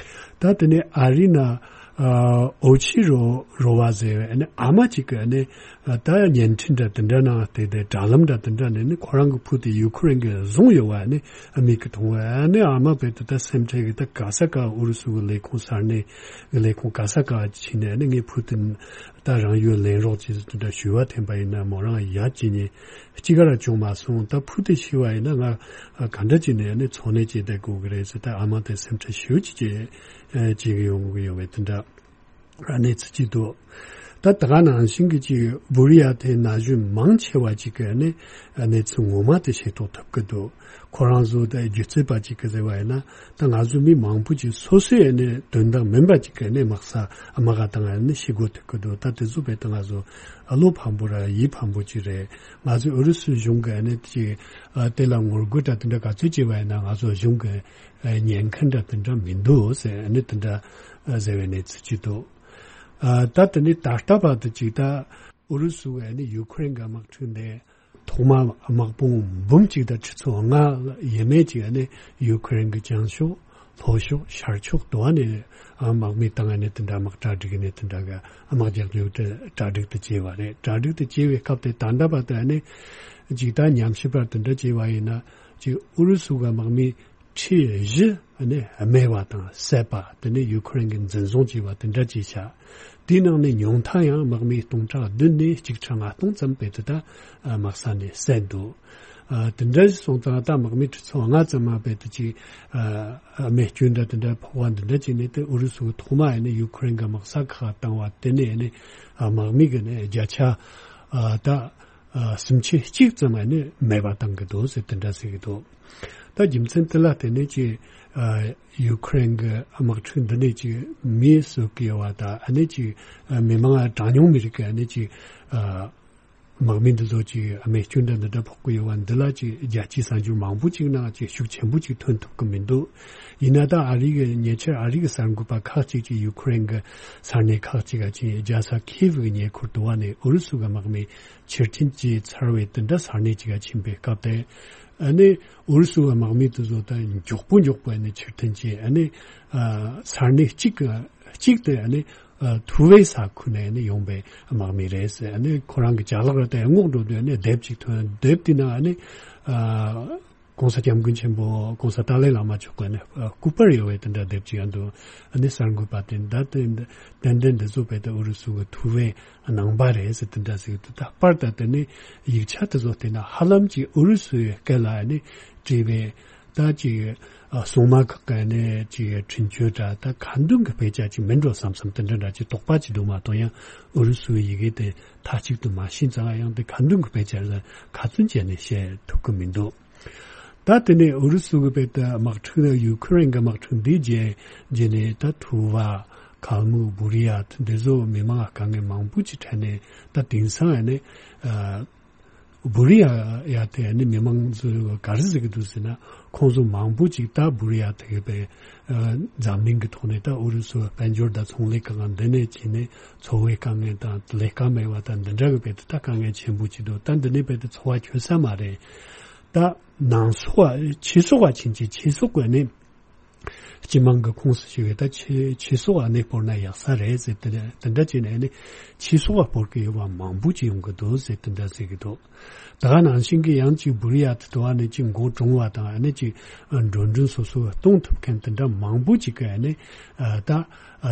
ད་དེ་ནས་ཨ་རི་ན་ ཨ་ཨོ་ཆི་རོ་རོ་བ་ཟེར་བའི་ཨ་ནི་ཨ་མ་གཅིག་གི་ཨ་ནི་ཨ་ད་བརྙན་འཕྲིན་འདྲ་དེ་འདྲ་ནང་དེ་དེ་དྲ་ལམ་འདྲ་དེ་འདྲ་ནས་ནི་ཁོ་རང་གི་བུ་དེ་ཡུ་ཁུ་རེན་གི་བཟུང་ཡོད་བ་ཨ་ནི་ཨ་མིག་གི་མཐོང་བ་ཨ་ནི་ཨ་མ་བས་དེ་ད་སེམས་ཁྲལ་གི་ད་ག་ས་ག་ཨུ་རུ་སུ་གི་ལས་ཁུངས་ས་གནས་གི་ལས་ཁུངས་ག་ས་ག་ཕྱིན་ནས་ཨ་ནི་ངའི་བུ་དེ་ད་རང་ཡུལ་ལེན་རོགས་ཅེས་དེ་འདྲ་ཞུ་བ་འཐེན་པ་ཡིན་ན་མོ་རང་ཡ་ཅི་ཉེ་གཅིག་ག་ར་བྱུང་མ་སོང་། ད་བུ་དེ་ཤི་བ་ཡིན་ན་ང་ག་འདྲ་ཅིག་ནས་ཨ་ནི་འཚོ་གནས་བྱེད་བསྡད་དགོས་གི་རེད་ཟེར། ད་ཨ་མ་དེ་སེམས་ཁྲལ་ཞེ་པོ་ཅིག་བྱེད་ཀྱི་ཡོང་གི་ཡོད་བས་དེ་འདྲ་གནས་ཚུལ་ཅིག་འདུག་ད་ད་ག་ནང་བཞིན་གྱི་ཅིག་བུ་རི་ཡ་དེ་ན་གཞོན་མང་ཆེ་བ་ཅིག་གི་ནི་གནས་ཚུལ་ངོ་མ་དེ་ཤེས་རྟོགས་ཐུབ་ཀྱི་འདུག་ཁོ་རང་ཚོ་དེ་སྒྱུ་རྩལ་པ་ཅིག་གི་ཟེར་བ་ཡིན་ན་ད་ང་ཚོ་མི་མང་པོ་ཅིག་སོ་སོའི་ནི་དོན་དག་མིན་པ་ཅིག་གི་ནི་དམག་ས་དམག་ག་དང་ནི་ཤི་དགོས་ཐུབ་ཀྱི་འདུག་ད་དེ་ཚོ་བས་ད་ང་ཚོ་བློ་ཕམ་པོ་ར་ཡིད་ཕམ་པོ་ཅིག་རེད། ང་ཚོ་ཨུ་རུ་སུའི་གཞུང་གི་ནི་ཅིག་དེ་ལ་ངོ་རྒོལ་འདྲ་དེ་འདྲ་ག་ཚོད་བྱས་པ་ཡིན་ན་ང་ཚོ་གཞུང་གི་ཉན་མཁན་འདྲ་དེ་འདྲ་མི་འདུག་ཟེར་ནི་དེ་འདྲ་ཟེར་བའི་གནས་ཚུལ་ཅིག་འདུག་ཨ་ད་དེ་ནི་ད་ལྟ་བར་དུ་ཅིག་ད་ཨུ་རུ་སུ་གི་ནི་ཡུ་ཁུ་རེན་གྱི་དམག་འཁྲུག་འདི་ཐོག་མ་དམག་དཔུང་འབུམ་གཅིག་དང་ཁྲི་ཚོ་ལྔ་ཡས་མས་ཅིག་ནི་ཡུ་ཁུ་རེན་གྱི་བྱང་ཕྱོགས་ལྷོ་ཕྱོགས་ཤར་ཕྱོགས་དུ་བ་ནས་དམག་མི་བཏང་ནས་དེ་འདྲ་དམག་གྲ་སྒྲིག་ནས་དེ་འདྲ་གི་དམག་རྒྱག་རྒྱུ་དེ་གྲ་སྒྲིག་དེ་བྱས་པ་རེད། གྲ་སྒྲིག་དེ་བྱས་པའི་སྐབས་དེ་ད་ལྟ་བར་དུ་ནི་ཅིག་ད་ཉམས་ཞིབ་པ་དེ་འདྲ་བྱས་པ་ཡིན་ན་ཅིག་ཨུ་རུ་སུ་གི་དམག་མི་ཁྲི་བཞི་ནས་རྨས་པ་དང་བསད་པ། དེ་ནས་ཡུ་ཁུ་རེན་གྱི་འཛིན་བཟུང་བྱས་པ་དེ་འདྲ་བྱས་ཤག་དེའི་ནང་ནས་ཉུང་མཐའ་ཡང་དམག་མི་སྟོང་ཕྲག་བདུན་ནས་གཅིག་ཁྲི་ལྔ་སྟོང་ཙམ་བས་དེ་ད་དམག་ས་ནས་བསད་འདུག་ཨ་དེ་འདྲ་ཞིག་སོང་ཙང་ད་དམག་མི་ཁྲི་ཚོ་ལྔ་ཙམ་མ་བས་དེ་ཅིག་ཨ་རྨས་སྐྱོན་འདྲ་དེ་འདྲ་ཕོག་པ་འདི་འདྲ་བྱས་ནས་དེ་ཨུ་རུ་སུ་གི་ཐོག་མ་ཡིན་ནས་ཡུ་ཁུ་རེན་གྱི་དམག་ས་ཁག་བཏང་བ་དེ་ནས་ནས་ཨ་དམག་མི་གི་ནས་བརྒྱ་ཆ་ཨ་ད་ཨ་སུམ་ཆ་གཅིག་ཙམ་ཡང་ནི་མེད་པ་བཏང་གི་འདུག་ཟེར་དེ་འདྲ་ཟེར་གི་འདུག་ད་རྒྱུ་མཚན་དེ་ལ་བརྟེན་ནས་ཀྱི་ཨ་ཡུ་ཁུ་རེན་གྱི་དམག་འཁྲུག་འདི་ནས་ཀྱི་མིའི་གསོད་ཀྱི་ཡོད་པ་དང་ཨ་ནི་ཀྱི་ཨ་མི་མང་གྲངས་ཉུང་མི་རིགས་ཀྱི་ཨ་ནི་ཀྱི་ཨ་དམག་མི་འདི་ཚོ་ཀྱི་ཨ་རྨས་སྐྱོན་འདྲ་འདི་འདྲ་ཕོག་གི་ཡོད་པ་འདི་ལ་ཀྱི་རྒྱལ་སྤྱིའི་གསར་འགྱུར་མང་པོ་ཅིག་ནང་ཀྱི་ཤུགས་ཆེན་པོ་ཅིག་ཐོན་ཐུབ་ཀྱི་མི་འདུག་ཡིན་ན་ད་ཨ་རི་གི་ཉེ་ཆར་ཨ་རི་གི་གསར་འགོད་པ་ཁག་ཅིག་ཀྱིས་ཡུ་ཁུ་རེན་གྱི་ས་གནས་ཁག་ཅིག་ག་ཅིག་རྒྱལ་ས་ཁིབ་གི་ཉེ་འཁོར་དུ་བ་ནས་ཨུ་རུ་སུ་གི་དམག་མི་ཕྱིར་འཐེན་བྱས་ཚར་བའི་དེ་འདྲ་ས་གནས་ཅིག་ག་ཕྱིན་པའི་སྐབས་དེ། ཨ་ནི་ཨུ་རུ་སུ་བ་དམག་མི་དེ་ཚོ་ད་མགྱོགས་པོ་མགྱོགས་པོ་ཨ་ནི་ཕྱིར་འཐེན་བྱས་ཨ་ནི་ཨ་ས་གནས་གཅིག་གི་གཅིག་དེ་ཨ་ནི་ཨ་ཐུ་བའི་ས་ཁུལ་ནས་ཨ་ནི་ཡོང་པའི་དམག་མི་རེད་ཟེར། ཨ་ནི་ཁོ་རང་གི་ཅ་ལག་ར་ད་སྔོག་འགྲོ་དུས་ཨ་ནི་དེབ་ཅིག་ཐོན། དེབ་དེ་ནང་ཨ་ནི་ཨ་༸གོང་ས་༸སྐྱབས་མགོན་ཆེན་པོ་༸གོང་ས་ཏཱ་ལའི་བླ་མ་མཆོག་གི་ཨ་ནི་ཨ་སྐུ་པར་ཡོད་པའི་དེ་འདྲ་དེབ་ཅིག་ཡང་འདུག་ཨ་ནི་གསར་འགོད་པ་དེ་ད་དེ་ཏན་ཏན་འདི་ཚོ་བས་ད་ཨུ་རུ་སུ་གི་ཐུ་བའི་ནང་པ་རེད་ཟེར་དེ་འདྲ་ཟེར་གི་འདུག་ད་པར་ད་དེ་ནི་ཡིག་ཆ་དེ་ཚོ་བལྟས་ན་ཧ་ལམ་གྱི་ཨུ་རུ་སུའི་སྐད་ལ་ནི་བྲིས་པའི་ད་ཅིག་ཨ་སྲུང་མ་ཁག་གི་ནི་ཅིག་འཕྲིན་བཅོལ་འདྲ་ད་ཁ་འདོན་གྱི་དཔེ་ཆ་ཅིག་མིན་འགྲོ་བསམ་བསམ་དེ་འདྲ་འདྲ་ཅིག་དོགས་པ་ཅིག་འདུག་མ་གཏོགས་ཡང་ཨུ་རུ་སུའི་ཡི་གེ་དེ་མཐའ་གཅིག་ཏུ་མ་ཤེས་ཙང་ཡང་དེ་ཁ་འདོན་གྱི་དཔེ་ཆ་ལ་ཁ་ཚོན་བཅད་ནས་བཤད་ཐུབ་ཀྱི་མི་འདུག་ད་དེ་ནས་ཨུ་རུ་སུ་གི་བས་ད་དམག་འཁྲུག་ཡུ་ཁུ་རེན་གི་དམག་འཁྲུག་འདི་རྗེས་རྗེས་ནས་ད་ཐུ་བ་ཁལ་མུག་བུ་རི་ཡ་འདི་ཚོ་མི་མང་དཀའ་ངལ་མང་པོ་ཅིག་འཕྲད་ནས་ད་དེང་སང་ཡང་ནས་ཨ་བུ་རི་ཡ་ཡ་དེ་ནི་མི་མང་ཚོས་ག་རེ་ཟེར་གི་འདུག་ཟེར་ན་ཁོང་ཚོ་མང་པོ་ཅིག་ད་བུ་རི་ཡ་དེ་གི་བས་ཨ་འཛམ་གླིང་གི་ཐོག་ནས་ད་ཨུ་རུ་སུ་དཔལ་འབྱོར་དང་ཚོང་ལས་ཁང་འདི་ནས་བྱས་ནས་འཚོ་བའི་དཀའ་ངལ་དང་ལས་ཀ་མེད་པ་དང་འདི་འདྲ་གི་བས་ད་དཀའ་ངལ་ཆེན་པོ་ཅིག་འདུག་ད་འདི་ནས་བས་ད་འཚོ་བ་འཁྱོལ་ས་མ་རེད། ད་ནང་སོག་པ་ཕྱི་སོག་པ་ཕྱིན་ཅི་ཕྱི་སོག་པ་ནི་སྤྱི་དམངས་ཀྱི་ཁོངས་སུ་ཞུགས་ཡོད། ད་ཕྱི་ཕྱི་སོག་པ་ནི་སྤོར་ན་ཡག་ས་རེད་ཟེར་དེ་དེ་འདྲ་བྱས་ནས་ནི་ཕྱི་སོག་པ་སྤོར་གི་ཡོད་པ་མང་པོ་ཅིག་ཡོང་གི་འདུག་ཟེར་དེ་འདྲ་ཟེར་གི་འདུག་ད་ག་ནང་བཞིན་གྱི་ཡང་ཅིག་བུ་རི་ཡ་དེ་དུ་བ་ནི་ཅིག་མགོ་གྲོང་བ་དང་ཨ་ནི་ཅིག་འགྲོ་གྲོན་སོ་སོ་གཏོང་ཐུབ་མཁན་དེ་འདྲ་མང་པོ་ཅིག་གི་ཨ་ནི་ད་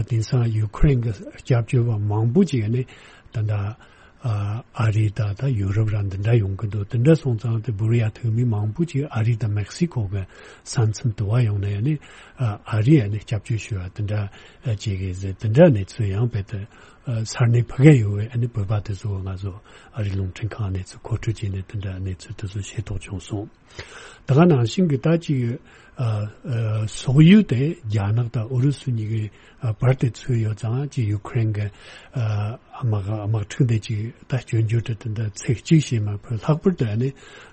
དེང་སང་ཡུ་ཁུ་རེན་གྱི་སྐྱབས་བཅོལ་བ་མང་པོ་ཅིག་ཨ་ནི་ད་ད། ཨ་ཨ་རི་དང་ད་ཡུ་རོབ་ར་འདི་འདྲ་ཡོང་གི་འདུག་དེ་འདྲ་སོང་ཙང་དེ་བུ་རི་ཡ་ཐུག་མི་མང་པོ་ཅིག་ཨ་རི་དང་མེག་སི་ཀོ་གི་ས་མཚམས་དུ་བ་ཡོང་ནས་ནི་ཨ་ཨ་རི་ཡ་ནི་སྐྱབས་བཅོལ་ཞུ་བ་དེ་འདྲ་ཨ་བྱེད་གི་ཟེར། དེ་འདྲ་གནས་ཚུལ་ཡང་བས་ཏེ་ཨ་ས་གནས་ཕ་གི་ཡོད་པའི་ཨ་ནི་བོད་པ་དེ་ཚོ་ང་ཚོ་ཨ་རི་རླུང་འཕྲིན་ཁང་གནས་ཚུལ་མཁོ་སྤྲོད་བྱས་ནས་དེ་འདྲ་གནས་ཚུལ་དེ་ཚོ་ཤེས་རྟོགས་བྱུང་སོང་། ད་ག་ནང་བཞིན་གྱི་ད་ཅིག་ཨ་ཨ་སོག་ཡུལ་དེ་རྒྱ་ནག་དང་ཨུ་རུ་སུ་གཉིས་ཀྱི་ཨ་བར་དེ་ཚུད་ཡོད་ཙང་ཅིག་ཡུ་ཁུ་རེན་གྱི་ཨ་དམག་དམག་འཁྲུག་དེ་ཅིག་ད་སྐྱོན་བརྗོད་དེ་དེ་འདྲ་ཚིག་གཅིག་བྱས་མ་ཕོད། ལྷག་པར་དུ་ཨ་ནི་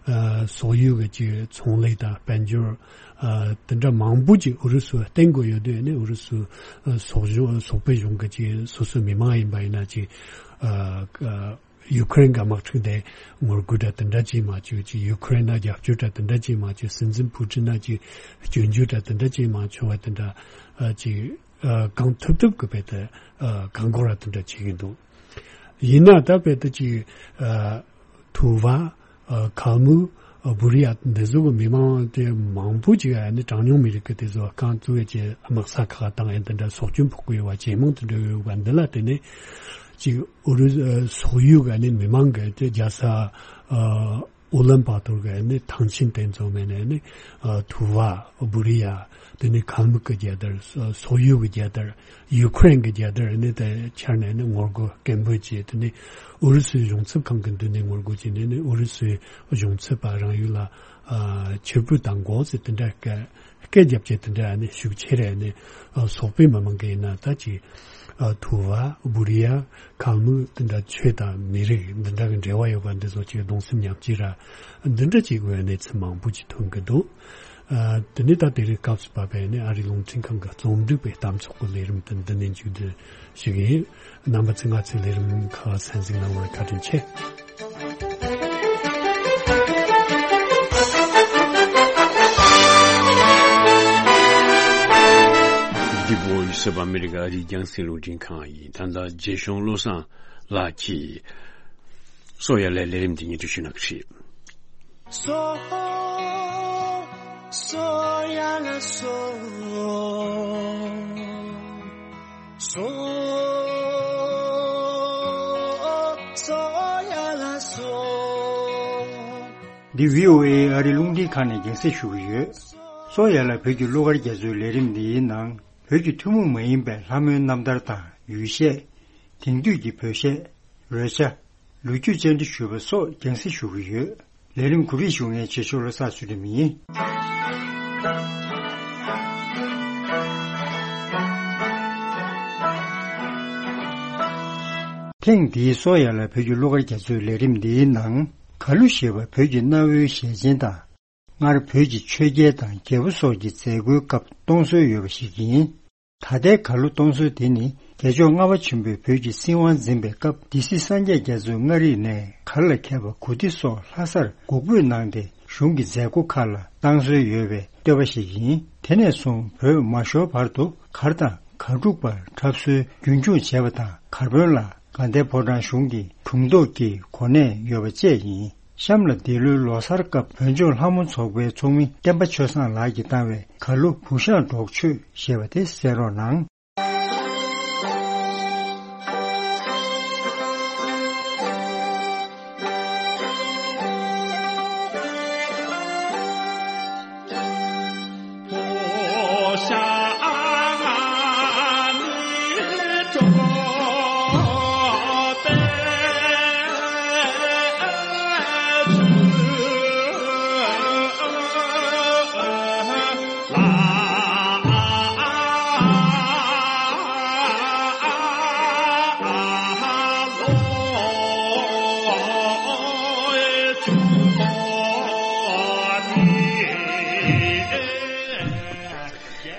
ཨ་སོག་ཡུལ་གྱི་ཅིག་ཚོང་ལས་དང་དཔལ་འབྱོར་ཨ་དེ་འདྲ་མང་པོ་ཅིག་ཨུ་རུ་སུ་བརྟེན་དགོས་ཡོད་དུས་ཨ་ནི་ཨུ་རུ་སུ་ཨ་སོག་གཞུང་སོག་པོའི་གཞུང་གི་ཅིག་སོ་སོའི་མི་མང་ཡིན་པ་ཡིན་ན་ཅིག་ཨ་ཨ། ཡུ་ཁུ་རེན་གྱི་དམག་འཁྲུག་དེ་ངོ་རྒོལ་འདྲ་དེ་འདྲ་ཅིག་མ་བྱུང་ཅིག་ཡུ་ཁུ་རེན་ན་རྒྱབ་སྐྱོར་འདྲ་དེ་འདྲ་ཅིག་མ་བྱུང་། སྲིད་འཛིན་ཕུ་ཀྲིན་ན་ཅིག་སྐྱོན་བརྗོད་འདྲ་དེ་འདྲ་ཅིག་མ་བྱུང་བ་དེ་འདྲ་ཨ་ཅིག་ ཨ་གང་ཐུབ་ཐུབ་ཀྱི་བེད་དེ་ཨ་གང་དགོས་ར་དེ་འདྲ་བྱེད་ཀྱི་འདུག། ཡིན་ན་ད་བེད་དེ་ཅིག་ཨ་ཐུ་བ། ཨ་ཁལ་མུག། ཨ་བུ་རི་ཡ་འདི་ཚོ་གི་མི་མང་དེ་མང་པོ་ཅིག་ཨ་ནི་གྲངས་ཉུང་མི་རིགས་ཀྱི་དེ་ཚོ་རྐང་བཙུགས་ཡས་ཀྱི་དམག་ས་ཁག་དང་ཨ་འདི་འདྲ་སྲོག་སྐྱོན་ཕོག་གི་ཡོད་པ་ཇེ་མང་དུ་འགྲོ་ཡོད་པ་འདི་ལ་བརྟེན་ནས་ཅིག་ཨུ་རུ་ཨ་སོག་ཡུལ་གི་ཨ་ནི་མི་མང་གི་དེ་རྒྱལ་ས་ཨ་ཨུ་ལན་པ་ཏོར་གི་ཨ་ནི་ཐང་ཆེན་དེ་ཚོ་མེད་ནས་ཨ་ནི་ཨ་ཐུ་བ། བུ་རི་ཡ། དེ་ནས་ཁལ་མུག་གི་རྒྱལ་དར། སོག་ཡུལ་གྱི་རྒྱལ་དར། ཡུ་ཁུ་རེན་གྱི་རྒྱལ་དར་ནི་དེ་འཕྱར་ནས་ནི་ངོ་རྒོལ་སྐད་འབོད་བྱས། དེ་ནས་ཨུ་རུ་སུའི་གཞུང་ཚབ་ཁང་གི་མདུན་ནས་ངོ་རྒོལ་བྱས་ནས་ནི་ཨུ་རུ་སུའི་གཞུང་ཚབ་པ་རང་ཡུལ་ལ་ཨ་ཕྱིར་འབུད་བཏང་དགོས་ཟེར་དེ་འདྲ་སྐད་སྐད་རྒྱབ་བྱས། དེ་འདྲ་ནི་ཤུགས་ཆེ་རེད། ནི་ཨ་སོག་པོའི་མི་མང་གི་ཡིན་ན་ད་ཅིག་ཨ་ཐུ་བ། བུ་རི་ཡ། ཁལ་མུག་དེ་འདྲ་ཆོས་དང་མི་རིགས་འདི་འདྲ་གི་འབྲེལ་བ་ཡོད་པ་འདི་ཚོ་ཅིག་གདུང་སེམས་མཉམ་སྐྱེད་ར་འདི་འདྲ་ཅིག་ཡོད་གནས་ཚུལ་མང་པོ་ཅིག་ཐོན་གི་འདུག། ཨ་དེ་ནས་ད་དེ་རིང་སྐབས་སུ་བབས་པའི་ནི་ཨ་རིའི་རླུང་འཕྲིན་ཁང་གི་རྩོམ་སྒྲིག་པའི་གཏམ་ཚོགས་ཀྱི་ལས་རིམ་དེ་འདི་ནས་མཇུག་སྒྲིལ་ཞུ་གི་ཡིན། རྣམ་པ་ཚོས་ང་ཚོའི་ལས་རིམ་ཁག་གསན་གཟིགས་གནང་བར་བཀའ་དྲིན་ཆེ། འདི་བོ་ཡི་སོ་པ་ཨ་མི་རི་ཀ་ཨ་རིའི་རྒྱང་སྲིང་རླུང་འཕྲིན་ཁང་ཡིན། ད་ལྟ་རྗེ་གཞུང་བློ་བཟང་ལགས་ཀྱིས་སོ་ཡ་ལའི་ལས་རིམ་འདི་སྙན་སྒྲོན་ཞུ་གནང་གི་རེད། སོ། སོ་ཡ་ལ་སོ། སོ། སོ་ཡ་ལ་སོ། འདི་བྷི་ཨོ་ཨེ་ཨ་རི་རླུང་འཕྲིན་ཁང་ནས་རྒྱང་སྲིང་ཞུ་གི་ཡོད། སོ་ཡ་ལ་བོད་ཀྱི་གླུ་གར་རྒྱ་མཚོའི་ལས་རིམ་འདིའི་ནང་བོད་ཀྱི་ཐུན་མོང་མ་ཡིན་པའི་ལྷ་མོའི་རྣམ་ཐར་དང་ཡུལ་གཞས། དེང་དུས་ཀྱི་བོད་གཞས། རོལ་ཆ། ལོ་རྒྱུས་བཅར་འདྲི་ཞུས་པ་སོགས་རྒྱང་སྲིང་ཞུ་གི་ཡོད། ལས་རིམ་གོ་སྒྲིག་ཞུ་མཁན་ཆེ་ཤོས་བློ་བཟང་ཚུལ་ཁྲིམས་ཡིན། ཐེངས་འདིའི་སོ་ཡ་ལ་བོད་ཀྱི་གླུ་གར་རྒྱ་མཚོའི་ལས་རིམ་འདིའི་ནང་གར་གླུ་ཞེས་པ་བོད་ཀྱི་གནའ་བོའི་ཞལ་ཆེན་དང་། སྔར་བོད་ཀྱི་ཆོས་རྒྱལ་དང་རྒྱལ་པོ་སོགས་ཀྱི་མཛད་སྒོའི་སྐབས་གཏོང་སྲོལ་ཡོད་པ་ཞིག་ཡིན། ད་ལྟའི་གར་གླུ་གཏོང་སྲོལ་དེ་ནི་རྒྱལ་མཆོག་ལྔ་པ་ཆེན་པོས་བོད་ཀྱི་སྲིད་དབང་འཛིན་པའི་སྐབས་སྡེ་སྲིད་སངས་རྒྱས་རྒྱ་མཚོས་མངའ་རིས་ནས་གར་ལ་མཁས་པ་གོ་ཏི་སོགས་ལྷ་སར་འགུགས་འབོད་གནང་སྟེ་གཞུང་གི་མཛད་སྒོ་ཁག་ལ་བཏང་སྲོལ་ཡོད་པའི་བསྟོད་པ་ཞིག་ཡིན། དེ་ནས་བཟུང་བོད་མ་ཤོར་བར་དུ་གར་དང་གར་སྒྲུག་པར་འཁྲབ་སྲོལ་རྒྱུན་འཁྱོངས་བྱས་པ་དང་། གར་དཔོན་ལ་དགའ་ལྡན་ཕོ་བྲང་གཞུང་གི་དྲུང་ཐོག་གི་གོ་གནས་ཡོད་པ་བཅས་ཡིན། གཤམ་ལ་འདི་ལོའི་ལོ་གསར་སྐབས་བོད་ལྗོངས་ལྷ་མོ་ཚོགས་པའི་ཚོགས་མི་བསྟན་པ་ཆོས་བཟང་ལགས་ཀྱིས་བཏང་བའི་གར་གླུ་བུ་ཤ་འབྲོག་ཆོས་ཞེས་པ་དེ་གསན་རོགས་གནང་།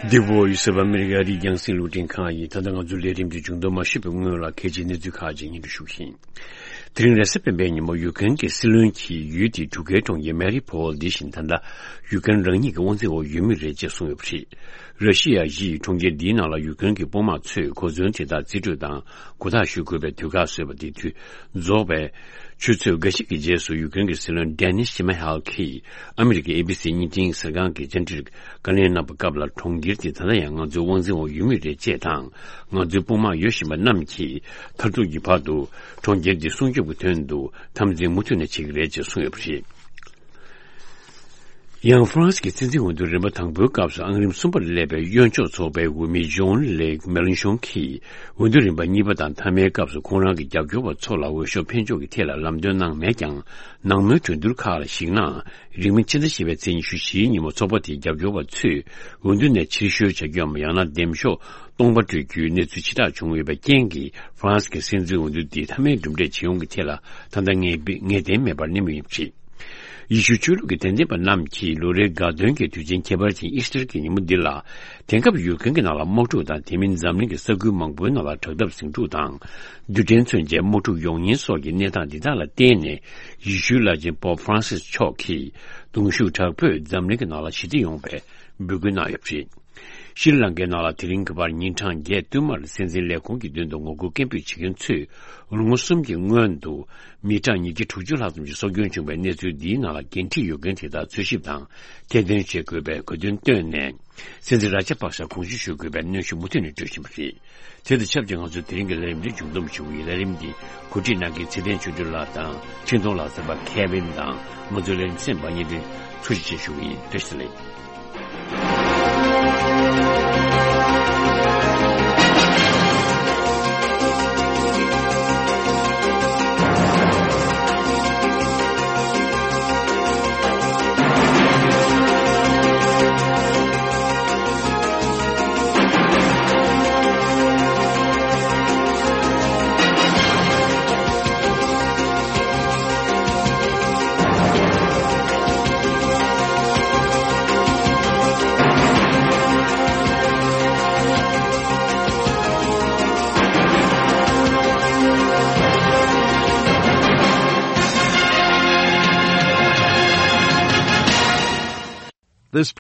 འདི་བོ་ཡི་སི་ཨོཕ་ཨ་མི་རི་ཀ་ཨ་རིའི་རྒྱང་སྲིང་རླུང་འཕྲིན་ཁང་ཡིན། ད་ལྟ་ང་ཚོའི་ལས་རིམ་འདི་མཇུག་སྡོམ་མ་ཞུས་པའི་སྔོན་ལ་གལ་ཆེའི་གནས་ཚུལ་ཁག་ཅིག་སྙན་སྒྲོན་ཞུ་གི་ཡིན། དེ་རིང་རེས་གཟའ་སྤེན་པའི་ཉིན་མོ་ཡུ་ཀེ་རེན་གྱི་སྲིད་བློན་གྱིས་ཡུལ་དེའི་འབྲུག་སྐད་གྲོང་ཁྱེར་མེ་རི་ཕོལ་འདི་བཞིན་ད་ལྟ་ཡུ་ཀེ་རེན་རང་ཉིད་ཀྱི་དབང་འཛིན་འོག་ཡོད་མུས་རེད་ཅེས་གསུངས་ཡོད་པ་རེད། ར་ཤི་ཡ་གཞི་ཡིས་གྲོང་ཁྱེར་འདིའི་ནང་ལ་ཡུ་ཀེ་རེན་གྱི་དཔུང་དམག་ཚོས་གོ་མཚོན་དེ་དག་རྩིས་སྤྲོད་དང་གོ་ཐག་གཞུ་དགོས་པའི་དུས་བཀག་བཟོས་པ་དེ་དུས་རྫོགས་པའི་ཆུ་ཚོད་འགའ་ཞིག་གི་རྗེས་སུ་ཡུ་ཀེ་རེན་གྱི་སྲིད་བློན་ཌེ་ནིས་ཤི་མ་ཧལ་གྱིས་ཨ་མི་རི་ཀའི་ཨེ་བི་སི་བརྙན་འཕྲིན་གསར་ཁང་གི་བཅར་འདྲིར་བཀའ་ལན་གནང་བའི་སྐབས་ལ། གྲོང་ཁྱེར་དེ་ད་ལྟ་ཡང་ང་ཚོའི་དབང་འཛིན་འོག་ཡོད་མུས་རེད་ཅེས་དང་། ང་ཚོའི་དཔུང་དམག་ཡོད་བཞིན་པ་རྣམས་ཀྱིས་མཐར་ཐུག་གི་བར་དུ་གྲོང་ཁྱེར་འདི་སྲུང་སྐྱོབ་ཀྱི་དོན་དུ་འཐབ་འཛིང་མུ་མཐུད་ནས་བྱེད་ཀྱི་རེད་ཅེས་གསུངས་ཡོད་པ་རེད། ཡང་ཧྥ་རན་སི་གི་སྲིད་འཛིན་འོས་བསྡུ་རིམ་པ་དང་པོའི་སྐབས་སུ་ཨང་རིམ་གསུམ་པར་སླེབས་པའི་གཡོན་ཕྱོགས་ཚོགས་པའི་འོས་མི་ཇོན་ལེག་མེ་ལན་ཤོན་གྱིས་འོས་བསྡུ་རིམ་པ་གཉིས་པ་དང་མཐའ་མའི་སྐབས་སུ་ཁོང་རང་གི་རྒྱབ་སྐྱོར་བ་ཚོ་ལ་འོས་ཤོག་འཕེན་ཕྱོགས་ཀྱི་ཐད་ལ་ལམ་སྟོན་གནང་མེད་ཀྱང་། ནང་མོལ་གྲོས་བསྡུར་ཁག་ལ་གཞིགས་ན། རིང་མིན་ཕྱི་ཟླ་བཞི་པའི་ཚེས་ཉི་ཤུ་བཞིའི་ཉིན་མོ་ཚོགས་པ་དེའི་རྒྱབ་སྐྱོར་བ་ཚོས་འོས་བསྡུ་ནས་ཕྱིར་བཤོལ་བྱ་རྒྱུའམ་ཡང་ན་འདེམས་ཤོག་སྟོང་པ་སྤྲོད་རྒྱུའི་གནས་ཚུལ་ཕྱི་བསྒྲགས་བྱུང་ཡོད་པའི་རྐྱེན་གྱིས། ཧྥ་རན་སི་གི་སྲིད་འཛིན་འོས་བསྡུ་འདི་མཐའ་མའི་གྲུབ་འབྲས་ཇི་ཡོང་གི་ཐད་ལ་ད་ལྟ་ངེས་པ་ངེས་གཏན་མེད་པར་གནས་མུས་ཡིན་པ་རེད། ཡེ་ཤུའི་ཆོས་ལུགས་ཀྱི་དད་འདུན་པ་རྣམས་ཀྱིས་ལོ་རེའི་དགའ་སྟོན་གྱི་དུས་ཆེན་ཁྱད་པར་ཅན་ཨི་སི་ཊར་གྱི་ཉིན་མོ་འདི་ལ། དེང་སྐབས་ཡུཀ་རེན་གྱི་ནང་ལ་དམག་འཁྲུག་དང་། དེ་མིན་འཛམ་གླིང་གི་ས་ཁུལ་མང་པོའི་ནང་ལ་དྲག་འཐབ་ཟིང་འཁྲུག་དང་། རྡུལ་ཕྲན་མཚོན་ཆའི་དམག་འཁྲུག་ཡོང་ཉེན་སོགས་ཀྱི་གནས་སྟངས་འདི་དག་ལ་བརྟེན་ནས། ཡེ་ཤུའི་བླ་ཆེན་པོབ་ཧྥ་རན་སིས་མཆོག་གིས་གདུང་ཤུགས་དྲག་པོས་འཛམ་གླིང་གི་ནང་ལ་ཞི་བདེ་ཡོང་བའི་འབོད་སྐུལ་གནང་ཡོད་པ་རེད། ཤྲི་ལང་ཀའི་ནང་ལ་དེ་རིང་གི་བར་ཉིན་གྲངས་བརྒྱད་བསྟུད་མར་སྲིད་འཛིན་ལས་ཁུངས་ཀྱི་མདུན་དུ་ངོ་རྒོལ་སྐད་འབོད་བྱེད་མཁན་ཚོས་ལོ་ངོ་གསུམ་གྱི་སྔོན་དུ་མི་གྲངས་ཉིས་བརྒྱ་དྲུག་ཅུ་ལྷག་ཙམ་གྱི་སྲོག་སྐྱོན་བྱུང་བའི་གནས་ཚུལ་འདིའི་ནང་ལ་འགན་འཁྲི་ཡོད་མཁན་དེ་དག་འཚོལ་ཞིབ་དང་ཐེར་འདོན་བྱེད་དགོས་པའི་དགོས་འདུན་བཏོན་ནས། སྲིད་འཛིན་ར་ཇ་པག་ཤ་དགོངས་ཞུ་ཞུ་དགོས་པའི་གནོན་ཤུགས་མུ་མཐུད་ནས་སྤྲོད་བཞིན་པ་རེད། དེ་དང་ཆབས་ཅིག་ང་ཚོའི་དེ་རིང་གི་ལས་རིམ་འདི་མཇུག་བསྡོམས་ཞུ་གི་ཡིན། ལས་རིམ་འདི་གོ་སྒྲིག་གནང་མཁན་ཚེ་བརྟན་ཆོས་སྒྲོན་ལགས་དང་འཕྲིན་གཏོང་ལག་རྩལ་པ་ཁེ་ཝིན་དང་ང་ཚོའི་ལས་རིམ་གསན་པ་གཉིས་ལ་ཐུགས་རྗེ་ཆེ་ཞུ་གི་ཡིན། བཀྲ་ཤིས་བདེ་ལེགས།